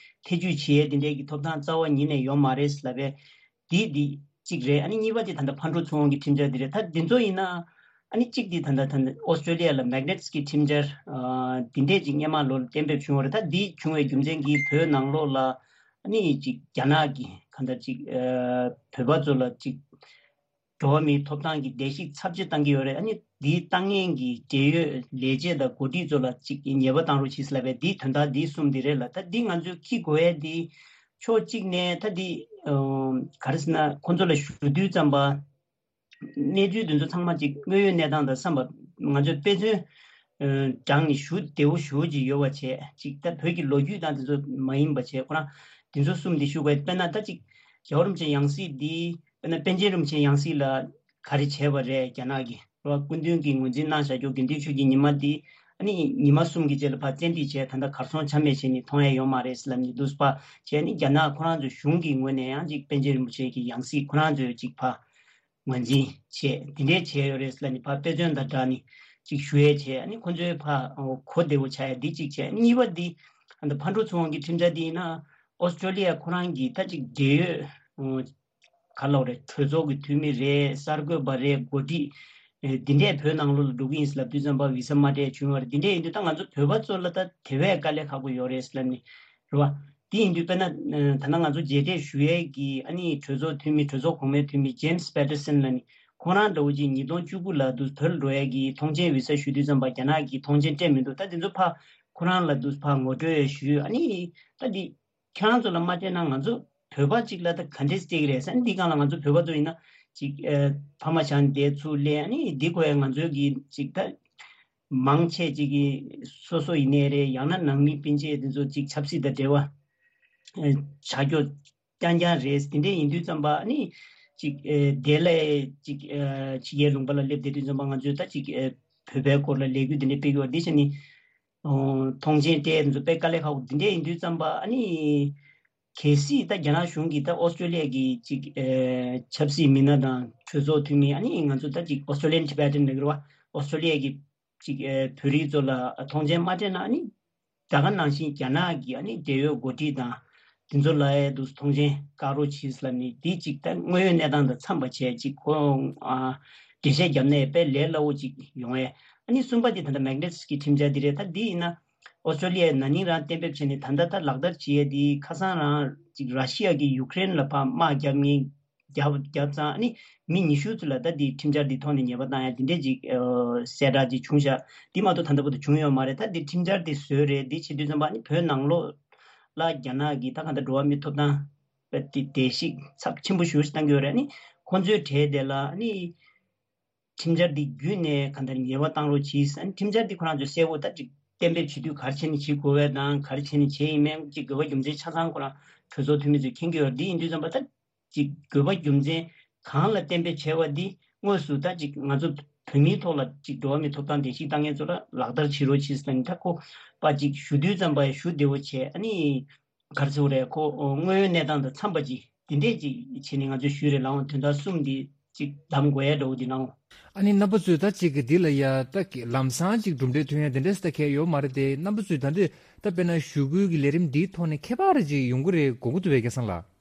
ཐེ་ཇུས་བྱེད་ཡས་འདི་འདྲས་ཀྱི་ཐོབ་ཐང་རྩ་བ་ཉིད་ནས་ཡོད་མ་རེད་ལབ་པས། འདི་འདི་ གཅིག་རེད། ཨ་ནི་གཉིས་པ་དེ་ད་ལྟ་ཕར་འགྲོ་ཚུར་འོང་གི་ཁྲིམས་འཆར་དེ་རེད། ད་འདི་ཚོ་ཡིན་ན་ཨ་ནི་གཅིག་དེ་ད་ལྟ་ད་ལྟ་ཨོ་སི་ཀྲོ་ལི་ཡ་ལ་མེག་ནེཊ་སི་གི་ཁྲིམས་འཆར་ཨ་འདི་འདྲས་ཅིག་སྔོན་མ་ལོ་ལ་གཏན་འབེབས་བྱུང་བ་རེད། ད་འདི་བྱུང་བའི་རྒྱུ་མཚན་གྱིས་བོད་ནང་ལོགས་ལ་ཨ་ནི་ཅིག་རྒྱ་ནག་གི་གང་ལྟར་ཅིག་ཨ་བོད་པ་ཚོ་ལ་ཅིག་འགྲོ་བ་མིའི་ཐོབ་ཐང་གི་བརྡལ་བཤིག་ཚབས་ཆེ་བཏང་གི་ཡོད་རེད། ཨ་ནི་འདི་བཏང་མཁན་གྱི་འབྲེལ་ཡོད་ལས་བྱེད་དང་འགོ་ཁྲིད་ཚོ་ལ་ཅིག་ཉེས་པ་བཏང་རོགས་བྱེད་ཟེར་ལབ་པའི་འདི་དོན་དག་འདི་གསུམ་འདི་རེད་ལ། ད་འདི་ང་ཚོས་འཁྱེར་དགོས་ཡས་འདི་ཕྱོགས་གཅིག་ནས་ད་འདི་ཨ་ག་རེ་ཟེར་ན་ཁོང་ཚོ་ལ་ཞུ་དུས་ཙམ་པ་གནས་ཚུལ་འདི་ཚོ་ཚང་མ་ཅིག་དངོས་ཡོད་གནས་སྟངས་དང་འཚམས་པ་ང་ཚོས་དཔེ་མཚོན་ཨ་དྲངས་ནས་ཞུ་བདེ་བོ་ཞུ་ཅིག་ཡོད་པ་བྱས་ཅིག་ད་བོད་ཀྱི་ལོ་རྒྱུས་དང་དེ་ཚོ་མ་ཡིན་པ་བྱས་ཁོ་རང་དེ་ཚོ་གསུམ་འདི་ཞུ་དགོས། དཔེར་ན་ད་ཅིག་རྒྱལ་བ་རིན་པོ་ཆེ་ཡང་སྲིད་འདི་དཔེར་ན་པཎ་ཆེན་རིན་པོ་ཆེ་ཡང་སྲིད་ལ་ག་རེ་བྱས་པ་རེད། རྒྱ་ནག་གིས་རེད་བ། སྐུ་མདུན་གྱིས་ངོས་འཛིན་གནང་བཞག་རྒྱུ་དགེ་འདུན་ཆོས་ཀྱི་ཉི་མ་འདི་ཨ་ནི་ཉི་མ་གསུམ་གྱི་རྗེས་ལ་ཕར་བཙན་ཁྲིད་བྱས། ད་ལྟ་གར་སོང་ཆ་མེད་བྱས་ནས་མཐོང་ཡ་ཡོད་མ་རེད་ཟེར་ལབ་ནས་འདུག་པ་བྱས་ནས་རྒྱ་ནག་ཁོ་རང་ཚོའི་གཞུང་གི་ངོས་ནས་ཡང་ཅིག་པཎ་ཆེན་རིན་པོ་ཆེ་གི་ཡང་སྲིད་ཁོ་རང་ཚོའི་ཅིག་ཕར་ངོས་འཛིན་བྱས་འདི་འདྲས་བྱས་ཡོད་རེད་ཟེར་ལབ་ནས་ཕར་དཔེ་མཚོན་དང་སྦྲགས་ནས་ཅིག་ཞུ་ཡས་བྱས། ཨ་ནི་ཁོ་ཚོའི་ཕར་གོ་བདེ་བོ་ཆགས་ཡས་འདི་གཅིག་བྱས། གཉིས་པ་འདི་ཨ་ནི་ཕར་འགྲོ་ཚུར་འོང་གི་ཁྲིམས་འཆར་འདི་ཡིན་ན་ཨོ་སི་ཀྲོ་ལི་ཡ་ཁོ་རང་གི་ད་ཅིག་འབྲེལ་ཡོད་ག་ལབ་རེད། གྲོས་ཚོགས་ཀྱི་འཐུས་མི་རེད། གསར་འགོད་པ་རེད། འགོ་ཁྲིད་ཨེ་འདི་འདྲས་བོད་ནང་ལོགས་ལ་འགྲོ་གི་ཡིན་ཟེར་ལབ་དུས་ཙམ་པ་བི་ས་མ་སྤྲད་བྱུང་བ་རེད། འདི་འདྲས་ཡིན་དུས་ད་ང་ཚོ་བོད་པ་ཚོ་ལ་ད་དེ་བས་དཀའ་ལས་ཁག་པོ་ཡོད་རེད་ཟེར་ལབ་ནས་རེད་བ། དེ་ཡིན་དུས་དཔེར་ན་ཨ་ད་ལྟ་ང་ཚོ་མཇལ་འཕྲད་ཞུ་ཡས་ཀྱི་ཨ་ནི་གྲོས་ཚོགས་འཐུས་མི་གྲོས་ཚོགས་གོང་མའི་འཐུས་མི་James Patterson་ལབ་ནས་ཁོང་རང་འདྲ་བོ་ཅིག་ཉིས་སྟོང་བཅུ་དགུ་ལ་དུ་བོད་ལ་འགྲོ་ཡས་ཀྱི་ཐོངས་མཆན་བི་ས་ཞུ་དུས་ཙམ་པ་རྒྱ་ནག་གིས་ཐོངས་མཆན་སྤྲད་མི་འདུག་ད་དེ་ཚོ་ཕར་ཁོ་རང་ལ་དུ་ཕར་ངོ་སྤྲོད་ཞུས། ཨ་ནི་ད་འདི་ཁྱེད་རང་ཚོ་ལ་མ་སྤྲད་ན་ང་ཚོ་བོད་པ་གཅིག་ལ་ད་ག་འདྲས་སྤྲད་ཀྱི་རེད་ཟེར། འདི་སྒང་ལ་ང་ཚོ་བོད་པ་ཚོ་ཡིན་ན་ཅིག་ཨ་ཕ་མ་བྱང་བསྡད་ཚུར་སླེབས། ཨ་ནི་འདི་ཁོ་ཡ་ང་ཚོའི་གི་ཅིག་ད་མང་ཆེ་ཅིག་གིས་སོ་སོ་ཡིན་ནའི་རེད། ཡང་ན་ནང་མི་སྤུན་མཆེད་དེ་ཚོ་ཅིག་ཆབ་སྲིད་དང་འབྲེལ་བ་ཨ་བྱ་རྒྱུ་རྐྱང་རྐྱང་རེད། དེ་འདྲས་ཡིན་དུས་ཙམ་པ་ཨ་ནི་ཅིག་ཨ་དེ་ལས་ཅིག་ཨ་ཕྱི་རྒྱལ་ལུང་པ་ལ་སླེབས་བསྡད་དུས་ཙམ་པ་ང་ཚོས་ད་ཅིག་ཨ་བོད་པའི་སྐོར་ལ་ལས་འགུལ་དེ་འདྲས་སྤེལ་གྱི་ཡོད་རེད། དེ་བྱས་ནས་ཨོ་ཐོངས་མཆན་སྤྲད་དེ་ཚོ་དཔེ་དཀའ་ལས་ཁག་པོ་འདི་འདྲས་ཡིན་དུས་ཙམ་པ་ཨ་ནི་གལ་སྲིད་ད་རྒྱ་ནག་གཞུང་གིས་ད་ཨོ་སི་ཀྲོ་ལི་ཡ་གི་ཅིག་ཨེ་ཆབ་སྲིད་མི་སྣ་དང་གྲོས་ཚོགས་འཐུས་མི་ཨ་ནི་ང་ཚོ་ད་ཅིག་Australian Tibetan་ལབ་ཀྱི་རེད་བ། ཨོ་སི་ཀྲོ་ལི་ཡ་གི་ཅིག་ཨེ་བོད་རིགས་ཚོ་ལ་ཐོངས་མཆན་མ་སྤྲད་ན་ཨ་ནི་ད་ག་ནང་བཞིན་རྒྱ་ནག་གི་ཨ་ནི་འབྲེལ་ཡོད་འགོ་ཁྲིད་དང་དེ་ཚོ་ལ་ཡ་དུ་ཐོངས་མཆན་བཀག་རོགས་གྱིས་ལབ་ནས་འདི་ཅིག་ད་དངོས་ཡོད་གནས་སྟངས་དང་འཚམས་པ་བྱས་ཅིག་ཁོ་ཨ་འགྲེལ་བཤད་བརྒྱབ་ན་དཔེ་ལས་སླ་བོ་ཅིག་ཡོང་ཡས། ཨ་ནི་གསུམ་པ་དེ་ད་ལྟ་Magnitsky་ཁྲིམས་འཆར་འདི་རེད། ད་འདི་ཡིན་ན་ཨོ་སི་ཀྲོ་ལི་ཡའི་ན་ནིང་རང་གཏན་འབེབས་བྱས་ནས་ད་ལྟ་ད་ལག་བསྟར་བྱེད་ཡས་འདི་ཁ་སང་རང་ཅིག་ར་ཤི་ཡ་གིས་ཡུ་ཀེ་རེན་ལ་ཕར་དམག་རྒྱབ་ངེས་རྒྱབ་རྒྱབ་ཙང་ཨ་ནི་མི་ཉི་ཤུ་ཙམ་ལ་ད་འདི་ཁྲིམས་འཆར་འདི་ཐོག་ནས་ཉེས་པ་བཏང་ཡ་འདི་འདྲས་ཅིག་ཨ་གསལ་བསྒྲགས་ཅིག་བྱུང་ཤག་འདི་མ་གཏོགས་ད་ལྟ་བར་དུ་བྱུང་ཡོད་མ་རེད། ད་འདི་ཁྲིམས་འཆར་འདི་བཟོས་རེད། འདི་བྱེད་དུས་ཙམ་པ་ཨ་ནི་བོད་ནང་ལོགས་ལ་རྒྱ་ནག་གིས་ད་གང་ལྟར་འགྲོ་བ་མིའི་ཐོབ་ཐང་དེ་བརྡལ་བཤིག་ཚབས་ཆེན་པོ་ཞེ་པོ་ཞིག་བཏང་གི་ཡོད་རེད། ཨ་ནི་ཁོང་ཚོའི་གྲས་དེ་ལ་ཨ་ནི་ཁྲིམས་འཆར་འདི་བརྒྱུད་ནས་གང་ལྟར་ཉེས་པ་བཏང་རོགས་གྱིས། ཨ་ནི་ཁྲིམས་འཆར་འདི་ཁོ་རང་ཚོས་གསལ་པོ་ད་ཅིག་གཏན་འབེབས་བྱེད་དུས་ག་རེ་བྱས་ནས་བྱེད་དགོས་པ་དང་ག་རེ་བྱས་ནས་བྱེད་ཡིན་མིན་ཅིག་དགོས་པ་རྒྱུ་མཚན་ཆ་ཚང་ཁོ་རང་གྲོས་ཚོགས་འཐུས་མི་ཚོས་མཁྱེན་གྱི་ཡོད་རེད། འདི་ཡིན་དུས་ཙམ་པ་ད་ཅིག་དགོས་པ་རྒྱུ་མཚན་གང་ལ་གཏན་འབེབས་བྱས་པ་འདི་དངོས་སུ་ད་ཅིག་ང་ཚོ་བོད་མིའི་ཐོག་ལ་ཅིག་འགྲོ་བ་མིའི་ཐོབ་ཐང་བརྡལ་བཤིག་བཏང་མཁན་ཚོ་ལ་ལག་བསྟར་བྱེད་རོགས་གྱིས་ཟེར་ནས་ད་ཁོ་པ་ཅིག་ཞུ་དུས་ཙམ་པ་ཡང་ཞུ་བདེ་བོ་བྱས། ཨ་ནི་ག་རེ་ཟེར་དགོས་རེད། ཁོ་དངོས་ཡོད་གནས་སྟངས་དང་འཚམས་པ་ཅིག་དེ་འདྲས་ཅིག་བྱས་ནས་ང་ཚོས་ཞུས་རེད་ལགས། འོང་དོན་དག་གསུམ་འདི་ཅིག་གདམ་དགོས་ཡ་འདྲ་བོ་འདི་ནའང་། ཨ་ནི་རྣམ་པ་ཚོས་ད་ཅིག་གི་འདི་ལ་ཡ་ད་ལམ་སང་ཅིག་གྲུབ་འབྲས་ཐོན་ཡ་དེ་འདྲས་ད་གས་ཡོད་མ་རེད་དེ། རྣམ་པ་ཚོས་ད་འདི་ད་དཔེར་ན་ཞུ་སྐུལ་གྱི་ལས་རིམ་འདིའི་ཐོག་ནས་ཁྱད་པར་ཅིག་ཡོང་གི་རེད་དགོངས་ཀྱི་འདུག་པས་སྐལ་བཟང་ལགས།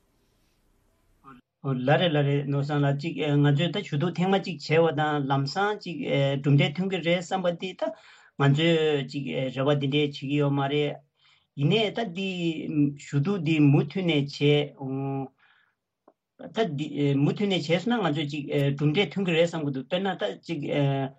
ཨོ་ལགས་རེད་ལགས་རེད། ནོར་བཟང་ལགས་ཅིག་ཨེ་ང་ཚོས་ད་ཞུ་གཏུག་ཐེངས་མ་གཅིག་བྱས་པ་དང་ལམ་སང་ཅིག་ཨེ་གྲུབ་འབྲས་ཐོན་གྱི་རེད་བསམ་པ་འདི་ད་ང་ཚོས་ཅིག་ཨེ་རེ་བ་འདི་འདྲས་བྱེད་ཀྱི་ཡོད་མ་རེད། ཡིན་ནའི་ད་འདི་ཞུ་གཏུག་འདི་མུ་མཐུད་ནས་བྱས། ཨོ་ད་འདི་ཨེ་མུ་མཐུད་ནས་བྱས་སོང་ན་ང་ཚོས་ཅིག་ཨེ་གྲུབ་འབྲས་ཐོན་གྱི་རེད་བསམ་གྱི་འདུག་དཔེར་ན་ད་ཅིག་ཨེ་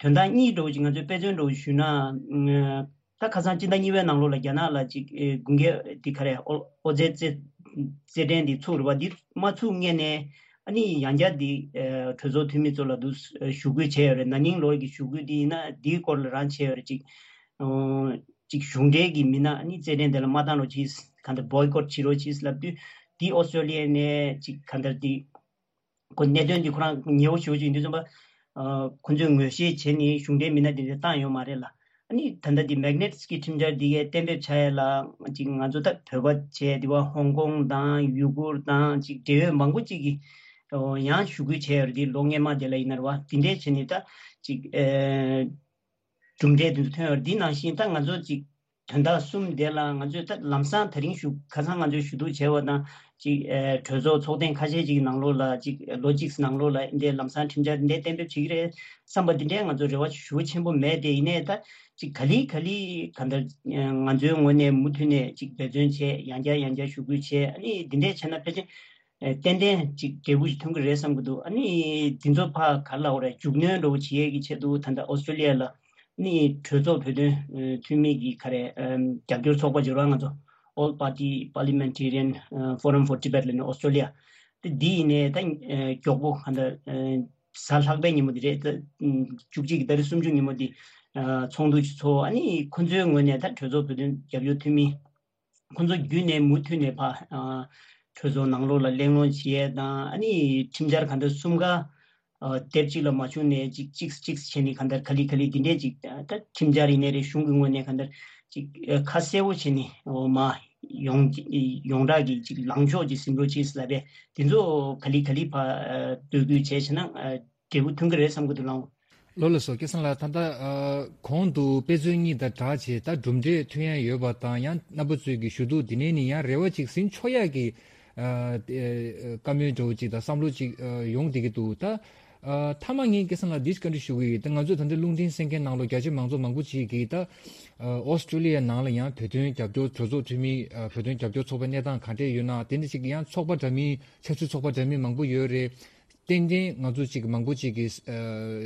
དོན་དག་གཉིས་འདྲ་བོ་ཅིག་ང་ཚོས་དཔེ་མཚོན་འདྲ་བོ་ཞུས་ན། ཨ་ད་ཁ་སང་སྤྱི་ཟླ་གཉིས་པའི་ནང་ལོགས་ལ་རྒྱ་ནག་ལ་ཅིག་ཨེ་དགུན་ཁའི་འདི་ག་རེ་ཨོ་ཨོ་རྩེད་རྩེད་རྩེད་འགྲན་འདི་ཚུགས་རེད་བ། འདི་མ་ཚུགས་སྔོན་ནས་ཨ་ནི་ཡང་བསྐྱར་འདི་ཨེ་གྲོས་ཚོགས་འཐུས་མི་ཚོ་ལ་འདུག་ཞུ་སྐུལ་བྱས་ཡོད་རེད། ན་ནིང་ལོར་གྱི་ཞུ་སྐུལ་འདི་ཡིན་ན་འདིའི་སྐོར་ལ་རང་བྱས་ཡོད་རེད། ཅིག་ཨོ་ཅིག་གཞུང་འབྲེལ་གྱི་མི་སྣ་ཨ་ནི་རྩེད་འགྲན་དེ་ལ་མ་བཏང་རོགས་གྱིས། གང་ལྟར་བོའི་ཀོཊ་བྱེད་རོགས་གྱིས་ལབ་དུས་འདི་ཨོ་སི་ཀྲོ་ལི་ཡ་ནས་ཅིག་གང་ལྟར་འདི་ཁོ་གནད་དོན་འདི་ཁོ་རང་ཉེ་བོ་ཞེ་པོ་ཅིག་ཡིན་དུས་ཙམ་པ། ཨ་ཁོ་ཚོས་ངོས་བཞེས་བྱས་ནས་གཞུང་འབྲེལ་མི་སྣ་འདི་འདྲ་བཏང་ཡོད་མ་རེད་ལ། ཨ་ནི་ད་ལྟ་འདི་མེག་ནེ་ཊི་སི་ཀི་ཁྲིམས་འཆར་འདི་གའི་གཏན་འབེབས་བྱ་ཡས་ལ་ཅིག་ང་ཚོ་ད་བོད་པ་བྱས་འདི་བ་ཧོང་ཀོང་དང་ཡུ་གུར་དང་ཅིག་འབྲེལ་ཡོད་མང་པོ་ཅིག་གིས་ཡང་ཞུ་སྐུལ་བྱས་ཡོད་རེད། འདི་ལོ་སྔོན་མ་དེ་ལ་ཡིན་ན་རེད་བ། འདི་འདྲས་བྱས་ནས་ད་ཅིག་ཨེ་གྲུབ་འབྲས་དེ་ཚོ་ཐོན་ཡོད་རེད། འདི་ནང་བཞིན་ད་ང་ཚོ་ཅིག་ དོན་དག་གསུམ་དེ་ལ་ང་ཚོས་ད་ལམ་སང་དེ་རིང་ཞུ་ཁ་སང་ང་ཚོས་ཞུ་གཏུག་བྱས་པ་དང་ཅིག་ཨེ་གྲོས་ཚོགས་ཚོགས་ཐེངས་ཁ་ཤས་ཅིག་ནང་ལོགས་ལ་ཅིག་ལོ་གཅིག་ནང་ལོགས་ལ་འདི་ལམ་སང་ཁྲིམས་འཆར་འདི་གཏན་འབེབས་བྱེད་ཀྱི་རེད་བསམ་པ་འདི་འདྲའི་ང་ཚོ་རེ་བ་ཞུ་བ་ཆེན་པོ་མེད་དེ། ཡིན་ནའི་ད་ཅིག་ག་ལེ་ག་ལེ་ག་འདྲ་ང་ཚོའི་ངོས་ནས་མུ་མཐུད་ནས་ཅིག་འབད་བརྩོན་བྱས། ཡང་བསྐྱར་ཡང་བསྐྱར་ཞུ་སྐུལ་བྱས། ཨ་ནི་འདི་འདྲས་བྱས་ན་ཕལ་ཆེར་ཨེ་ཏན་ཏན་ཅིག་འབྲས་བུ་ཞིག་ཐོན་གྱི་རེད་བསམ་གྱི་འདུག་ཨ་ནི་འདི་ཚོ་ཕར་ག་ལ་འོ་རེད། མཇུག་སྣོན་འདྲ་བོ་བྱེད་ཡས་ཀྱི་ཆེད་དུ་ད་ལྟ་ཨོ་སི་ཀྲོ་ལི་ཡ་ལ་ནི་གྲོས་ཚོགས་བོད་དོན་ཨེ་འཐུས་མི་གི་ག་རེ་ཨེམ་རྒྱབ་སྐྱོར་ཚོགས་པ་འབྱོར་བ། ང་ཚོ་All Party Parliamentarian Forum for Tibet ལབ་ནས་ཨོ་སི་ཀྲོ་ལི་ཡ་དེ་འདི་ཡིན་ནའི་ད་ཨེ་མགྱོགས་པོ་ག་འདྲ་ཨེ་གཟའ་ལྷག་པའི་ཉིན་མོ་འདི་རེད། ད་ཨེམ་བཅུ་གཅིག་གི་ཏ་རིག་སུམ་ཅུ་ཉིན་མོ་འདི་ཨ་ཚོགས་འདུ་ཞིག་ཚོགས། ཨ་ནི་ཁོ་ཚོའི་ངོས་ནས་ད་གྲོས་ཚོགས་བོད་དོན་རྒྱབ་སྐྱོར་འཐུས་མི་ཁོ་ཚོ་བརྒྱུད་ནས་མུ་མཐུད་ནས་ཕར་ཨ་གྲོས་ཚོགས་ནང་ལོགས་ལ་གླེང་སློང་བྱེད་ཡས་དང་། ཨ་ནི་ཁྲིམས་འཆར་གང་ལྟར་གསུམ་ཀ་ཨ་དེབ་གཅིག་ལ་མ་བྱུང་ནས་ཅིག་ཅིག་ཅིག་བྱས་ནས་གང་ལྟར་ག་ལེ་ག་ལེ་འདི་འདྲས་ཅིག་ད་ཁྲིམས་འཆར་ཡིན་ནའི་རེད། གཞུང་གི་ངོས་ནས་གང་ལྟར་ཅིག་ཨ་ཁ་གསལ་པོ་བྱས་ནས་འོ་མ་ཡོངས་ཡོངས་གྲགས་ཀྱི་ཅིག་ལངས་ཕྱོགས་ཅིག་ཟིན་འགྲོ་ཅིག་ལབ་པས། འདི་ཚོ་ག་ལེ་ག་ལེ་ཕར་ཨ་འབོད་སྐུལ་བྱས་བྱས་ན་ཨ་འབྲས་བུ་ཐོན་གྱི་རེད་བསམ་གྱི་འདུག་ལགས། ལགས་སོ། སྐལ་བཟང་ལགས། ད་ལྟ་ཨ་གོང་དུ་དཔེ་མཛོད་གཉིས་དང་སྦྲགས་བྱས་ད་གྲུབ་འབྲས་ཐོན་ཡ་ཡོད་པ་དང་། ཡང་རྣམ་པ་ཚོས་ཀྱི་ཞུ་གཏུག་འདི་ནས་ནི་ཡང་རེ་བ་ཅིག་ཟིན་ཆོག་ཡ་གི་ཨ་ཨ་བཀའ་མོལ་འདྲ་བོ་ཅིག་དང་བསམ་བློ་ཅིག་ཨ་ཡོང་བསྡད་ཀྱི་འདུག་ད་ཨ་མཐའ་མ་ངས་སྐལ་བཟང་ལགས་འདི་བཀའ་འདྲི་ཞུ་གི་ཡོད། ད་ང་ཚོས་ད་ལྟ་རླུང་འཕྲིན་གསན་མཁན་ནང་ལོགས་རྒྱ་ཆེ་མང་ཚོགས་མང་པོ་ཅིག་གིས་ད་ཨ་ཨོ་སི་ཀྲོ་ལི་ཡ་ནང་ལ་ཡང་བོད་དོན་རྒྱབ་སྐྱོར་གྲོས་ཚོགས་འཐུས་མི་ཨ་བོད་དོན་རྒྱབ་སྐྱོར་ཚོགས་པའི་གནས་སྟངས་ག་འདྲས་ཡོད་ན། དེ་འདྲ་ཅིག་ཡང་ཚོགས་པ་འདྲ་མིན་ཆབ་སྲིད་ཚོགས་པ་འདྲ་མིན་མང་པོ་ཡོད་རེད། ཏན་ཏན་ང་ཚོ་ཅིག་མང་པོ་ཅིག་གིས་ཨ་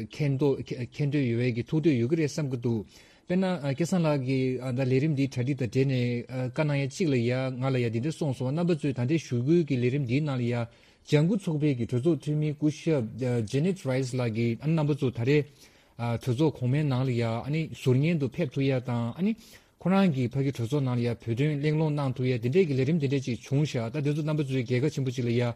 མཁྱེན་རྟོགས་མཁྱེན་མཁྱེན་འདོད་ཡོད་པའི་གི་ཐུགས་འདོད་ཡོད་ཀྱི་རེད་བསམ་གྱི་འདུག་དཔེར་ན་ཨ་སྐལ་བཟང་ལགས་ཀྱིས་ཨ་ད་ལས་རིམ་འདིའི་གྲ་སྒྲིག་དང་འབྲེལ་ནས་ཨ་བཀའ་གནང་ཡ་གཅིག་ལ་ཡ་ང་ལ་ཡ་འདི་འདྲ་གསུངས་སོང་། རྣམ་པ་ཚོས་ད་ལྟའི་ཞུ་སྐུལ་གྱི་ལས་རིམ་འདིའི་ནང་ལ་ཡ་ལྗང་ཁུ་ཚོགས་པའི་གི་གྲོས་ཚོགས་འཐུས་མི་སྐུ་ཞབས་ཨ་ཇེ་ནེད་རའི་སི་ལགས་ཀྱིས་ཨ་རྣམ་པ་ཚོ་ད་རེས་ཨ་གྲོས་ཚོགས་གོང་མའི་ནང་ལ་ཡ་ཨ་ནི་ཟུར་ཉན་དུ་ཕེབས་ཐུབ་ཡ་དང་། ཨ་ནི་ཁོ་རང་གིས་ཕ་གི་གྲོས་ཚོགས་ནང་ལ་ཡ་བོད་དོན་གླེང་སློང་གནང་ཐུབ་ཡ་དེ་འདྲས་ཀྱི་ལས་རིམ་དེ་འདྲས་ཅིག་བྱུང་ཤག་ད་དེ་ཚོ་རྣམ་པ་ཚོའི་རྒྱལ་ཁ་ཆེན་པོ་ཅིག་ལ་ཡ་ཨ་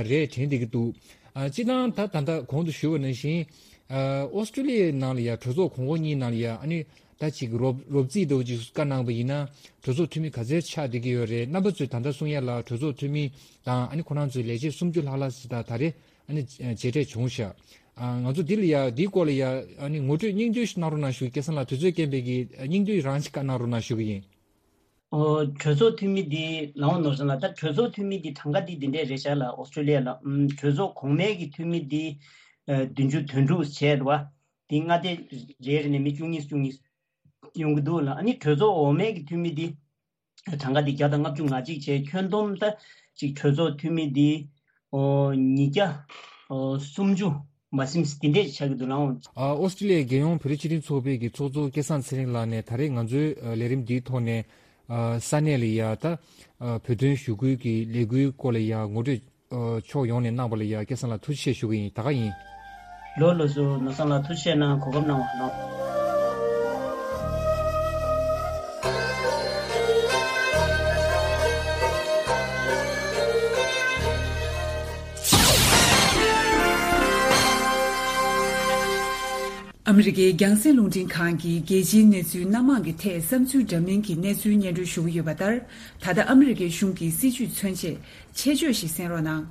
རེད་དྲན་བསྡད་ཀྱི་འདུག་ཨ་སྤྱིར་བཏང་ད་ད་ལྟ་གོང་དུ་ཞུས་པ་ནང་བཞིན་ཨ་ཨོ་སི་ཀྲོ་ལི་ཡའི་ནང་ལ་ཡ་གྲོས་ཚོགས་གོང་འོག་གཉིས་ནང་ལ་ཡ་ཨ་ནི་ད་ཅིག་རོབ་རོབ་རྩིས་འདྲ་བོ་ཅིག་བཀའ་གནང་པ་ཡིན་ན་གྲོས་ཚོགས་འཐུས་མི་ག་ཚད་ཆགས་བསྡད་ཀྱི་ཡོད་རེད། རྣམ་པ་ཚོས་ད་ལྟ་གསུང་ཡ་ལ་གྲོས་ཚོགས་འཐུས་མི་དང་ཨ་ནི་ཁོ་རང་ཚོའི་ལས་བྱེད་སུམ་ཅུ་ལྷག་ལྷག་ཞིག་ད་ད་རེས་ཨ་ནི་མཇལ་འཕྲད་བྱུང་ཤག་ཨ་ང་ཚོ་འདི་ལ་ཡ་འདིའི་སྐོར་ལ་ཡ་ཨ་ནི་ངོ་སྤྲོད་སྙིང་བསྡུས་ཤིག་གནང་རོགས་གནང་ཞུ། སྐལ་བཟང་ལགས་དུས་ཚོད་རྐྱེན་པས་ཀྱི་སྙིང་བསྡུས་རང་ཞིག་བཀའ་གནང་རོགས་གནང་ཞུ་གི་ཡིན། ཨོ་གྲོས་ཚོགས་འཐུས་མི་འདི་ལའོ་ནོར་བཟང་ལགས། ད་གྲོས་ཚོགས་འཐུས་མི་འདི་གྲངས་ཀ་འདི་འདི་འདྲས་རེད་ཤག་ལ་ཨོ་སི་ཀྲོ་ལི་ཡ་ལ། ཨམ་གྲོས་ཚོགས་གོང་མའི་གི་འཐུས་མི་འདི་ཨ་བདུན་ཅུ་དོན་དྲུག་བྱས་འདུག་བ། འདི་མངའ་སྡེ་རེ་རེ་ནས་མི་བཅུ་གཉིས་བཅུ་གཉིས་ཡོང་གི་འདུག་ལ། ཨ་ནི་གྲོས་ཚོགས་འོག་མའི་གི་འཐུས་མི་འདི་གྲངས་ཀ་འདི་བརྒྱ་དང་ལྔ་བཅུ་ང་གཅིག་བྱས། ཁྱོན་བསྡོམས་ད་ཅིག་གྲོས་ཚོགས་འཐུས་མི་འདི་ཨོ་ཉིས་བརྒྱ་ཨོ་སུམ་ཅུ་མ་ཟིན་འདི་འདྲས་ཆགས་ཀྱི་འདུག་ལ། ཨ་ཨོ་སི་ཀྲི་ལི་ཡའི་རྒྱལ་ཡོངས་བོད་རིགས་སྤྱི་མཐུན་ཚོགས་པའི་གི་ཚོགས་གཙོ་སྐལ་བཟང་ཚེ་རིང་ལགས་ནས་ད་རེས་ང་ཚོའི་ཨ་ལས་རིམ་འདིའི་ཐོག་ནས་ཨ་ས་གནས་ལ་ཡ་ད་ཨ་བོད་དོན་ཞུ་སྐུལ་གྱི་ལས་འགུལ་སྐོར་ལ་ཡ་ངོ་སྤྲོད་ཨ་ཕྱོགས་ཡོངས་ནས་གནང་བ་ལ་ཡ་སྐལ་བཟང་ལགས་ཐུགས་རྗེ་ཆེ་ཞུ་གི་ཡིན། ད་ག་ཡིན། ལོ་ལོ་སུ་ནོར་བཟང་ལགས་ཐུགས་རྗེ་ཆེ་གནང་། གོ་སྐབས་གནང་བ་ལ། ཨ་མི་རི་ཀའི་རྒྱང་སྲིང་རླུང་འཕྲིན་ཁང་གིས་རྒྱལ་སྤྱིའི་གནས་ཚུལ་སྣ་མང་གི་ཐད་བསམ་ཚུལ་འདྲ་མིན་གྱི་གནས་ཚུལ་སྙན་སྒྲོན་ཞུ་གི་ཡོད་པ་ལྟར། ད་ལྟ་ཨ་མི་རི་ཀའི་གཞུང་གི་སྲིད་བྱུས་མཚོན་ཆེད་ཆེད་བརྗོད་ཞིག་གསན་རོགས་གནང་།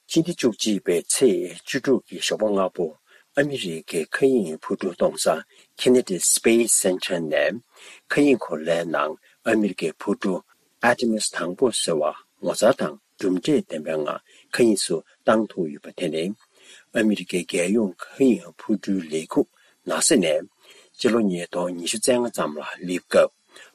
ཕྱི་ཟླ་བཅུ་གཅིག་པའི་ཚེས་བཅུ་དྲུག་གི་ཞོགས་པ་སྔ་པོ། ཨ་མི་རི་ཀའི་མཁའ་དབྱིངས་འཕུར་གྲུ་གཏོང་ས་Kennedy Space Center ནས་མཁའ་དབྱིངས་འཁོར་ལོའི་ནང་ཨ་མི་རི་ཀའི་འཕུར་གྲུ་Artemis དང་པོ་ཟེར་བ་ངོ་མཚར་དང་གྲུབ་འབྲས་ལྡན་པའི་ངང་མཁའ་དབྱིངས་སུ་བཏང་ཐུབ་ཡོད་པ་དེ་ནི། ཨ་མི་རི་ཀའི་རྒྱལ་ཡོངས་མཁའ་དབྱིངས་འཕུར་གྲུའི་ལས་ཁུངས་ནཱ་སཱ་ནས་ཕྱི་ལོ་ཉིས་སྟོང་ཉི་ཤུ་རྩ་ལྔ་ཙམ་ལ་སླེབས་སྐབས།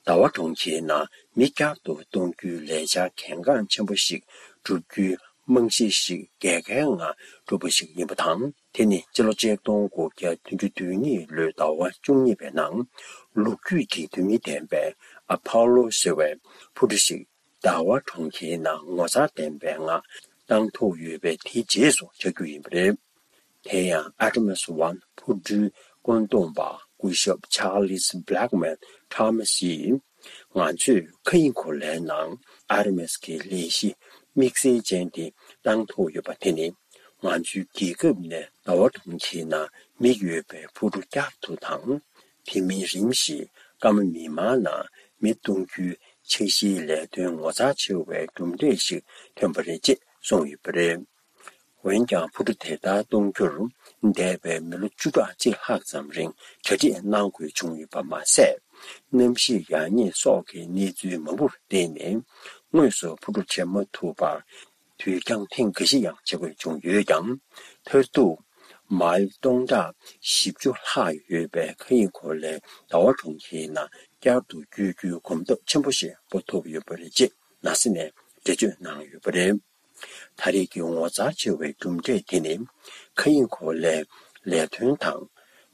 ཟླ་བ་གྲོང་ཁྱེར་ནང་མི་བསྐྱར་དུ་གཏོང་རྒྱུའི་ལས་འཆར་གལ་འགངས་ཆེན་པོ་ཞིག་བསྒྲུབ་རྒྱུའི་རྨང་གཞི་ཞིག་རྒྱལ་ཁའི་ངང་གྲུབ་པ་ཞིག་ཡིན་པ་དང་། དེ་ནི་ཕྱི་ལོ་ཆིག་སྟོང་དགུ་བརྒྱ་བདུན་ཅུ་དོན་གཉིས་ལོའི་ཟླ་བ་བཅུ་གཉིས་པའི་ནང་ལོ་རྒྱུས་ཀྱི་དུས་མིན་ལྡན་པའི་ཨ་ཕོ་ལོ་ཟེར་བའི་འཕུར་གྲུ་ཞིག་ཟླ་བ་གྲོང་ཁྱེར་ནང་ངོ་མཚར་ལྡན་པའི་ངང་བཏང་ཐུབ་ཡོད་པའི་དེའི་རྗེས་སུ་ཆགས་རྒྱུ་ཡིན་པ་རེད། དེ་ཡང་Artemis One འཕུར་གྲུའི་བཀོད་འདོམས་པ་སྐུ་ཞབས་Charles Blackman Thomas ཡིས། ང་ཚོས་མཁའ་དབྱིངས་འཁོར་ལོའི་ནང་Artemis གྱི་ལས་གཞི་དམིགས་བསལ་ཅན་དེ་བཏང་ཐུབ་ཡོད་པ་དེ་ནི། ང་ཚོའི་རྒྱལ་ཁབ་ནས་ཟླ་བ་གྲོང་ཁྱེར་ནང་མི་ཡོད་པའི་འཕུར་གྲུ་བསྐྱར་དུ་དང་། དེ་མིན་རིམ་བཞིན་སྐར་མ་མིག་དམར་ནང་མི་གཏོང་རྒྱུའི་འཆར་གཞིའི་ལས་དོན་ངོ་མཚར་ཆེ་བའི་གྲུབ་འབྲས་ཤིག་ཐོན་པ་རེད་ཅེས་གསུངས་ཡོད་པ་རེད། འོན་ཀྱང་འཕུར་གྲུ་དེ་ལྟར་གཏོང་རྒྱུར་འདས་པའི་མི་ལོ་བཅུ་ཕྲག་གཅིག་ལྷག་ཙམ་རིང་གྲ་སྒྲིག་གནང་དགོས་བྱུང་ཡོད་པ་མ་ཟད། གནམ་གཤིས་ཡག་ཉེས་སོགས་ཀྱི་གནས་ཚུལ་མང་པོར་བརྟེན་ནས་དངོས་སུ་འཕུར་གྲུ་བྱེད་མ་ཐུབ་པར། དུས་འགྱངས་ཐེངས་འགའ་ཞིག་ཡང་བྱེད་དགོས་བྱུང་ཡོད་ཀྱང་། མཐར་ཐུག་མའིལ་སྟོང་ཕྲག་བཞི་བཅུ་ལྷག་ཡོད་པའི་མཁའ་དབྱིངས་འཁོར་ལོའི་ཟླ་བ་གྲོང་ཁྱེར་ནང་བསྐྱར་དུ་བསྐྱོད་རྒྱུའི་གོམ་སྟབས་ཆེན་པོ་ཞིག་སྤོ་ཐུབ་ཡོད་པ་རེད་ཅེས་ནཱ་སཱ་ནས་འགྲེལ་བརྗོད་གནང་ཡོད་པ་རེད། ད་རེས་ཀྱི་ངོ་མཚར་ཆེ་བའི་གྲུབ་འབྲས་དེ་ནི། མཁའ་དབྱིངས་འཁོར་ལོའི་ལས་དོན་དང་།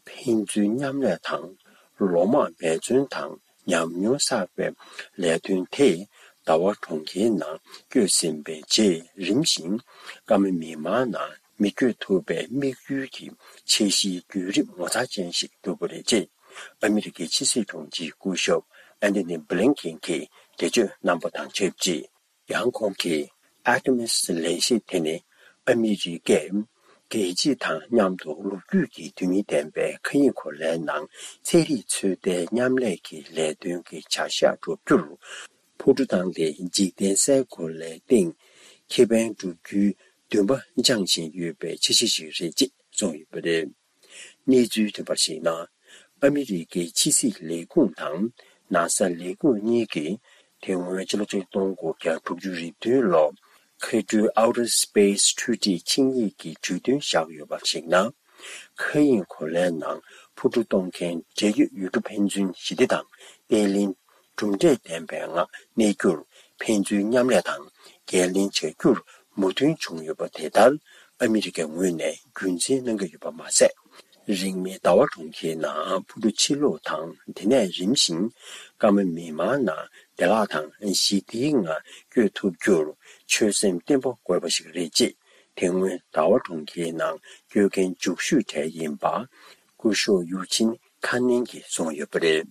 ཕན་ཚུན་མཉམ་ལས་དང་། ལོ་མང་འབད་བརྩོན་དང་ཉམས་མྱོང་བསགས་པའི་ལས་དོན་དེས། ཟླ་བ་གྲོང་ཁྱེར་ནང་བསྐྱོད་ཟིན་པའི་རྗེས། རིམ་བཞིན་སྐར་མ་མི་མང་ནང་མི་བསྐྱོད་ཐུབ་པའི་དམིགས་ཡུལ་གྱི་འཆར་གཞིའི་བརྒྱུད་རིམ་ངོ་མཚར་ཅན་ཞིག་གྲུབ་པ་རེད་ཅེས། ཨ་མི་རི་ཀའི་ཕྱི་སྲིད་དྲུང་ཆེའི་སྐུ་ཞབས་ཨན་ཐོ་ནི་བྷི་ལིན་ཀེན་གྱིས་འགྲེལ་བརྗོད་གནང་པ་དང་ཆབས་ཅིག་ཡང་ཁོང་གིས། ཨར་ཊི་མི་སི་ལས་གཞི་དེ་ནི་ཨ་མི་རི་ཀས་རྒྱལ་སྤྱི་དང་མཉམ་དུ་ལོ་རྒྱུས་ཀྱི་དོན་སྙིང་ལྡན་པའི་མཁའ་དབྱིངས་འཁོར་ལོའི་ནང་ཚན་རིག་ཚོད་ལྟའི་མཉམ་ལས་ཀྱི་ལས་དོན་གྱི་བྱ་གཞག་བསྒྲུབ་རྒྱུར། འཕུར་གྲུ་བཏང་སྟེ་འཇིག་རྟེན་སའི་འཁོར་ལོའི་སྟེང་ཁེ་ཕན་བསྒྲུབ་རྒྱུའི་འདུན་པ་འཆང་བཞིན་ཡོད་པའི་འཆར་གཞི་ཞིག་རེད་ཅེས་གསུངས་ཡོད་པ་རེད། གནས་ཚུལ་ཐོན་པར་གཞིགས་ན། ཨ་མི་རི་ཀའི་ཕྱི་སྲིད་ལས་ཁུངས་དང་ནཱ་སཱ་ལས་ཁུངས་གཉིས་ཀྱིས། དེ་སྔོན་ཕྱི་ལོ་ཆིག་སྟོང་དགུ་བརྒྱ་དྲུག་ཅུ་རེ་བདུན་ལོར་མཁའ་འགྲུལ་Outer Space Treaty ཆིངས་ཡིག་གི་གྲོས་མཐུན་བཞག་ཡོད་པར་གཞིགས་ན། མཁའ་དབྱིངས་འཁོར་ལོའི་ནང་འཕུར་གྲུ་གཏོང་མཁན་འབྲེལ་ཡོད་ཡུལ་གྲུ་ཕན་ཚུན་ཞི་བདེ་དང་བརྟན་ལྷིང་། གྲུབ་འབྲས་ལྡན་པའི་ངང་གནས་རྒྱུར་ཕན་ཚུན་མཉམ་ལས་དང་འགན་ལེན་བྱ་རྒྱུར་མོས་མཐུན་བྱུང་ཡོད་པ་དེ་ལྟར་ཨ་མི་རི་ཀའི་ངོས་ནས་རྒྱུན་འཛིན་གནང་གི་ཡོད་པ་མ་ཟད། རིང་མིན་ཟླ་བ་གྲོང་ཁྱེར་ནང་འཕུར་གྲུ་ཕྱིར་ལོག་དང་དེ་ནས་རིམ་བཞིན་སྐར་མ་མི་མང་ནང་བདེ་བླག་དང་ཞི་བདེའི་ངང་བསྐྱོད་ཐུབ་རྒྱུར་ཆོད་སེམས་བརྟན་པོ་དགོས་པ་ཞིག་རེད་ཅེས་དེ་སྔོན་ཟླ་བ་གྲོང་ཁྱེར་ནང་བསྐྱོད་མཁན་མཇུག་ཤོས་གྲས་ཡིན་པ་སྐུ་ཞབས་ཡུ་ཆིན་ཁ་ནན་གྱིས་གསུངས་ཡོད་པ་རེད།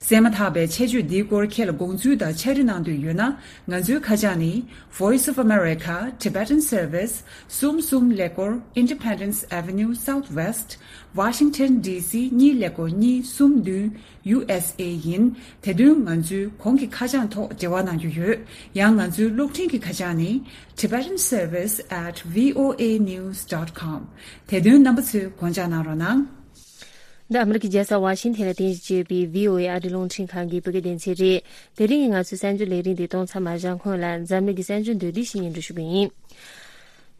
གསན་མ་ཐག་པའི་ཆེད་བརྗོད་འདིའི་སྐོར་ཁྱེད་ལ་དགོངས་ཚུལ་དང་ཕྱག་བྲིས་གནང་འདོད་ཡོད་ན། ང་ཚོའི་ཁ་བྱང་ནི། Voice of America Tibetan Service གསུམ་གསུམ་ཀླད་ཀོར་Independence Avenue Southwest Washington D C གཉིས་ཀླད་ཀོར་གཉིས་གསུམ་བདུན། U S A ཡིན། དེ་དོན་ང་ཚོའི་གོང་གི་ཁ་བྱང་ཐོག་འབྲེལ་བ་གནང་རྒྱུ་ཡོད། ཡང་ང་ཚོའི་གློག་འཕྲིན་གྱི་ཁ་བྱང་ནི། Tibetan Service at V O A news dot com དེ་དོན་རྣམ་པ་ཚོས་དགོངས་འཇགས་གནང་རོགས་གནང་། འདི་ཨ་མི་རི་ཀའི་རྒྱལ་ས་ཝ་ཤིང་ཐན་ལ་རྟེན་གཞི་བྱས་པའི་V O A ཨ་རིའི་རླུང་འཕྲིན་ཁང་གི་བོད་སྐད་སྡེ་ཚན་རེད། དེ་རིང་གི་ང་ཚོའི་གསར་འགྱུར་ལས་རིམ་འདི་གཏོང་མཚམས་མ་བཞག་སྔོན་ལ་འཛམ་གླིང་གི་གསར་འགྱུར་མདོར་བསྡུས་ཤིག་སྙན་སྒྲོན་ཞུ་གི་ཡིན།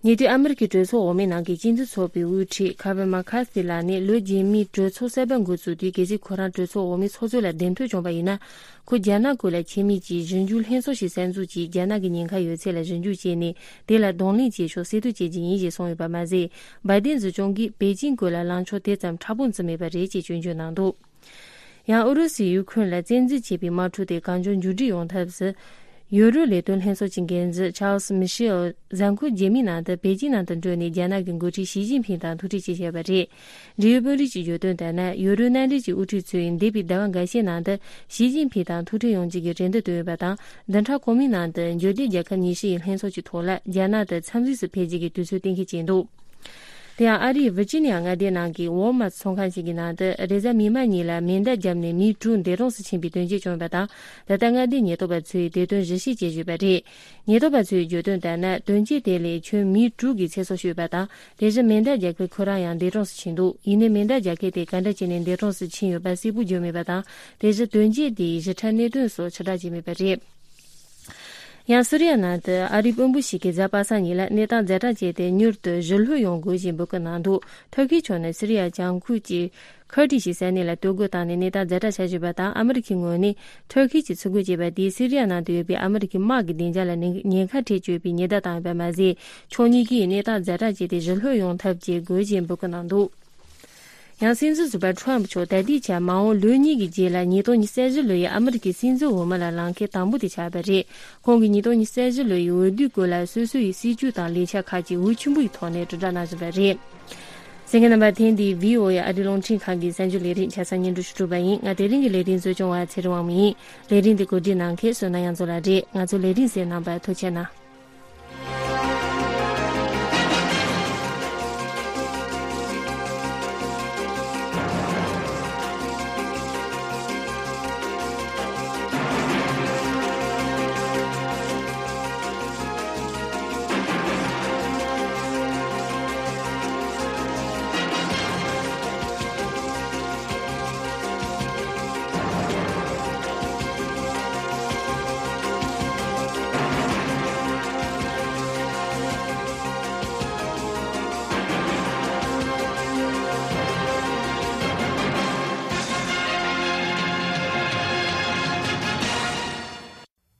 ཉེ་དུས་ཨ་མི་རི་ཀའི་གྲོས་ཚོགས་འོག་མའི་ནང་གི་སྤྱི་འཐུས་ཚོགས་པའི་དབུ་ཁྲིད་ཁ་བན་མ་ཁ་སི་ལགས་ནས་ལོ་རྗེས་མའི་གྲོས་ཚོགས་གསར་པ་འགོ་བཙུགས་དུས། གལ་སྲིད་ཁོ་རང་གྲོས་ཚོགས་འོག་མའི་ཚོགས་གཙོ་ལ་གདན་ཐོབ་བྱུང་བ་ཡིན་ན། ཁོས་རྒྱ་ནག་ཁུལ་ལ་ཆེད་དམིགས་ཀྱིས་ཞིབ་འཇུག་ལྷན་ཚོགས་ཤིག་གསར་འཛུགས་ཀྱིས། རྒྱ་ནག་གི་ཉེན་ཁ་ཡོད་ཚད་ལ་ཞིབ་འཇུག་བྱས་ནས། དེ་ལ་གདོང་ལེན་བྱེད་ཕྱོགས་གསལ་སྟོན་བྱེད་ཀྱི་ཡིན་ཞེས་གསུངས་ཡོད་པ་མ་ཟད། བའི་ཏིན་སྲིད་སྐྱོང་གིས་པེ་ཅིང་ཁུལ་ལ་ལངས་ཕྱོགས་དེ་ཙམ་མཁྲེགས་པོ་བརྩི་མེད་པ་རེད་ཅེས་སྐྱོན་བརྗོད་གནང་འདུག་ཡང་ཨུ་རུ་སུས་ཡུ་ཁུ་རེན་ལ་བཙན་འཛུལ་བྱས་པའི་དམག་འཁྲུག་དེ་གང་མགྱོགས་མཇུག་སྒྲིལ་ཡོང་ཐབས་སུ། ཡོ་རོབ་ལས་དོན་ལྷན་ཚོགས་ཀྱི་འགན་འཛིན་ཆཱལ་སི་མི་ཤེལ་གཟའ་འཁོར་རྗེས་མའི་ནང་དུ་པེ་ཅིང་ནང་དུ་འགྲོ་ནས་རྒྱ་ནག་གི་འགོ་ཁྲིད་ཞི་ཅིན་ཕིང་དང་ཐུག་འཕྲད་བྱས་ཡོད་པ་རེད། འབྲེལ་ཡོད་དཔོན་རིགས་ཀྱིས་བརྗོད་དོན་ལྟར་ན། ཡོ་རོབ་མནའ་འབྲེལ་གྱི་དབུ་ཁྲིད་ཚོས་འདས་པའི་ཟླ་བ་འགའ་ཤས་ནང་དུ་ཞི་ཅིན་ཕིང་དང་ཐུག་འཕྲད་ཡོང་རྒྱུ་གི་རེ་འདུན་བཏོན་ཡོད་པ་དང་། བདུན་ཕྲག་གོང་མའི་ནང་དུ་འབྱོར་ལྡན་རྒྱལ་ཁབ་ཉི་ཤུ་ཡི་ལྷན་ཚོགས་ཀྱི་ཐོག་ལ་རྒྱ་ནག་ཏུ་འཚམས་གཟིགས་སུ་ཕེབས་རྒྱུ་གི་དུས་ཚོད་གཏན་འཁེལ་བྱས་འདུག་དེ་ཡང་ཨ་རིའི་ཝི་ཇི་ནི་ཡ་མངའ་སྡེའི་ནང་གི་ཝོལ་མཱར་ཚོང་ཁང་ཞིག་གི་ནང་དུ་རེས་གཟའ་མིག་དམར་ཉིན་ལ་མེ་མདའ་བརྒྱབ་ནས་མི་དྲུག་འདས་གྲོངས་སུ་ཕྱིན་པའི་དོན་རྐྱེན་བྱུང་ཡོད་པ་དང་། ད་ལྟ་མངའ་སྡེའི་ཉེན་རྟོག་པ་ཚོས་དེ་དོན་ཞིབ་བཤེར་བྱེད་བཞིན་པ་རེད། ཉེན་རྟོག་པ་ཚོས་བརྗོད་དོན་ལྟར་ན། དོན་རྐྱེན་དེ་ལས་ཁྱོན་མི་དྲུག་གི་ཚེ་སྲོག་ཤོར་ཡོད་པ་དང་། དེ་བཞིན་མེ་མདའ་རྒྱག་མཁན་ཁོ་རང་ཡང་འདས་གྲོངས་སུ་ཕྱིན་འདུག་ཡིན་ནའི་མེ་མདའ་རྒྱག་མཁན་དེ་ག་འདྲ་བྱས་ནས་འདས་གྲོངས་སུ་ཕྱིན་ཡོད་པ་གསལ་པོ་བརྗོད་མེད་པ་དང་། དེ་བཞིན་དོན་རྐྱེན་དེའི་ཞིབ་ཕྲ་གནད་དོན་སོགས་ཕྱིར་བསྒྲགས་བྱས་མེད་པ་རེད། ཡང་སི་རི་ཡ་ནང་དུ་ཨ་རིའི་དཔོན་པོ་ཞིག་གིས་གཟའ་པ་སངས་ཉིན་ལ་གནས་སྟངས་ཛ་དྲག་བྱས་ཏེ། མྱུར་དུ་ཞི་ལྷོད་ཡོང་དགོས་ཞེས་འབོད་སྐུལ་གནང་འདུག་ཐུར་ཁེའི་ཕྱོགས་ནས་སི་རི་ཡ་བྱང་ཁུལ་གྱི་ཁུར་ཏི་ཞེས་ས་གནས་ལ་གཏོར་རྒོལ་བཏང་ནས་གནས་སྟངས་ཛ་དྲག་ཆགས་བཞིན་པ་དང་། ཨ་མི་རི་ཁའི་ངོས་ནས་ཐུར་ཁེ་གྱིས་ཚུར་རྒོལ་བྱས་པ་དེས་སི་རི་ཡ་ནང་དུ་ཡོད་པའི་ཨ་མི་རི་ཁའི་དམག་གི་བདེ་འཇགས་ལ་ཉེན་ཉེན་ཁ་འཕྲད་བཅུག་པའི་ཉེན་བརྡ་བཏང་ཡོད་པ་མ་ཟད། ཕྱོགས་གཉིས་ཀྱིས་གནས་སྟངས་ཛ་དྲག་བྱས་ཏེ་ཞི་ལྷོད་ཡོང་ཐབས་བྱེད་དགོས་ཞེས་འབོད་སྐུལ་གནང་འདུག་ཡང་སྲིད་འཛིན་ཟུར་པ་ཁྲོམ་མཆོག་ད་ལྟའི་ཆར་མ་འོངས་ལོ་གཉིས་ཀྱི་རྗེས་ལ་ཉིས་སྟོང་ཉི་ཤུ་རྩ་བཞི་ལོ་ཡི་ཨ་མི་རི་ཀའི་སྲིད་འཛིན་འོས་མི་ལ་ལངས་མཁན་དང་པོ་དེ་ཆགས་པ་རེད། ཁོང་གིས་ཉིས་སྟོང་ཉི་ཤུ་རྩ་བཞི་ལོ་ཡི་འོས་བསྡུའི་སྐོར་ལ་སོ་སོ་ཡི་སྲིད་ཇུས་དང་ལས་འཆར་ཁག་ཅིག་འུར་ཆེན་པོ་ཡི་ཐོག་ནས་དྲིལ་བསྒྲགས་གནང་བཞིན་པ་རེད། གསན་མཁན་རྣམ་པ། ཐེངས་འདིའི་བྷི་ཨོ་ཨེ་ཨ་རིའི་རླུང་འཕྲིན་ཁང་གི་གསར་འགྱུར་ལས་རིམ་ཆ་ཚང་སྙན་སྒྲོན་ཞུ་གྲུབ་པ་ཡིན། ང་དེ་རིང་གི་ལས་རིམ་གཙོ་སྐྱོང་བ་ཚེ་རིང་དབང་མོ་ཡིན། ལས་རིམ་འདི་གོ་སྒྲིག་གནང་མཁན་བསོད་ནམས་དབྱངས་འཛོམས་ལགས་རེད། ང་ཚོའི་ལས་རིམ་གསན་གནང་བར་ཐུགས་རྗེ་གནང་།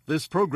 This program